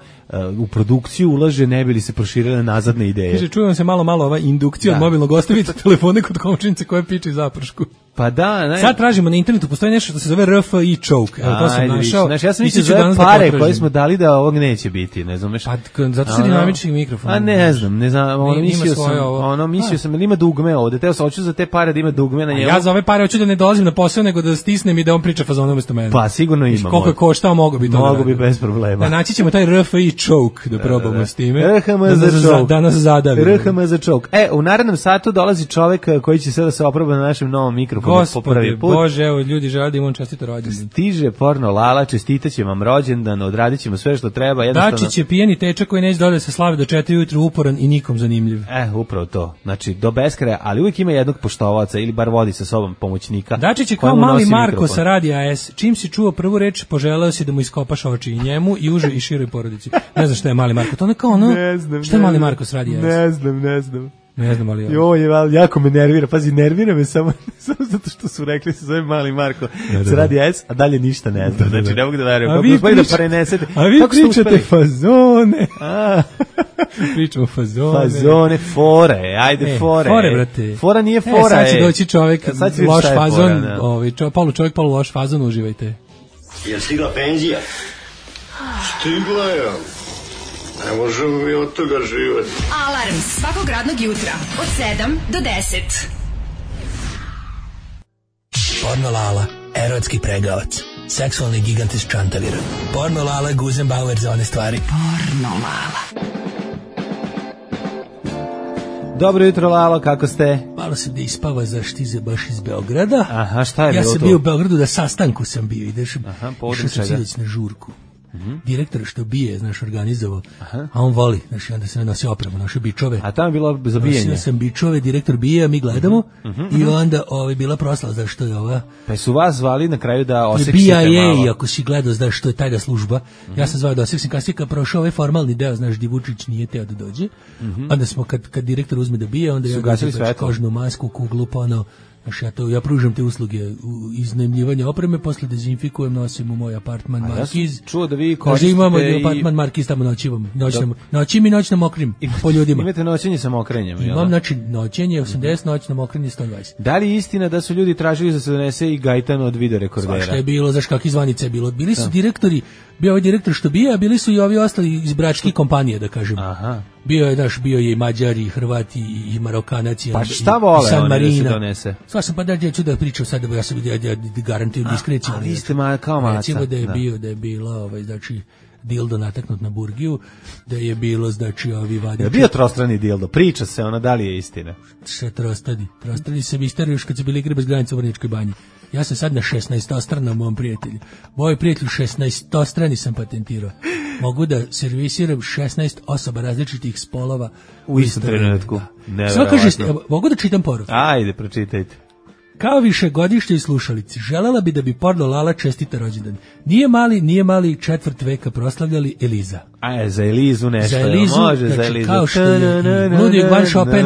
Speaker 6: u produkciju ulaže, ne bi li se proširile nazadne ideje.
Speaker 5: Kaže, čujem se malo malo ova indukcija od mobilnog, ostavite telefone kod komšinice koja piče zapršku.
Speaker 6: Pa da, ne.
Speaker 5: Sad tražimo na internetu, postoji nešto što se zove R F I choke. Evo, to sam
Speaker 6: Ajde,
Speaker 5: našao.
Speaker 6: Znači, ja sam mislio da pare koje smo dali da ovog neće biti, ne znam.
Speaker 5: Pa, zato se dinamični mikrofon.
Speaker 6: A ne znam, ne znam, ono mislio sam, ono mislio sam, ili ima dugme ovde, teo sam, hoću za te pare da ima dugme na njemu.
Speaker 5: Ja za ove pare hoću da ne dolazim na posao, nego da stisnem i da on priča fazon umesto mene.
Speaker 6: Pa, sigurno ima.
Speaker 5: Koliko je koštao, mogu bi to.
Speaker 6: Mogu bi bez problema.
Speaker 5: Naći ćemo taj R F I choke da probamo s time.
Speaker 6: R H M za choke.
Speaker 5: Da nas zadavi.
Speaker 6: R H M za choke. E, u narednom satu dolazi čovek koji će sada se oproba na našem novom mikrofonu po prvi put.
Speaker 5: Bože, evo, ljudi žele da imam čestito rođendan.
Speaker 6: Stiže porno Lala, čestitaće vam rođendan, odradit ćemo sve što treba. Jednostavno...
Speaker 5: Dačić je pijeni tečak koji neće dole se slave do četiri ujutru, uporan i nikom zanimljiv.
Speaker 6: E, upravo to. Znači, do beskraja, ali uvijek ima jednog poštovaca ili bar vodi sa sobom pomoćnika.
Speaker 5: Dačić je kao mali Marko mikrofon. Sa Radija S. Čim si čuo prvu reč, poželeo si da mu iskopaš oči i njemu i užoj i široj porodici. Ne znam šta je mali Marko. To ne kao ono,
Speaker 6: ne znam,
Speaker 5: šta je mali Marko sa Radija S?
Speaker 6: Ne znam, ne znam.
Speaker 5: Ne znam, ali
Speaker 6: jo, je jako me nervira, pazi, nervira me samo, samo zato što su rekli se zove mali Marko, da, se radi S, a dalje ništa ne znam, znači ne mogu da verujem, kako uspali da prenesete.
Speaker 5: A vi pričate fazone. A, pričamo fazone.
Speaker 6: Fazone, fore, ajde
Speaker 5: e,
Speaker 6: fore.
Speaker 5: Fore, brate.
Speaker 6: Fora nije fora. E,
Speaker 5: sad će doći čovjek, loš fazon,
Speaker 6: fora,
Speaker 5: ovaj, čo, polu čovjek, polu loš fazon, uživajte.
Speaker 11: Je stigla penzija? Stigla je. Ne možemo mi od toga živati.
Speaker 2: Alarm svakog radnog jutra od sedam do deset.
Speaker 15: Porno Lala, erotski pregavac, seksualni gigant iz Čantavira. Porno Lala, Guzenbauer za one stvari.
Speaker 2: Porno Lala.
Speaker 6: Dobro jutro, Lalo, kako ste?
Speaker 5: Malo sam da ispava za štize baš iz Beograda.
Speaker 6: Aha, šta je
Speaker 5: ja
Speaker 6: bilo to?
Speaker 5: Ja sam bio u Beogradu da sastanku sam bio. Ideš,
Speaker 6: Aha,
Speaker 5: išao sam sinoć na žurku.
Speaker 6: Mm-hmm.
Speaker 5: Direktor što bije, znaš, organizovao, aha. A on voli, znaš, onda se ne nosi opremu, naše bičove.
Speaker 6: A tamo je bilo za bijenje?
Speaker 5: Nosio sam bičove, direktor bije, mi gledamo, mm-hmm. I onda ovaj, bila proslava, znaš, što je ova...
Speaker 6: Pa su vas zvali na kraju da oseksite
Speaker 5: B I A
Speaker 6: malo?
Speaker 5: I, ako si gledao, znaš, što je tajna služba, mm-hmm. Ja sam zvao da oseksim, kasnije kad prošao ovaj formalni deo, znaš, di Vučić nije teo da dođe, mm-hmm. Onda smo, kad, kad direktor uzme da bije, onda ja gledam kožnu masku, kuglu, pa ono, znaš, ja, to, ja pružam te usluge iznajmljivanja opreme, posle dezinfikujem, nosim u moj apartman Markiz.
Speaker 6: Ja čuo da vi koristite
Speaker 5: imamo i... apartman Markiz, tamo noćivam. Noćnom, noćim i noć na mokrim, po ljudima.
Speaker 6: Imate noćenje sa mokrenjem,
Speaker 5: imam, znači, noćenje osamdeset, noć na mokrenje sto dvadeset.
Speaker 6: Da li je istina da su ljudi tražili da se donese i gajtan od videorekordera?
Speaker 5: Svašta je bilo, znaš kakvi zvanice je bilo. Bili su da. direktori, bio ovaj direktor što bija, a bili su i ovi ostali iz bračkih kompanije, da kažem.
Speaker 6: Aha.
Speaker 5: Bio je, daš, bio je i Mađari, i Hrvati, i Marokanac, i
Speaker 6: pa šta vole
Speaker 5: San
Speaker 6: oni
Speaker 5: da
Speaker 6: se donese?
Speaker 5: Sva sam pa da ću da pričam sad, da ja sam ja, ja, garantujem diskreciju.
Speaker 6: A vi ste ma, kao maca.
Speaker 5: Recimo da je da. bio, da je bila, ovaj, znači, dildo nataknut na burgiju, da je bilo, znači, ovi vadiči.
Speaker 6: Je bio trostrani dildo, priča se, ona da li je istina?
Speaker 5: Še trostrani, trostrani se misteriju još kad su bili igre bez granica u Vrničkoj banji. Ja sam sad na šesnaestostranom mom prijatelju. Moj prijatelj šesnaestostrani sam patentirao. Mogu da servisiram šesnaest osoba različitih spolova
Speaker 6: u istom trenutku.
Speaker 5: Sve kaže, mogu da čitam poruku?
Speaker 6: Ajde, pročitajte.
Speaker 5: Kao višegodišnjoj slušalici, želela bi da bi porno Lala čestita rođendan. Nije mali, nije mali četvrt veka proslavljali Eliza.
Speaker 6: A, za Elizu nešto,
Speaker 5: za Elizu,
Speaker 6: može
Speaker 5: znači,
Speaker 6: za Elizu.
Speaker 5: Kao što je Ludwig van Chopin,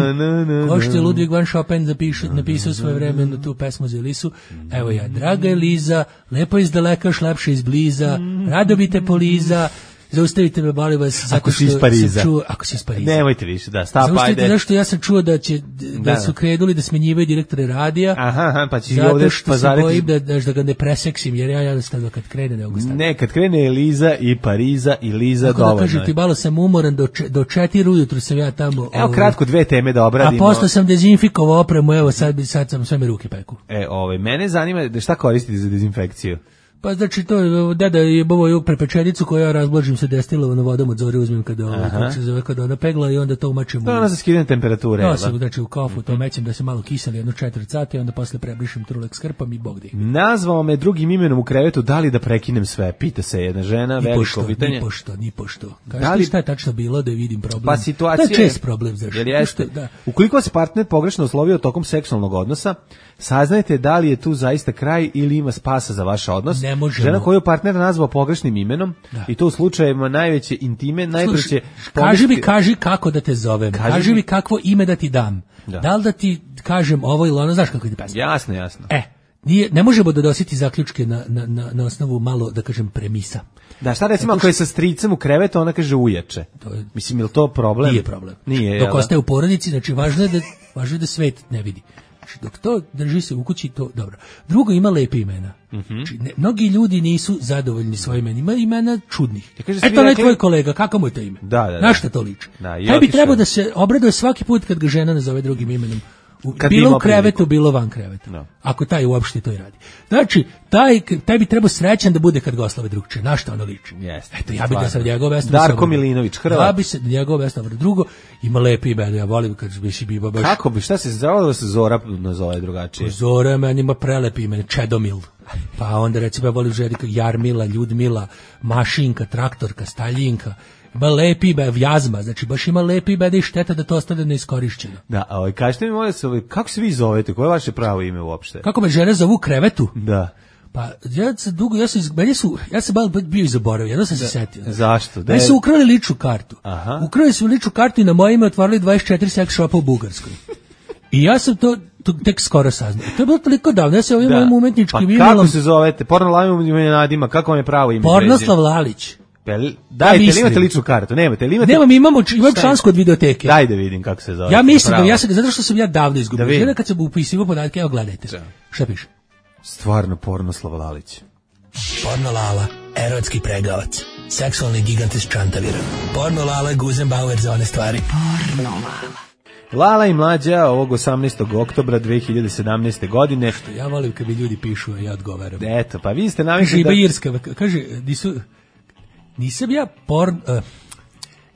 Speaker 5: kao što je Ludwig van Chopin zapišu, napisao svoje vreme na tu pesmu za Elisu. Evo ja, draga Eliza, lepo izdaleka, šlepše izbliza, rado bi te poliza, zaustavite me, molim vas, zato što sam čuo, ako si iz Pariza.
Speaker 6: Nemojte više, da, stop, ajde.
Speaker 5: Zaustavite zašto ja sam čuo da će, da, da su krenuli da smenjivaju direktore radija.
Speaker 6: Aha, aha, pa će
Speaker 5: zato
Speaker 6: ovdje
Speaker 5: što se bojim da, da, da ga ne preseksim, jer ja jednostavno kad krene ne mogu staviti.
Speaker 6: Ne, kad krene Eliza i Pariza i Liza
Speaker 5: tako
Speaker 6: dovoljno.
Speaker 5: Tako da kažem ti, malo sam umoran, do, če, do četiri ujutru sam ja tamo.
Speaker 6: Evo ovaj, kratko dve teme da obradimo.
Speaker 5: A posle sam dezinfikovao opremu, evo sad, sad sam sve me ruke peku.
Speaker 6: E, ovaj, mene zanima da šta koristite za dezinfekciju?
Speaker 17: Pa znači to je deda je bovo prepečenicu koju ja razblažim sa destilovanom vodom od zore, uzmem kada ovo, kako se zove, kada ona pegla i onda to umačim.
Speaker 6: To je ona za skidanje temperature.
Speaker 17: Ja sam znači u kafu to mećem da se malo kiseli jedno četiri sata i onda posle prebrišem trulek s krpom i bog da ih.
Speaker 6: Nazvao me drugim imenom u krevetu, da li da prekinem sve? Pita se jedna žena,
Speaker 17: ni
Speaker 6: veliko
Speaker 17: pošto,
Speaker 6: pitanje.
Speaker 17: Ni pošto, ni pošto. Kažete
Speaker 6: da li
Speaker 17: šta je tačno bilo da vidim problem?
Speaker 6: Pa situacija
Speaker 17: to je čest problem, znači.
Speaker 6: Jer jeste, da. Ukoliko se partner pogrešno oslovio tokom seksualnog odnosa, saznajte da li je tu zaista kraj ili ima spasa za vaš odnos. Žena koju partner nazvao pogrešnim imenom da. I to u slučajevima najveće intime, najbrže će
Speaker 17: kaži mi, kaži kako da te zovem, kaži, kaži mi kakvo ime da ti dam. Da. da li da ti kažem ovo ili ono, znaš kako ide pesma?
Speaker 6: Jasno, jasno.
Speaker 17: E, nije, ne možemo da dositi zaključke na, na, na, na osnovu malo, da kažem, premisa.
Speaker 6: Da, šta recimo ako je sa stricem u krevetu, ona kaže uječe. To je, mislim, je li to problem?
Speaker 17: Nije problem.
Speaker 6: Nije,
Speaker 17: dok ostaje u porodici, znači važno je da, važno je da svet ne vidi. Znači, dok to drži se u kući, to dobro. Drugo, ima lepe imena. Mm-hmm. Znači, ne, mnogi ljudi nisu zadovoljni svojim imenima, ima imena čudnih. Ja kaže, eto, rekli... tvoj kolega, kako mu je to ime?
Speaker 6: Da, da, da.
Speaker 17: Na šta to liči?
Speaker 6: Da,
Speaker 17: taj bi trebao da se obraduje svaki put kad ga žena nazove drugim imenom. U, bilo u krevetu, priliku. Bilo van kreveta. No. Ako taj uopšte to i radi. Znači, taj, taj bi trebao srećan da bude kad ga oslave drugče. Na šta ono liči?
Speaker 6: Yes,
Speaker 17: eto, ja bih da sam njegov vesno.
Speaker 6: Darko Milinović, Hrvat.
Speaker 17: Ja bi se njegov vesno. Drugo, ima lepi ime, ja volim kad bi si biba baš.
Speaker 6: Kako bi, šta se zove da se Zora nazove drugačije?
Speaker 17: Zora meni ima prelepi ime, Čedomil. Pa onda recimo ja volim želi Jarmila, Ljudmila, Mašinka, Traktorka, Staljinka. Ima lepi ime, Vjazma, znači baš ima lepi ime da je šteta da to ostane neiskorišćeno.
Speaker 6: Da, a ovaj, kažete mi, molim se, kako se vi zovete, koje je vaše pravo ime uopšte?
Speaker 17: Kako me žene zovu krevetu?
Speaker 6: Da.
Speaker 17: Pa ja sam dugo, ja sam, meni su, ja sam malo bio i zaboravio, jedno sam se setio.
Speaker 6: Zašto?
Speaker 17: Da su ukrali ličnu kartu. Aha. Ukrali su ličnu kartu i na moje ime otvorili dvadeset četiri sex shopa u Bugarskoj. I ja sam to, to tek skoro saznao. To je bilo toliko davno, ja se ovim mojim umetničkim imenom...
Speaker 6: Pa kako se zovete? Porno Lavim ime nadima, kako vam je pravo ime?
Speaker 17: Pornoslav Lalić.
Speaker 6: Dajte, ili imate ličnu kartu? Nemate, ili imate...
Speaker 17: Nemam, imamo, imam člansku od videoteke.
Speaker 6: Daj da vidim kako se zove.
Speaker 17: Ja mislim da, ja sam, zato što sam ja davno izgubio. Da Jedna kad sam upisivo podatke, evo gledajte. Da. Šta piše?
Speaker 6: Stvarno Pornoslav Lalić.
Speaker 15: Porno Lala, erotski pregavac. Seksualni gigant iz Čantavira. Porno Lala, Guzenbauer za one stvari. Porno Lala.
Speaker 6: Lala i Mlađa ovog osamnaestog oktobra dve hiljade sedamnaeste. godine.
Speaker 17: Što ja volim kad mi ljudi pišu, a ja odgovaram.
Speaker 6: Eto, pa vi ste navikli
Speaker 17: da... Irska, kaže, nisu... Nisam ja porn... Uh,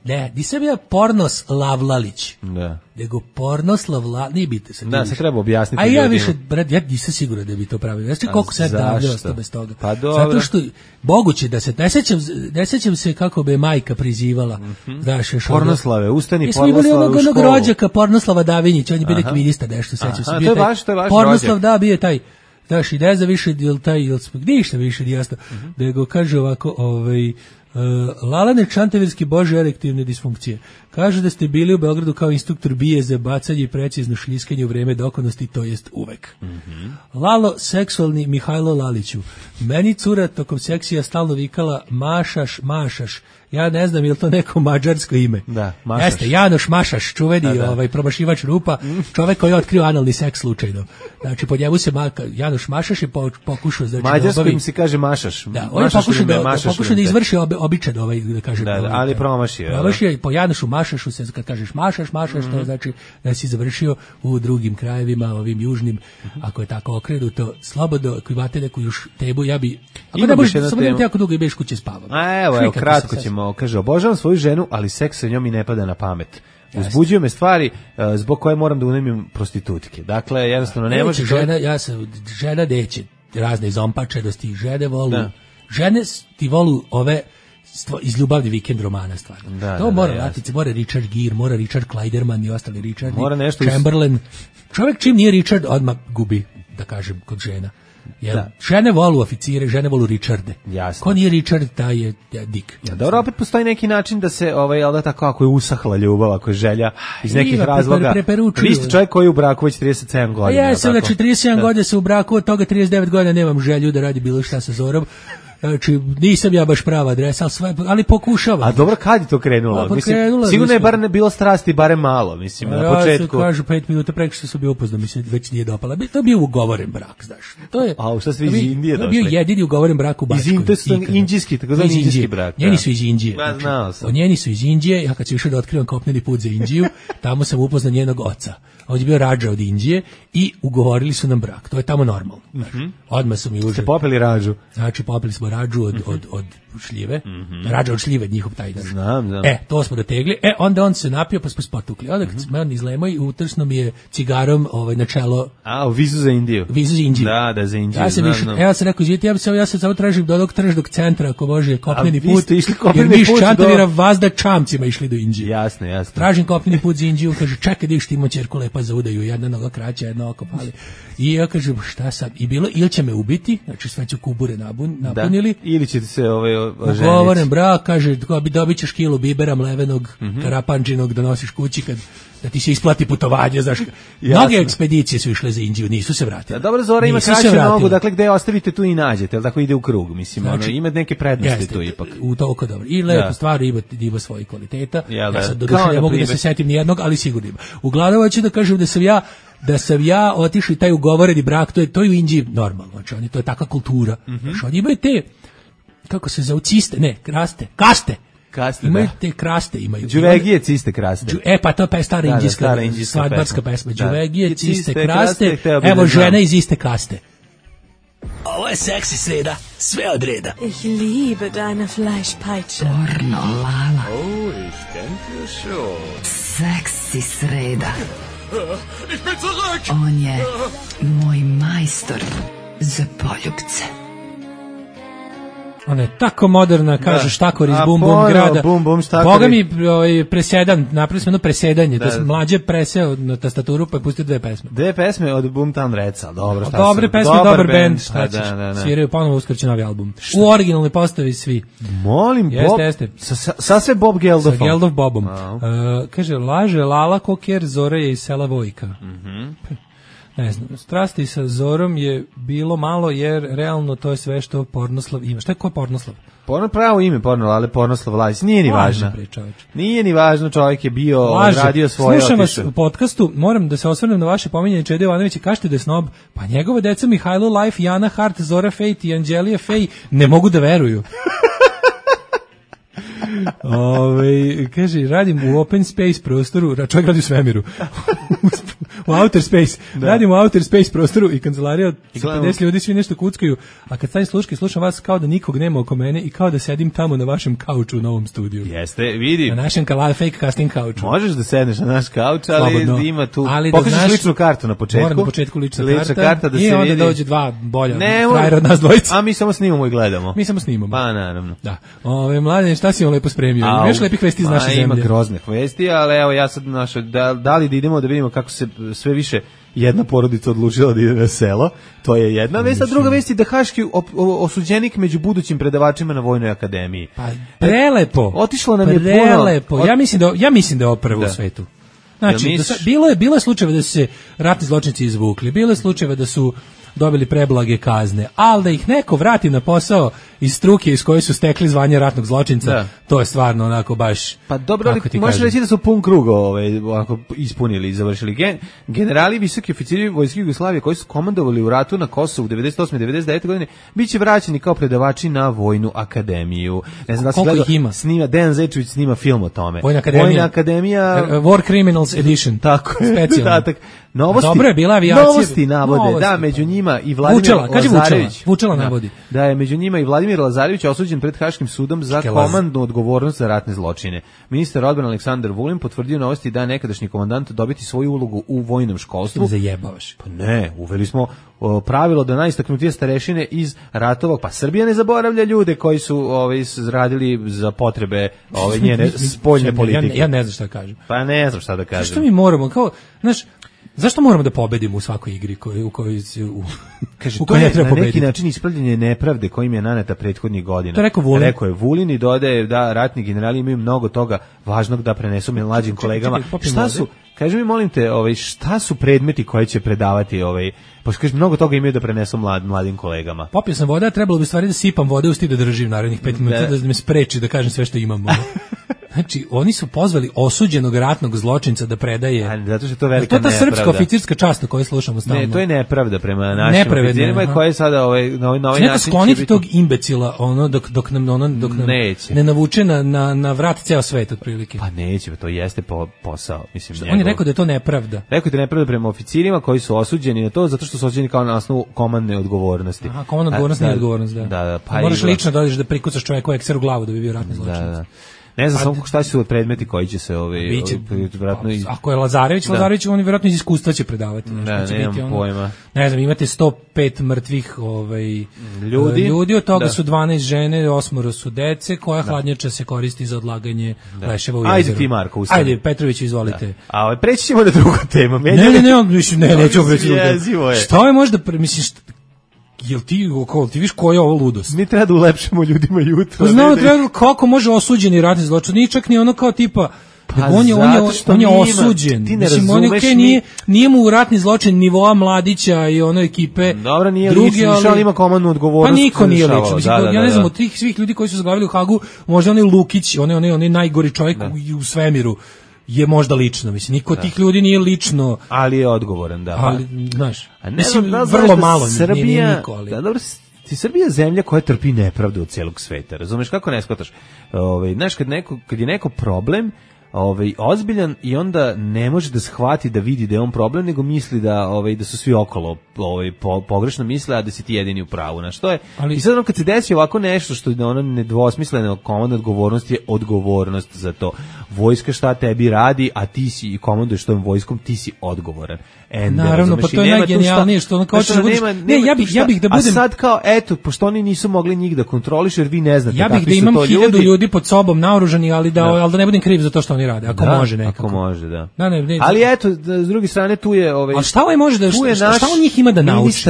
Speaker 17: ne, nisam ja Pornoslav Lalić.
Speaker 6: Da.
Speaker 17: Nego Pornoslav Lalić, nije biti se.
Speaker 6: Da, se treba objasniti.
Speaker 17: A ja ljudima. Više, brat, ja nisam siguran da bi to pravio. Znači koliko se davlja ostao bez toga.
Speaker 6: Pa dobro.
Speaker 17: Zato što, moguće da se, ne sećam, ne sećam se kako bi majka prizivala. Mm-hmm. Znaš, još
Speaker 6: Pornoslave, ustani Pornoslave
Speaker 17: u školu. Mi imali onog rođaka Pornoslava Davinjića, on je bio ministar, nešto sećam se.
Speaker 6: To je vaš, to je vaš
Speaker 17: Pornoslav,
Speaker 6: rođak.
Speaker 17: da, bio je taj. Znaš, i ne zna više, jel taj, jel smo, ništa više nije jasno. Mm-hmm. Nego kaže ovako, ovaj... Uh, Lalane Čantavirski bože erektivne disfunkcije. Kaže da ste bili u Beogradu kao instruktor bije za bacanje i precizno šljiskanje u vreme dokonosti, to jest uvek. Mm-hmm. Lalo, seksualni Mihajlo Laliću. Meni cura tokom seksija stalno vikala mašaš, mašaš. Ja ne znam je li to neko mađarsko ime.
Speaker 6: Da, mašaš.
Speaker 17: Jeste, Janoš Mašaš, čuveni da, da. ovaj promašivač rupa, čovek koji je otkrio analni seks slučajno. Znači, pod njemu se maka, Janoš Mašaš je pokušao... Znači,
Speaker 6: mađarsko im se kaže Mašaš.
Speaker 17: Da, on je pokušao da, da, pokušao da izvrši ob, običan ovaj, da kažem...
Speaker 6: Da, da, ali promašio.
Speaker 17: Promašio, po Janošu Mašašu se, kad kažeš Mašaš, Mašaš, mm-hmm. to znači da si završio u drugim krajevima, ovim južnim, mm-hmm. ako je tako okrenuto, slobodno, ako imate neku još tebu, ja bi... Ako ne možeš, samo nemate jako dugo i beš kuće spavam.
Speaker 6: A evo, evo kratko ćemo, kaže, obožavam svoju ženu, ali seks sa njom mi ne pada na pamet. Uzbuđuju me stvari uh, zbog koje moram da unemim prostitutke. Dakle, jednostavno ne može...
Speaker 17: Žena, ja sam, žena deće razne zompačenosti, žene volu, da. Žene ti volu ove stvo, iz ljubavni vikend romana stvarno. Da, to da, mora da, latice, mora Richard Gere, mora Richard Kleiderman i ostali Richard, Chamberlain. Uz... Čovjek čim nije Richard, odmah gubi, da kažem, kod žena. Jer da. Žene volu oficire, žene volu Richarde.
Speaker 6: Jasno.
Speaker 17: Ko nije Richard, taj je ja, Dick.
Speaker 6: Ja, dobro, opet postoji neki način da se, ovaj, ali da tako, ako je usahla ljubav, ako je želja iz nekih Iva, razloga. Pre, pre, vi ste čovjek koji je u braku već trideset sedam godina.
Speaker 17: Ja sam, znači, trideset sedam godina se u braku, od toga trideset devet godina nemam želju da radi bilo šta sa Zorom. Znači, nisam ja baš prava adresa, ali, sve, ali pokušavam.
Speaker 6: A dobro, kad je to krenulo?
Speaker 17: Pa,
Speaker 6: mislim,
Speaker 17: krenula,
Speaker 6: sigurno je
Speaker 17: mislim.
Speaker 6: bar ne bilo strasti, barem malo, mislim, na početku.
Speaker 17: Ja kažu pet minuta preko što sam bio upoznao, mislim, već nije dopala. To je bio ugovoren brak, znaš. To je,
Speaker 6: A šta ste vi iz Indije došli?
Speaker 17: To je bio jedini ugovoren brak u Bačkoj.
Speaker 6: Iz Indije, indijski, tako zvani indijski brak.
Speaker 17: Njeni su iz Indije.
Speaker 6: Ja znao sam.
Speaker 17: Njeni su iz Indije, ja kad sam išao da otkrivam kopneni put za Indiju, tamo sam upoznao njenog oca. On je bio rađa od Indije i ugovorili su nam brak. To je tamo normalno. Mm-hmm. Odmah su mi užili.
Speaker 6: Ste popili rađu?
Speaker 17: Znači, popili smo rađu od, od, od šljive. Mm-hmm. Rađa od šljive, njihov taj dan.
Speaker 6: Znam, znam.
Speaker 17: E, to smo dotegli. E, onda on se napio, pa smo spotukli. Onda kad smo on izlemao i utrsno mi je cigarom ovaj, na čelo.
Speaker 6: A, u vizu za Indiju.
Speaker 17: Vizu za Indiju.
Speaker 6: Da, da, za Indiju.
Speaker 17: Ja sam više, evo sam rekao, izvijeti, ja, bi se, ja se samo tražim do ovog tržnog centra, ako može, kopneni put. Jer mi iz Čantavira do... vazda čamcima išli do Indije.
Speaker 6: Jasno, jasno.
Speaker 17: Tražim kopneni put za Indiju, kaže, čekaj da iš ti ima ćerku lepa za udaju, jedna noga kraća, jedna oko pali. I ja kažem, šta sad? I bilo, ili će me ubiti, znači sve ću kubure nabun, napunili.
Speaker 6: Da. Ili ćete se ovaj, oženiti.
Speaker 17: Ugovoren brak, kaže, dobit ćeš kilu bibera mlevenog, mm-hmm. karapanđinog da nosiš kući kad da ti se isplati putovanje, znaš. Mnoge ekspedicije su išle za Indiju, nisu se vratile.
Speaker 6: Da, dobro, Zora ima kraću nogu, dakle gde ostavite tu i nađete, jel tako ide u krug, mislim, znači, ono, ima neke prednosti jeste, tu ipak.
Speaker 17: U toliko dobro. I lepo stvar ima, ima svoje kvaliteta.
Speaker 6: Ja, da,
Speaker 17: ja sad doduše ne mogu da se setim ni jednog, ali sigurno ima. Uglavnom hoću da kažem da sam ja da sam ja otišao taj ugovoreni brak, to je to je u Indiji normalno, znači oni to je takva kultura. Mm-hmm. Znači oni imaju te kako se zove ciste, ne, kraste, kaste.
Speaker 6: Kaste,
Speaker 17: imaju
Speaker 6: da.
Speaker 17: te kraste, imaju.
Speaker 6: Đuvegije ciste kraste.
Speaker 17: Đu, e, pa to je stara indijska,
Speaker 6: da, da,
Speaker 17: svadbarska pesma.
Speaker 6: Da.
Speaker 17: Đuvegije, ciste kraste, evo žene iz iste kaste.
Speaker 15: Ovo je seksi sreda, sve od reda.
Speaker 18: Ich liebe deine Fleischpeitsche.
Speaker 2: Pornolala.
Speaker 3: Oh, ich denke schon.
Speaker 2: Seksi sreda.
Speaker 3: Ich bin zurück!
Speaker 2: On je moj majstor za poljubce.
Speaker 17: Ona je tako moderna, kaže
Speaker 6: da.
Speaker 17: Štakor iz Bum Bum grada.
Speaker 6: Bum Bum Štakor.
Speaker 17: Boga mi ovaj, presedan, napravili smo jedno presedanje, da je mlađe preseo na tastaturu pa je pustio dve pesme.
Speaker 6: Dve pesme od Boomtown Redsa, dobro, šta
Speaker 17: dobre pesme, dobar, dobar band, šta ćeš,
Speaker 6: da, da, da.
Speaker 17: Sviraju ponovo uskrće novi album. Šta? U originalnoj postavi svi.
Speaker 6: Molim,
Speaker 17: jeste,
Speaker 6: Bob,
Speaker 17: jeste.
Speaker 6: Sa, sa, sa sve Bob Geldofom.
Speaker 17: Sa Geldov Bobom. Uh, kaže, laže Lala Koker, Zora je iz sela Vojka.
Speaker 6: Mhm.
Speaker 17: Ne znam, strasti sa Zorom je bilo malo jer realno to je sve što Pornoslav ima. Šta je ko Pornoslav?
Speaker 6: Porno pravo ime Porno, ali Pornoslav Lajs. Nije ni važno. Nije ni važno, čovjek je bio, Laže. radio svoje.
Speaker 17: Slušam vas u podcastu, moram da se osvrnem na vaše pominjanje Čede Jovanovića, kažete da je snob, pa njegova deca Mihajlo Life, Jana Hart, Zora Fejt i Anđelija Fej ne mogu da veruju. Ove, kaže, radim u open space prostoru, čovjek radi u svemiru, u outer space, da. radim u outer space prostoru i kancelarija od pedeset ljudi svi nešto kuckaju, a kad stavim sluške, slušam vas kao da nikog nema oko mene i kao da sedim tamo na vašem kauču u novom studiju.
Speaker 6: Jeste, vidim.
Speaker 17: Na našem kalal fake casting kauču.
Speaker 6: Možeš da sedneš na naš kauč, ali slobodno. Ima tu,
Speaker 17: ali
Speaker 6: pokažeš
Speaker 17: da znaš,
Speaker 6: ličnu kartu na početku.
Speaker 17: Moram na početku lična,
Speaker 6: lična
Speaker 17: karta,
Speaker 6: karta da
Speaker 17: i
Speaker 6: se
Speaker 17: onda
Speaker 6: vidi.
Speaker 17: dođe dva bolja
Speaker 6: ne,
Speaker 17: frajera od nas dvojica.
Speaker 6: A mi samo snimamo i gledamo.
Speaker 17: Mi samo snimamo.
Speaker 6: Pa naravno.
Speaker 17: Da. Ove, mladen, šta si vam lepo spremio?
Speaker 6: A,
Speaker 17: imaš lepih vesti iz naše zemlje?
Speaker 6: Ima groznih vesti, ali evo ja sad našo, da, da li da idemo da vidimo kako se sve više jedna porodica odlučila da ide na selo, to je jedna vest, a druga vest je da haški osuđenik među budućim predavačima na Vojnoj akademiji.
Speaker 17: Pa prelepo.
Speaker 6: Otišlo nam je puno.
Speaker 17: Prelepo. Ja mislim da ja mislim da je ovo prvo u svetu. Znači, ja misliš... bilo je bilo je slučajeva da su se ratni zločinci izvukli, bilo je slučajeva da su dobili preblage kazne, ali da ih neko vrati na posao iz struke iz koje su stekli zvanje ratnog zločinca, da. To je stvarno onako baš...
Speaker 6: Pa dobro, ali možeš reći da su pun krug ovaj, onako ispunili i završili. Gen, generali, visoki oficiri Vojske Jugoslavije koji su komandovali u ratu na Kosovu devedeset osme devedeset devete godine, bit će vraćeni kao predavači na Vojnu akademiju. Ne znam da se gleda,
Speaker 17: ima?
Speaker 6: Snima, Dejan Zečević snima film o tome.
Speaker 17: Vojna akademija.
Speaker 6: Vojna akademija...
Speaker 17: War Criminals Edition.
Speaker 6: Tako je.
Speaker 17: Specijalno.
Speaker 6: Novosti,
Speaker 17: dobro je bila avijacija.
Speaker 6: Novosti navode, novosti, da, među njima i Vladimir
Speaker 17: Vučela, kaži
Speaker 6: Lazarević.
Speaker 17: Vučela, Vučela navodi.
Speaker 6: Da, da je među njima i Vladimir Lazarević osuđen pred Haškim sudom za Škelaz. komandnu odgovornost za ratne zločine. Ministar odbrane Aleksandar Vulin potvrdio novosti da je nekadašnji komandant dobiti svoju ulogu u vojnom školstvu.
Speaker 17: Zajebavaš.
Speaker 6: Pa ne, uveli smo o, pravilo da najistaknutije starešine iz ratova, pa Srbija ne zaboravlja ljude koji su ovaj radili za potrebe ove njene spoljne politike.
Speaker 17: Ja, ja ne znam šta da kažem.
Speaker 6: Pa ne znam šta da kažem.
Speaker 17: Što mi moramo kao, znaš, Zašto moramo da pobedimo u svakoj igri koju, u kojoj se u,
Speaker 6: Kaže,
Speaker 17: u
Speaker 6: to je
Speaker 17: ne treba
Speaker 6: na neki
Speaker 17: pobediti?
Speaker 6: način ispravljanje nepravde kojim je naneta prethodnih godina.
Speaker 17: To je rekao Vulin.
Speaker 6: Rekao je Vulin i dodaje da ratni generali imaju mnogo toga važnog da prenesu mlađim kolegama.
Speaker 17: čekaj,
Speaker 6: Šta su, kaži mi molim te, ovaj, šta su predmeti koje će predavati, ovaj, pošto kaže, mnogo toga imaju da prenesu mlad, mladim kolegama.
Speaker 17: Popio sam voda, trebalo bi stvari da sipam vode u sti da držim narednih pet minuta, da. da me spreči da kažem sve što imam. Znači, oni su pozvali osuđenog ratnog zločinca da predaje.
Speaker 6: A, zato što je to velika
Speaker 17: nepravda. To je ta
Speaker 6: nepravda.
Speaker 17: srpska oficirska čast o kojoj slušamo stalno.
Speaker 6: Ne, to je nepravda prema našim oficirima koje sada ovaj, na ovaj, na ovaj
Speaker 17: način
Speaker 6: će
Speaker 17: skloniti
Speaker 6: biti...
Speaker 17: tog imbecila ono, dok, dok nam ono, dok nam
Speaker 6: neće.
Speaker 17: ne navuče na, na, na vrat ceo svet otprilike.
Speaker 6: Pa neće, to jeste po, posao. Mislim,
Speaker 17: što, on je rekao da je to nepravda.
Speaker 6: Rekao da je nepravda prema oficirima koji su osuđeni na to zato što su osuđeni kao na osnovu komandne odgovornosti.
Speaker 17: Aha, komandna odgovornost nije odgovornost, da.
Speaker 6: Da, da, pa
Speaker 17: moraš lično da odeš da prikucaš čovjeka u ekser u glavu da bi bio ratni zločinac. Da, da.
Speaker 6: Ne znam samo šta su predmeti koji će se ovaj vjerojatno
Speaker 17: iz... Ako je Lazarević, da. Lazarević on vjerojatno iz iskustva će predavati.
Speaker 6: Da, nemam biti, ono, pojma.
Speaker 17: Ne znam, imate sto pet mrtvih ovaj
Speaker 6: ljudi,
Speaker 17: ljudi od toga
Speaker 6: da.
Speaker 17: su dvanaest žene, osmoro su dece, koja da. hladnjača se koristi za odlaganje da. leševa u jezeru.
Speaker 6: Ajde ti Marko, ustani.
Speaker 17: Ajde Petrović, izvolite. Da.
Speaker 6: A ovaj preći ćemo na drugu temu.
Speaker 17: Ne, ne, ne, ne, ne, nećemo preći na drugu temu. Šta je možda, mislim, šta, jel ti, ko, ti viš koja je ovo ludost?
Speaker 6: Mi treba da ulepšamo ljudima jutro.
Speaker 17: Znamo, treba, kako može osuđeni ratni zločin? Nije čak ni ono kao tipa,
Speaker 6: pa
Speaker 17: on je, on je, on je osuđen.
Speaker 6: Ti ne
Speaker 17: Mislim, on je, okay, nije, nije mu ratni zločin nivoa Mladića i ono ekipe.
Speaker 6: Dobro, nije
Speaker 17: drugi,
Speaker 6: lično, ali, ali ima komandnu odgovornost.
Speaker 17: Pa niko nije lično. Mislim,
Speaker 6: da, da,
Speaker 17: ja ne znam,
Speaker 6: da.
Speaker 17: od tih svih ljudi koji su zaglavili u Hagu, možda onaj Lukić, onaj, onaj, onaj najgori čovjek da. u, u svemiru, je možda lično, mislim, niko od tih ljudi nije lično.
Speaker 6: Ali je odgovoran, da.
Speaker 17: Ali, znaš,
Speaker 6: a ne
Speaker 17: mislim,
Speaker 6: da,
Speaker 17: vrlo malo,
Speaker 6: Srbija,
Speaker 17: nije, nije niko, ali...
Speaker 6: Da, dobro, ti Srbija je zemlja koja trpi nepravdu od celog sveta, razumeš, kako ne shvataš? Ovaj, znaš, kad, neko, kad je neko problem, ovaj, ozbiljan i onda ne može da shvati da vidi da je on problem, nego misli da, ovaj, da su svi okolo ovaj, po, pogrešno misle, a da si ti jedini u pravu. Na što je? Ali, i sad ono kad se desi ovako nešto što je ono nedvosmisleno, komandna odgovornost je odgovornost za to. Vojska šta tebi radi, a ti si i komanduješ tom vojskom, ti si odgovoran. Ender,
Speaker 17: naravno, pa to je najgenijalnije što ono kao ćeš da budeš...
Speaker 6: Nema,
Speaker 17: ne,
Speaker 6: nema
Speaker 17: ja bih, ja bih da budem...
Speaker 6: A sad kao, eto, pošto oni nisu mogli njih da kontroliš, jer vi ne znate
Speaker 17: ja
Speaker 6: kakvi su to
Speaker 17: ljudi. Ja bih da imam hiljadu
Speaker 6: ljudi.
Speaker 17: ljudi pod sobom naoružani, ali da, da. ali da ne budem kriv za to što oni rade, ako
Speaker 6: da,
Speaker 17: može nekako.
Speaker 6: Ako može, da.
Speaker 17: da ne, ne,
Speaker 6: ali eto, s druge strane, tu je... Ovaj,
Speaker 17: a šta ovaj može da... Šta, šta, šta on njih ima da nauči?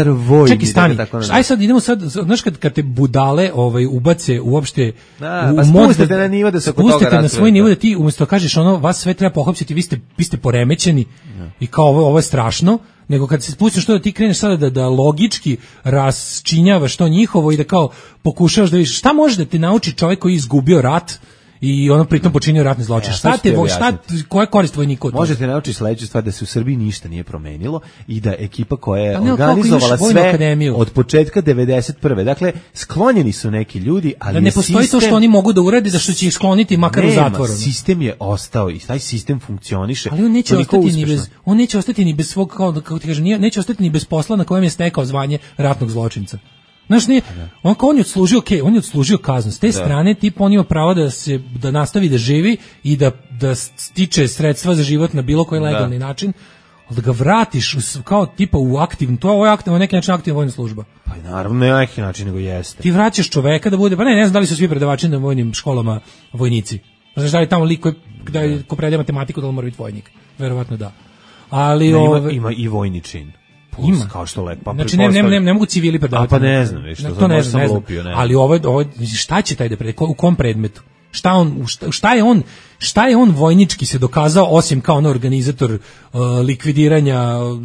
Speaker 17: Čekaj, stani. Aj sad idemo sad, znaš kad, kad te budale ovaj, ubace uopšte...
Speaker 6: Da, u, pa spustite na nivo da se oko toga
Speaker 17: Spustite na svoj nivo da ti umjesto kažeš ono, vas sve treba pohapsiti, vi ste, vi ste poremećeni ja. i kao ovo, ovo je strašno, nego kad se spustiš to da ti kreneš sada da, da logički rasčinjavaš to njihovo i da kao pokušavaš da vidiš šta može da te nauči čovjek koji je izgubio rat i ono pritom počinio ratni zločin. Ja, šta te vo, šta koja je korist vojnika od toga?
Speaker 6: Možete naučiti sledeću stvar da se u Srbiji ništa nije promenilo i da ekipa koja je ne, organizovala sve akademiju od početka devedeset prve Dakle, sklonjeni su neki ljudi, ali
Speaker 17: da ne postoji
Speaker 6: sistem,
Speaker 17: to što oni mogu da urade da što će ih skloniti makar
Speaker 6: nema,
Speaker 17: u zatvoru.
Speaker 6: Sistem je ostao i taj sistem funkcioniše.
Speaker 17: Ali on neće ostati ni bez on neće ostati ni bez svog kao kako ti kažem, neće ostati ni bez posla na kojem je stekao zvanje ratnog zločinca. Znaš, nije, on kao on je odslužio, okay, on je odslužio kaznu. S te da. strane, tip, on ima pravo da se da nastavi da živi i da, da stiče sredstva za život na bilo koji legalni da. način, ali da ga vratiš u, kao tipa u aktivnu, to je aktivno, na neki način aktivna vojna služba.
Speaker 6: Pa naravno, ne na neki način, nego jeste.
Speaker 17: Ti vraćaš čoveka da bude, pa ne, ne znam da li su svi predavači na vojnim školama vojnici. Znaš, da li tamo lik koji, da, ko predaje matematiku, da li mora biti vojnik? Verovatno da. Ali,
Speaker 6: ne,
Speaker 17: ove,
Speaker 6: ima, ima i vojni čin.
Speaker 17: Ima.
Speaker 6: Kao što lepo. Pa
Speaker 17: znači, ne, ne, ne, ne mogu civili predavati.
Speaker 6: A pa ne znam, viš, to,
Speaker 17: to ne znam, ne znam.
Speaker 6: Lupio, ne.
Speaker 17: Ali ovo, ovo, šta će taj da prede, u kom predmetu? Šta on, šta, šta je on, šta je on vojnički se dokazao, osim kao on organizator uh, likvidiranja uh,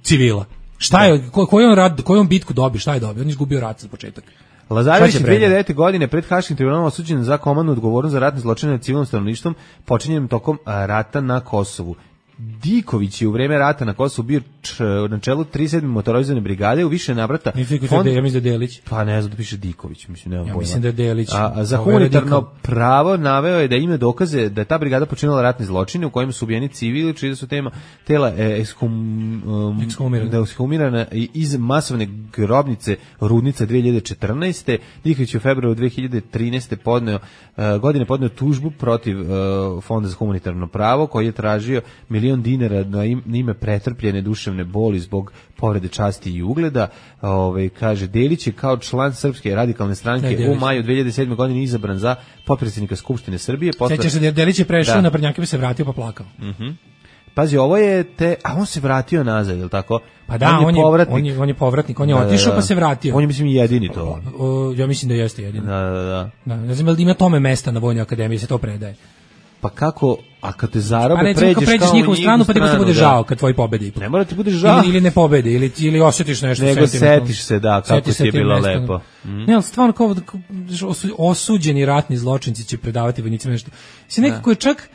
Speaker 17: civila? Šta da. je, ko, koji on rad, koju on bitku dobio, šta je dobio? On izgubio rat za početak.
Speaker 6: Lazarević je dve hiljade devete godine pred Haškim tribunalom osuđen za komandnu odgovornost za ratne zločine nad civilnim stanovništvom počinjenim tokom rata na Kosovu. Diković je u vreme rata na Kosovu bio č, na čelu trideset sedme motorizovane brigade u više navrata.
Speaker 17: Fond... Ja mislim da je Delić.
Speaker 6: Pa ne znam da piše Diković, mislim nema
Speaker 17: ja
Speaker 6: pojma.
Speaker 17: Mislim da je Delić.
Speaker 6: A, a za humanitarno pravo naveo je da ima dokaze da je ta brigada počinila ratne zločine u kojima su ubijeni civili, čiji da su tema tela e, ekskum, um,
Speaker 17: ekshumirana.
Speaker 6: ekshumirana iz masovne grobnice Rudnica dve hiljade četrnaeste Diković je u februaru dve hiljade trinaeste podneo uh, godine podneo tužbu protiv uh, Fonda za humanitarno pravo koji je tražio milion dinara na ime pretrpljene duševne boli zbog povrede časti i ugleda. Ove, kaže, Delić je kao član Srpske radikalne stranke ne, u maju dve hiljade sedme godine izabran za potpredsjednika Skupštine Srbije.
Speaker 17: Posle... Sećaš se, Delić je prešao da. na Prnjake, bi se vratio pa plakao.
Speaker 6: Uh -huh. pazi, ovo je te, a on se vratio nazad, je li tako?
Speaker 17: Pa da, on je, on je, on je, on je povratnik, on je
Speaker 6: da,
Speaker 17: otišao
Speaker 6: da, da.
Speaker 17: pa se vratio.
Speaker 6: On je, mislim, jedini to.
Speaker 17: O, o, ja mislim da jeste jedini.
Speaker 6: Da, da, da.
Speaker 17: Da, ne znam da ima tome mesta na Vojnoj akademiji, se to predaje.
Speaker 6: Pa kako, a kad te zarobe,
Speaker 17: pa recimo,
Speaker 6: pređeš,
Speaker 17: pređeš
Speaker 6: kao
Speaker 17: njihovu stranu, pa ti bude žao kad tvoji pobedi.
Speaker 6: Ne mora ti bude žao.
Speaker 17: Ili, ili ne pobede, ili, ili osjetiš nešto.
Speaker 6: Nego setiš se, da, kako ti je bilo
Speaker 17: mesta.
Speaker 6: lepo. Mm.
Speaker 17: Ne, ali stvarno kao osuđeni ratni zločinci će predavati vojnicima nešto. Si nekako je čak,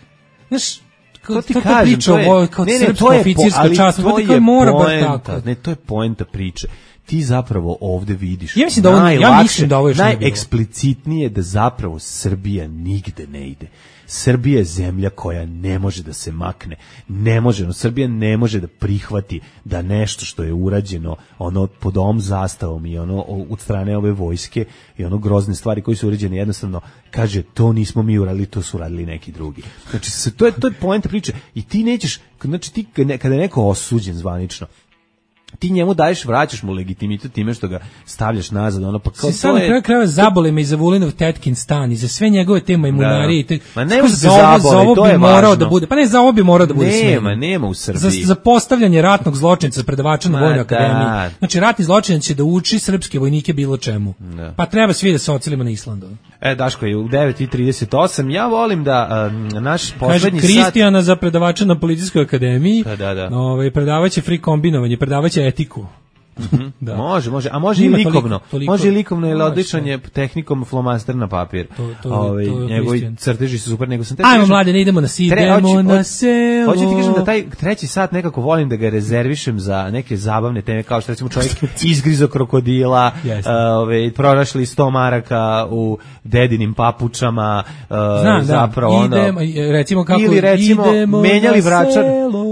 Speaker 17: znaš,
Speaker 6: to ti
Speaker 17: to
Speaker 6: kažem,
Speaker 17: priča
Speaker 6: to je,
Speaker 17: ovo kao
Speaker 6: ne, ne,
Speaker 17: srpska
Speaker 6: to je,
Speaker 17: oficirska
Speaker 6: ali
Speaker 17: čast,
Speaker 6: to
Speaker 17: je mora poenta, tako.
Speaker 6: Ne, to je poenta priče. Ti zapravo ovde vidiš.
Speaker 17: Ja mislim da ovo, ja mislim da ovo još
Speaker 6: najeksplicitnije da zapravo Srbija nigde ne ide. Srbija je zemlja koja ne može da se makne. Ne može, no, Srbija ne može da prihvati da nešto što je urađeno ono pod ovom zastavom i ono od strane ove vojske i ono grozne stvari koje su urađene jednostavno kaže to nismo mi uradili, to su uradili neki drugi. Znači se, to je to je poenta priče i ti nećeš, znači ti kada je neko osuđen zvanično ti njemu daješ, vraćaš mu legitimitet time što ga stavljaš nazad, ono pa kao
Speaker 17: si sad na kraju krajeva zabole me i za Vulinov tetkin stan i za sve njegove te majmunarije.
Speaker 6: Da. Ma nema se
Speaker 17: za ovo,
Speaker 6: zabole,
Speaker 17: za ovo
Speaker 6: to
Speaker 17: bi
Speaker 6: je
Speaker 17: morao
Speaker 6: važno.
Speaker 17: Da bude, pa ne, za ovo bi morao da bude sve.
Speaker 6: Nema, nema u Srbiji.
Speaker 17: Za, za postavljanje ratnog zločinca predavača na Vojnoj akademiji. Znači, ratni zločinac će da uči srpske vojnike bilo čemu. Da. Pa treba svi da se ocelimo na Islandu.
Speaker 6: E, Daško je u devet i trideset osam. Ja volim da um, naš poslednji
Speaker 17: sat... Kristijana za predavača na Policijskoj akademiji.
Speaker 6: Da, da, da.
Speaker 17: Ovaj, predavaće free kombinovanje, predavaće etiku.
Speaker 6: Mm-hmm. Da. Može, može, a može Ima i likovno. Toliko, toliko, može i likovno, jer odličan je tehnikom flomaster na papir. To, to, Ove, to njegovi crteži su super, nego sam te
Speaker 17: Ajmo kažem, mlade, ne idemo na si, idemo na selo.
Speaker 6: Hoću ti kažem da taj treći sat nekako volim da ga rezervišem za neke zabavne teme, kao što recimo čovjek izgrizo krokodila, ove, pronašli sto maraka u dedinim papučama,
Speaker 17: Znam,
Speaker 6: zapravo
Speaker 17: da, idemo, recimo kako
Speaker 6: ili recimo
Speaker 17: idemo
Speaker 6: menjali vračar,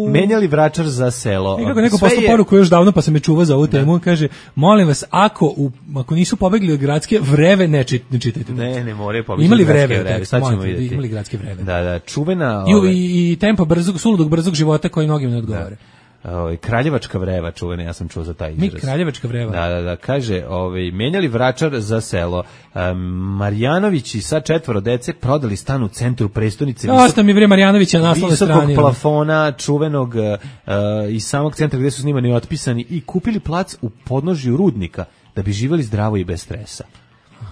Speaker 6: menjali vračar za selo.
Speaker 17: Nekako neko poslao poruku još davno, pa se me čuva za ovu temu, on kaže, molim vas, ako u, ako nisu pobegli od gradske vreve, ne, čit, ne čitajte.
Speaker 6: Ne, ne moraju pobegli
Speaker 17: imali
Speaker 6: od gradske
Speaker 17: vreve,
Speaker 6: vreve.
Speaker 17: tekst,
Speaker 6: Sad ćemo
Speaker 17: mojte,
Speaker 6: vidjeti.
Speaker 17: Imali gradske vreve.
Speaker 6: Da, da, čuvena...
Speaker 17: I,
Speaker 6: ove...
Speaker 17: i, i tempo brzog, suludog brzog života koji mnogim ne odgovore.
Speaker 6: Ovaj kraljevačka vreva čuvena, ja sam čuo za taj izraz.
Speaker 17: Mi kraljevačka vreva.
Speaker 6: Da, da, da, kaže, ovaj menjali vračar za selo. Um, Marjanović i sa četvoro dece prodali stan u centru prestonice.
Speaker 17: Dosta mi bre Marjanovića na naslovnoj strani.
Speaker 6: Visokog plafona, čuvenog uh, iz samog centra gdje su snimani i otpisani i kupili plac u podnožju rudnika da bi živjeli zdravo i bez stresa.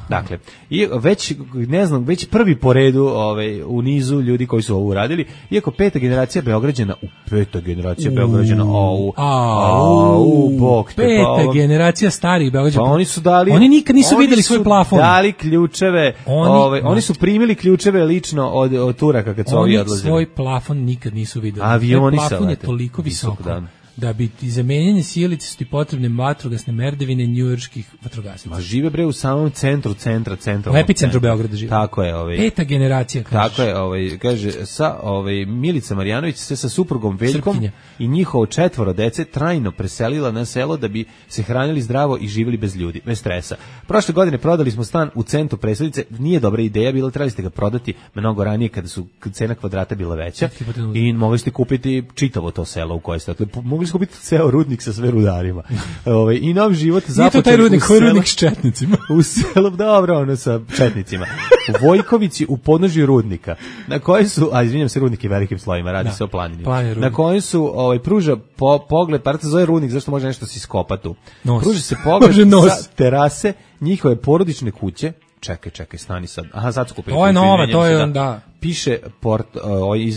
Speaker 6: Dakle, i već ne znam, već prvi po redu, ovaj u nizu ljudi koji su ovo uradili, iako peta generacija Beograđana, u peta generacija Beograđana, au, au, bog te,
Speaker 17: peta generacija starih Beograđana.
Speaker 6: Pa oni su dali,
Speaker 17: oni nikad nisu videli svoj plafon.
Speaker 6: Dali ključeve, oni, ovaj, oni su primili ključeve lično od, od Turaka kad su ovi odlazili.
Speaker 17: Oni svoj plafon nikad nisu videli.
Speaker 6: Avioni
Speaker 17: plafon
Speaker 6: se
Speaker 17: je toliko visoko. Da bi ti za menjanje sjelice su ti potrebne vatrogasne merdevine njujorških vatrogasaca.
Speaker 6: Ma žive bre u samom centru, centra, centra.
Speaker 17: U epicentru Beograda žive.
Speaker 6: Tako je, ovaj.
Speaker 17: Peta generacija, kažeš.
Speaker 6: Tako je, ovaj, kaže, sa ovaj Milica Marjanović se sa suprugom Veljkom Srpkinja. I njihovo četvoro dece trajno preselila na selo da bi se hranili zdravo i živjeli bez ljudi, bez stresa. Prošle godine prodali smo stan u centru prestonice, nije dobra ideja, bilo trebali ste ga prodati mnogo ranije kada su cena kvadrata bila veća i mogli ste kupiti čitavo to selo u koje ste. Mogli ste kupiti ceo rudnik sa sve rudarima. Ovaj i nov život započeo.
Speaker 17: Je to taj rudnik, koji rudnik s četnicima.
Speaker 6: U selu, dobro, ono sa četnicima. U Vojkovici u podnožju rudnika, na kojoj su, a izvinjam se, rudnik je velikim slojima, radi da, se o planini. Na kojoj su, ovaj, pruža po, pogled, par se zove rudnik, zašto može nešto se iskopa tu. Nos. Pruža se pogled sa terase njihove porodične kuće. Čekaj, čekaj, stani sad. Aha, sad su kupili.
Speaker 17: To je nova, to je onda.
Speaker 6: Piše port, uh,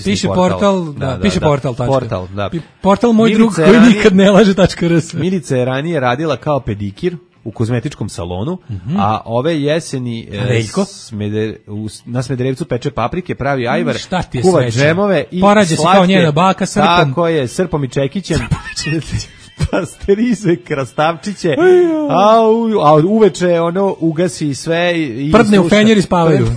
Speaker 17: piše portal, portal da, da, piše
Speaker 6: da,
Speaker 17: portal, tačka.
Speaker 6: Portal, da.
Speaker 17: Portal moj drug koji ranije, nikad ne laže.rs.
Speaker 6: Milica je ranije radila kao pedikir u kozmetičkom salonu, mm-hmm. a ove jeseni e, smeder, u, na Smederevcu peče paprike, pravi ajvar, kuva džemove i
Speaker 17: porađe se kao njena baka srpom.
Speaker 6: Tako je, srpom i čekićem. Pasterizuje krastavčiće, a, u, a uveče ono ugasi sve i
Speaker 17: prdne u fenjer i spavaju.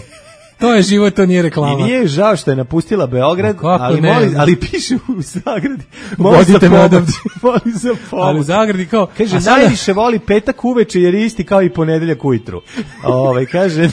Speaker 17: To je život, to nije reklama.
Speaker 6: I nije žao što je napustila Beograd, ali, moli, ali piše u zagradi.
Speaker 17: Vodite me odavde.
Speaker 6: Voli za pomoć.
Speaker 17: Ali u zagradi kao...
Speaker 6: Kaže, sada... najviše voli petak uveče jer je isti kao i ponedeljak ujutru. Ove, kaže...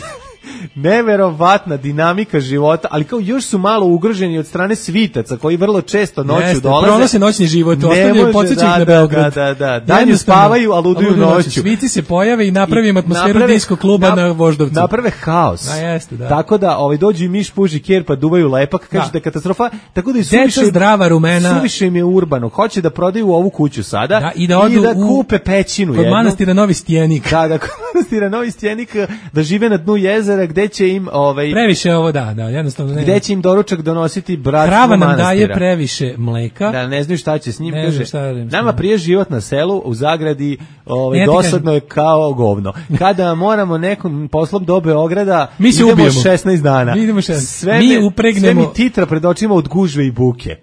Speaker 6: neverovatna dinamika života, ali kao još su malo ugroženi od strane svitaca koji vrlo često noću
Speaker 17: Jeste,
Speaker 6: dolaze.
Speaker 17: pronose noćni život, ostavljaju podsjećaj na Beograd.
Speaker 6: Da, da, da. Danju spavaju, a luduju noću.
Speaker 17: Svici se pojave i napravim atmosferu disko kluba na Voždovcu.
Speaker 6: Naprave haos.
Speaker 17: A jeste, da.
Speaker 6: Tako da ovaj dođu i miš puži ker pa duvaju lepak, kaže da je katastrofa. Tako da i suviše
Speaker 17: zdrava rumena.
Speaker 6: Suviše im je urbano. Hoće da prodaju ovu kuću sada
Speaker 17: da, i da odu
Speaker 6: i da kupe pećinu
Speaker 17: kod jednu. Manastira Novi Stjenik.
Speaker 6: Da, da, kod manastira Novi Stjenik, da žive na dnu jezera gde će im ovaj
Speaker 17: previše ovo da, da, jednostavno ne.
Speaker 6: Gde će im doručak donositi bratstvo
Speaker 17: Krava nam
Speaker 6: manastira.
Speaker 17: daje previše mleka.
Speaker 6: Da, ne znaju šta će s njim,
Speaker 17: ne
Speaker 6: kaže.
Speaker 17: Šta da
Speaker 6: nama prije život na selu, u zagradi, ovaj dosadno je kao govno. Kada moramo nekom poslom do Beograda,
Speaker 17: mi se
Speaker 6: idemo
Speaker 17: ubijemo.
Speaker 6: šesnaest dana.
Speaker 17: Mi idemo šesnaest.
Speaker 6: Sve
Speaker 17: mi
Speaker 6: me,
Speaker 17: upregnemo.
Speaker 6: Sve mi titra pred očima od gužve i buke.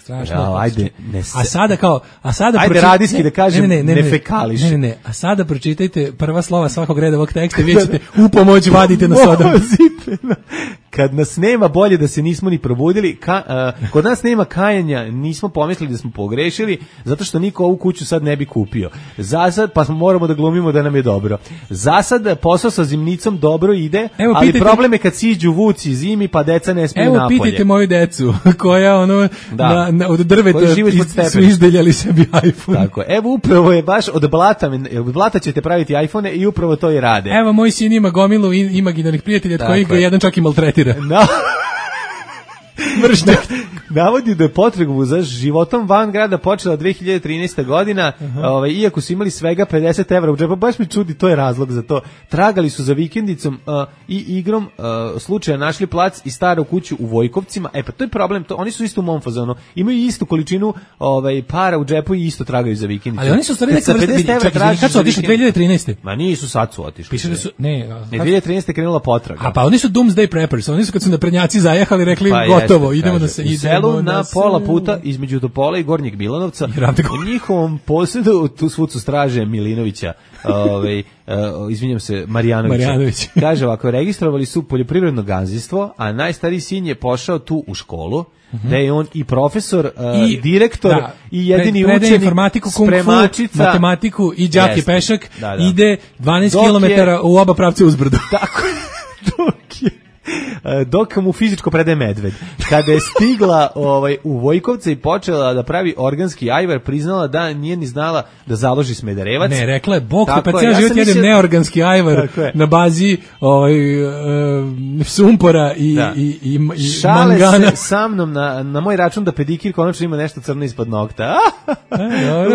Speaker 17: Strašno.
Speaker 6: Ja, ajde, ne se...
Speaker 17: A sada kao, a sada
Speaker 6: ajde
Speaker 17: pročit...
Speaker 6: radijski da kažem, ne, ne, ne, ne fekališ.
Speaker 17: Ne, ne, ne, a sada pročitajte prva slova svakog reda ovog teksta i vidjet ćete u pomoć vadite na sodom.
Speaker 6: Kad nas nema, bolje da se nismo ni probudili. Ka, uh, kod nas nema kajanja, nismo pomislili da smo pogrešili, zato što niko ovu kuću sad ne bi kupio. Zasad, pa moramo da glumimo da nam je dobro. Zasad, posao sa zimnicom dobro ide, evo, ali pitajte, problem je kad siđu vuci zimi, pa deca ne smiju napolje.
Speaker 17: Evo, pitajte moju decu, koja ono, da. na, na, od drveta su izdeljali sebi iPhone.
Speaker 6: Tako, evo, upravo je baš od blata, od blata ćete praviti iPhone i upravo to i rade.
Speaker 17: Evo, moj sin ima gomilu imaginarnih prijatelja, od kojih ga jedan čak i maltretira.
Speaker 6: No. Mržnjak. Navodi da je potrebu za životom van grada počela dve hiljade trinaesta godina, uh-huh. ovaj, iako su imali svega pedeset evra u džepu, baš mi čudi, to je razlog za to. Tragali su za vikendicom uh, i igrom uh, slučaja našli plac i staru kuću u Vojkovcima. E pa to je problem, to, oni su isto u mom fazonu, imaju istu količinu ovaj, para u džepu i isto tragaju za vikendicu.
Speaker 17: Ali oni su stvari neka vrsta, kad su otišli dve hiljade trinaeste?
Speaker 6: Ma nisu, sad su otišli.
Speaker 17: Piše da su, ne,
Speaker 6: ne dve hiljade trinaeste krenula potraga.
Speaker 17: A pa oni su doomsday preppers, oni su kad su naprednjaci zajehali rekli pa gotovo, idemo da se
Speaker 6: u selu na pola puta između Topola i Gornjeg Milanovca u njihovom posjedu tu svud su straže Milinovića, ovaj, uh, izvinjam se, Marijanovića.
Speaker 17: Marijanović.
Speaker 6: Kaže ovako, registrovali su poljoprivredno gazdinstvo, a najstariji sin je pošao tu u školu, uh-huh. da je on i profesor, uh, i direktor, da, i jedini
Speaker 17: pred,
Speaker 6: učenik,
Speaker 17: informatiku,
Speaker 6: spremačica,
Speaker 17: matematiku i đak i pešak,
Speaker 6: da, da.
Speaker 17: ide dvanaest kilometara u oba pravca uzbrdo.
Speaker 6: Tako je, dok je dok mu fizičko predaje medved. Kada je stigla ovaj, u Vojkovce i počela da pravi organski ajvar, priznala da nije ni znala da založi smederevac.
Speaker 17: Ne, rekla je, bok, pa cijel život jedem mislio... neorganski ajvar na bazi ovaj, uh, sumpora i,
Speaker 6: da.
Speaker 17: i, i, i
Speaker 6: Šale
Speaker 17: mangana.
Speaker 6: Se sa mnom na, na moj račun da pedikir konačno ima nešto crno ispod nokta.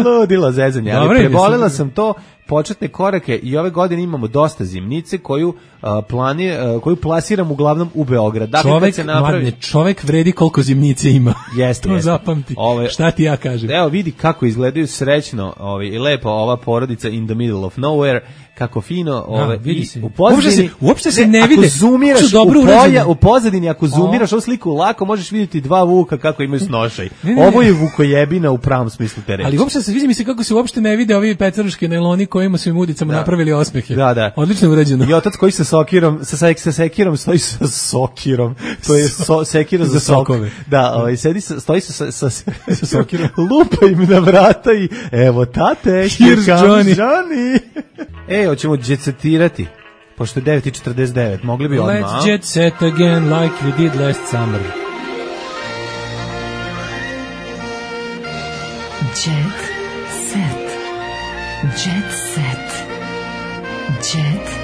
Speaker 6: Ludila zezanje, ali prebolila sam to početne korake i ove godine imamo dosta zimnice koju uh, plani, uh, koju plasiram uglavnom u Beograd. Dakle,
Speaker 17: čovek,
Speaker 6: se napravi...
Speaker 17: mladne, čovek vredi koliko zimnice ima.
Speaker 6: Jeste,
Speaker 17: to
Speaker 6: jeste.
Speaker 17: zapamti.
Speaker 6: Ove,
Speaker 17: šta ti ja kažem?
Speaker 6: Evo vidi kako izgledaju srećno ovaj, i lepo ova porodica in the middle of nowhere, kako fino ove,
Speaker 17: vidi
Speaker 6: i
Speaker 17: se.
Speaker 6: u pozadini
Speaker 17: uopšte se, uopšte se ne, ne vide.
Speaker 6: Ako zoomiraš u, polja, u pozadini, ako zoomiraš ovu sliku, lako možeš vidjeti dva vuka kako imaju snošaj. Ne, ne, ovo je vukojebina u pravom smislu te reči.
Speaker 17: Ali uopšte se vidi mi se kako se uopšte ne vide ovi pecaruški nailoni kojima su im udicama da. napravili osmehe.
Speaker 6: Da, da.
Speaker 17: Odlično urađeno.
Speaker 6: I otac koji sa sokirom, sa, sa sekirom stoji sa sokirom. To je so, sekira za, za sokove. Da, ovaj sedi sa, stoji sa sa, sa, sa sokirom. Lupa im na vrata i evo tate,
Speaker 17: here's Johnny.
Speaker 6: Johnny. Ej, hoćemo džetsetirati. Pošto je devet i četrdeset devet, mogli bi odmah.
Speaker 17: Let's jet set again like we did last summer.
Speaker 2: Jet set. Jet set. Jet set.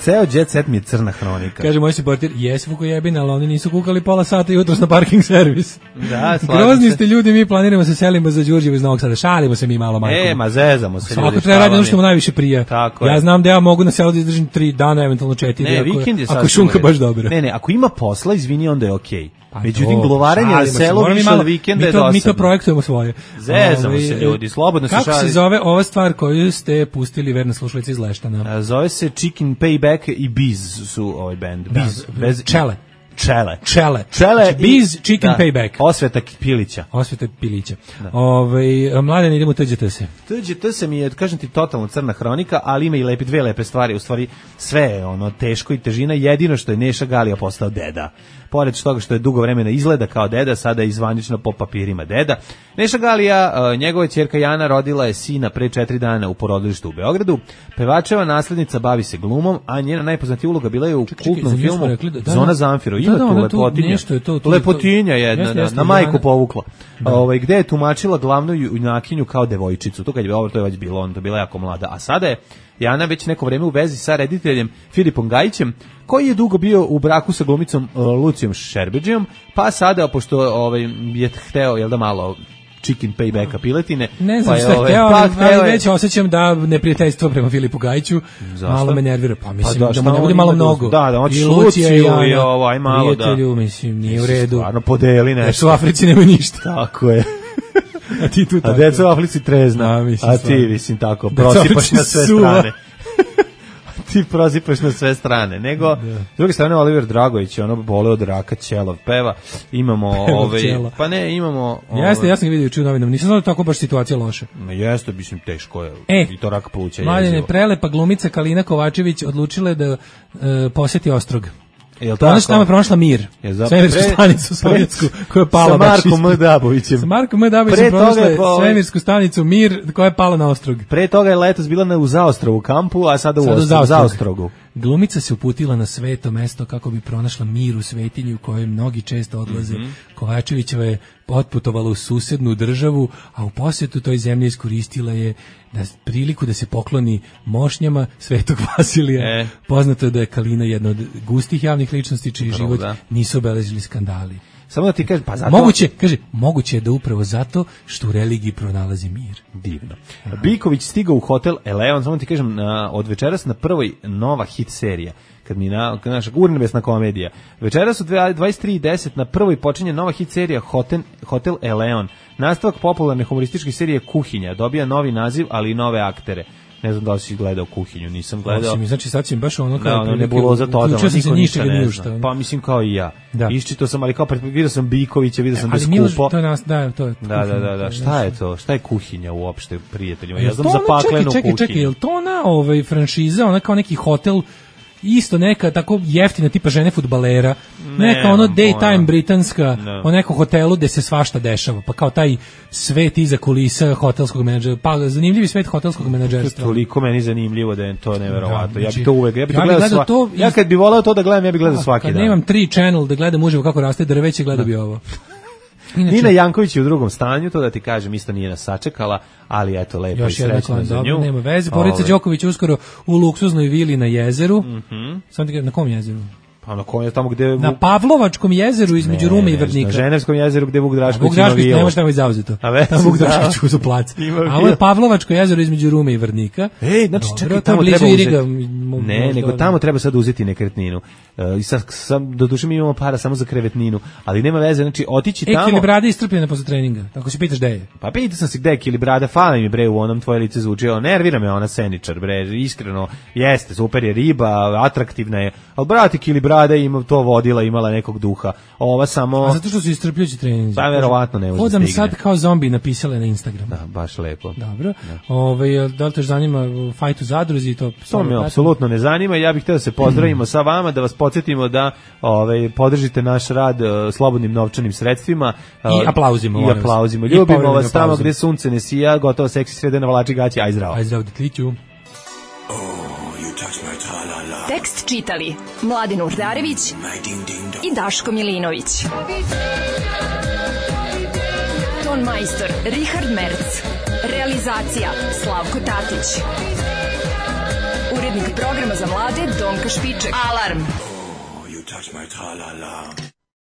Speaker 6: Ceo jet set mi je crna hronika.
Speaker 17: Kaže moj supporter, jes Vukojebina, ali oni nisu kukali pola sata jutros na parking servis.
Speaker 6: Da,
Speaker 17: grozni ste ljudi, mi planiramo se selimo za Đurđevo iz Novog Sada, šalimo se mi malo majkom.
Speaker 6: E, ma zezamo se.
Speaker 17: Svako treba raditi ono što mu najviše prija.
Speaker 6: Tako
Speaker 17: ja
Speaker 6: je.
Speaker 17: znam da ja mogu na selu da izdržim tri dana, eventualno četiri,
Speaker 6: ne,
Speaker 17: ako,
Speaker 6: vikend je
Speaker 17: ako šunka baš dobra.
Speaker 6: Ne, ne, ako ima posla, izvini, onda je okej. Okay.
Speaker 17: Pa
Speaker 6: međutim, glovarenje na selu više od vikenda je dosadno.
Speaker 17: Mi to projektujemo svoje.
Speaker 6: Zezamo se ljudi, slobodno se šali.
Speaker 17: Kako se zove ova stvar koju ste pustili verno slušalice iz Leštana?
Speaker 6: A, zove se Chicken Payback i Biz su ovaj band. Biz,
Speaker 17: da, bez čele.
Speaker 6: Čele.
Speaker 17: Čele.
Speaker 6: Čele
Speaker 17: znači, Biz Chicken
Speaker 6: da,
Speaker 17: Payback.
Speaker 6: Osveta Pilića.
Speaker 17: Osveta Pilića. Ovaj Mladen, idemo T Đ T se.
Speaker 6: T Đ T se mi je, kažem ti, totalno crna hronika, ali ima i lepe, dve lepe stvari. U stvari, sve je ono teško i težina. Jedino što je Neša Galija postao deda. Pored toga što je dugo vremena izgleda kao deda, sada je izvanično po papirima deda. Neša Galija, njegova ćerka Jana, rodila je sina pre četiri dana u porodilištu u Beogradu. Pevačeva naslednica bavi se glumom, a njena najpoznatija uloga bila je u ček, kultnom ček, filmu da, da, Zona Zamfiro. Ima da, da, tu lepotinja. Tu, to, tu, lepotinja jedna, jeste, jeste, na, na majku povukla. Ovaj, gde je tumačila glavnu junakinju kao devojčicu. To kad je ovo, to je već bilo, on to bila jako mlada. A sada je Jana već neko vreme u vezi sa rediteljem Filipom Gajićem, koji je dugo bio u braku sa glumicom uh, Lucijom Šerbeđijom, pa sada, pošto ovaj, je hteo, jel da malo chicken paybacka piletine.
Speaker 17: Ne znam
Speaker 6: pa
Speaker 17: šta je
Speaker 6: ovaj,
Speaker 17: hteo,
Speaker 6: pa
Speaker 17: ali, ali već osjećam da neprijateljstvo prema Filipu Gajiću malo me nervira. Pa mislim pa da, da mu ne bude malo mnogo.
Speaker 6: Da, da,
Speaker 17: i
Speaker 6: Luciju i, Jana, i ovaj malo da.
Speaker 17: Prijatelju, mislim, nije u redu.
Speaker 6: Stvarno podeli nešto.
Speaker 17: Jer su u Africi nema ništa.
Speaker 6: Tako je.
Speaker 17: A ti tu tako.
Speaker 6: A deca u Africi trezna.
Speaker 17: A, mislim,
Speaker 6: a ti, mislim, tako, prosipaš na sve strane. Ti prosipaš na sve strane. Nego, da. S druge strane, Oliver Dragović, ono bole od raka, Ćelov peva. Imamo, ovaj, pa ne, imamo... Ovaj,
Speaker 17: jeste, ja sam ga vidio čuo novinom. Nisam znao da tako baš situacija loša.
Speaker 6: No, jeste, mislim, teško je.
Speaker 17: E,
Speaker 6: i to rak pluća.
Speaker 17: Mladine, prelepa glumica Kalina Kovačević odlučila da uh, poseti Ostrog.
Speaker 6: Jel
Speaker 17: to ona što tamo je pronašla mir, svemirsku stanicu sovjetsku koja je pala
Speaker 6: sa Markom M. Dabovićem.
Speaker 17: Sa Markom M. Dabovićem pronašla svemirsku stanicu mir koja je pala na Ostrog.
Speaker 6: Pre toga je letos bila na, u Zaostrovu kampu, a sada u Zaostrogu. Zaostrogu.
Speaker 17: Glumica se uputila na sveto mesto kako bi pronašla mir u svetinji u kojoj mnogi često odlaze. Mm-hmm. Kovačevićeva je otputovala u susednu državu, a u posjetu toj zemlji iskoristila je da priliku da se pokloni mošnjama Svetog Vasilija. E. Poznato je da je Kalina jedna od gustih javnih ličnosti čiji upravo, život da. Nisu obeležili skandali.
Speaker 6: Samo da ti kažem, pa zato...
Speaker 17: Moguće, kaže, moguće je da upravo zato što u religiji pronalazi mir.
Speaker 6: Divno. Aha. Biković stigao u hotel Eleon, samo ti kažem, na, od večeras na prvoj nova hit serija. Kad mi na, naša urnebesna komedija. Večeras u dvadeset tri i deset na prvoj počinje nova hit serija Hotel, Hotel Eleon. Nastavak popularne humorističke serije Kuhinja. Dobija novi naziv, ali i nove aktere. Ne znam da li si gledao Kuhinju, nisam gledao.
Speaker 17: Osim, znači sad si baš ono kao...
Speaker 6: Da, ono nebuloza totalno, niko ništa ne zna.
Speaker 17: Šta,
Speaker 6: pa mislim kao i ja. Da. Iščitao sam, ali kao vidio sam Bikovića, vidio sam da je skupo.
Speaker 17: To nas, da, to je
Speaker 6: da, da, da, da. Šta je to? Šta je Kuhinja uopšte, prijateljima? Ja znam za paklenu kuhinju.
Speaker 17: Čekaj, čekaj, je li to ona ovaj, franšiza, ona kao neki hotel, isto neka tako jeftina tipa žene fudbalera, ne, neka ono daytime britanska, ne. O nekom hotelu gde se svašta dešava, pa kao taj svet iza kulisa hotelskog menadžera, pa zanimljivi svet hotelskog menadžerstva.
Speaker 6: To toliko meni zanimljivo da je to neverovatno. Da, znači, ja bih to uvek, ja bih ja to gledao, sva, to, ja kad bih voleo to da gledam, ja bih gledao svaki
Speaker 17: kad
Speaker 6: dan.
Speaker 17: Kad nemam tri channel da gledam uživo kako raste drveće, gledao bi ovo.
Speaker 6: Inače, Nina Janković je u drugom stanju, to da ti kažem, isto nije nas sačekala, ali eto, lepo i srećno za nju.
Speaker 17: Nema veze, Borica Đoković uskoro u luksuznoj vili na jezeru. Mm-hmm. Sam ti kažem, na kom jezeru?
Speaker 6: Pa na kom je tamo gde...
Speaker 17: Na Pavlovačkom jezeru između ne, Rume i Vrnika.
Speaker 6: Na Ženevskom jezeru gde Vuk Drašković
Speaker 17: ima vilu. Vuk Drašković ne može tamo izauzeto. Tamo Vuk Drašković u plac. A ovo je Pavlovačko jezero između Rume i Vrnika.
Speaker 6: Ej, znači čekaj, tamo treba uzeti... Ne, nego tamo treba sad uzeti nekretninu. I sad, sam, do duše mi imamo para samo za krevetninu, ali nema veze, znači otići tamo...
Speaker 17: E, Kilibrada istrpljena posle treninga, tako se pitaš gde je.
Speaker 6: Pa pitao sam se gde je Kilibrada, fala mi bre u onom tvoje lice zvuči, nervira me ona Seničar, bre, iskreno, jeste, super je riba, atraktivna je, ali brate, Kilibrada ima to vodila, imala nekog duha, ova samo...
Speaker 17: A zato što su istrpljujući treningi.
Speaker 6: Pa verovatno ne može stigne.
Speaker 17: Hodam sad kao zombi napisale na Instagram.
Speaker 6: Da, baš lepo.
Speaker 17: Dobro, Ove, da li te zanima fajt u zadruzi i to?
Speaker 6: To me apsolutno ne zanima, ja bih htio da se pozdravimo sa vama, da vas podsjetimo da ovaj podržite naš rad uh, slobodnim novčanim sredstvima
Speaker 17: uh, i aplauzimo.
Speaker 6: I aplauzimo. Ljubimo vas tamo gde sunce ne sija, gotovo seksi srede na vlači gaći, aj zdravo.
Speaker 17: Aj zdravo, detliću.
Speaker 2: Tekst čitali Mladin Urdarević i Daško Milinović. Ton majstor Richard Merc. Realizacija Slavko Tatić. Urednik programa za mlade Donka Špiček. Alarm! Oh, you touch my tra-la-la.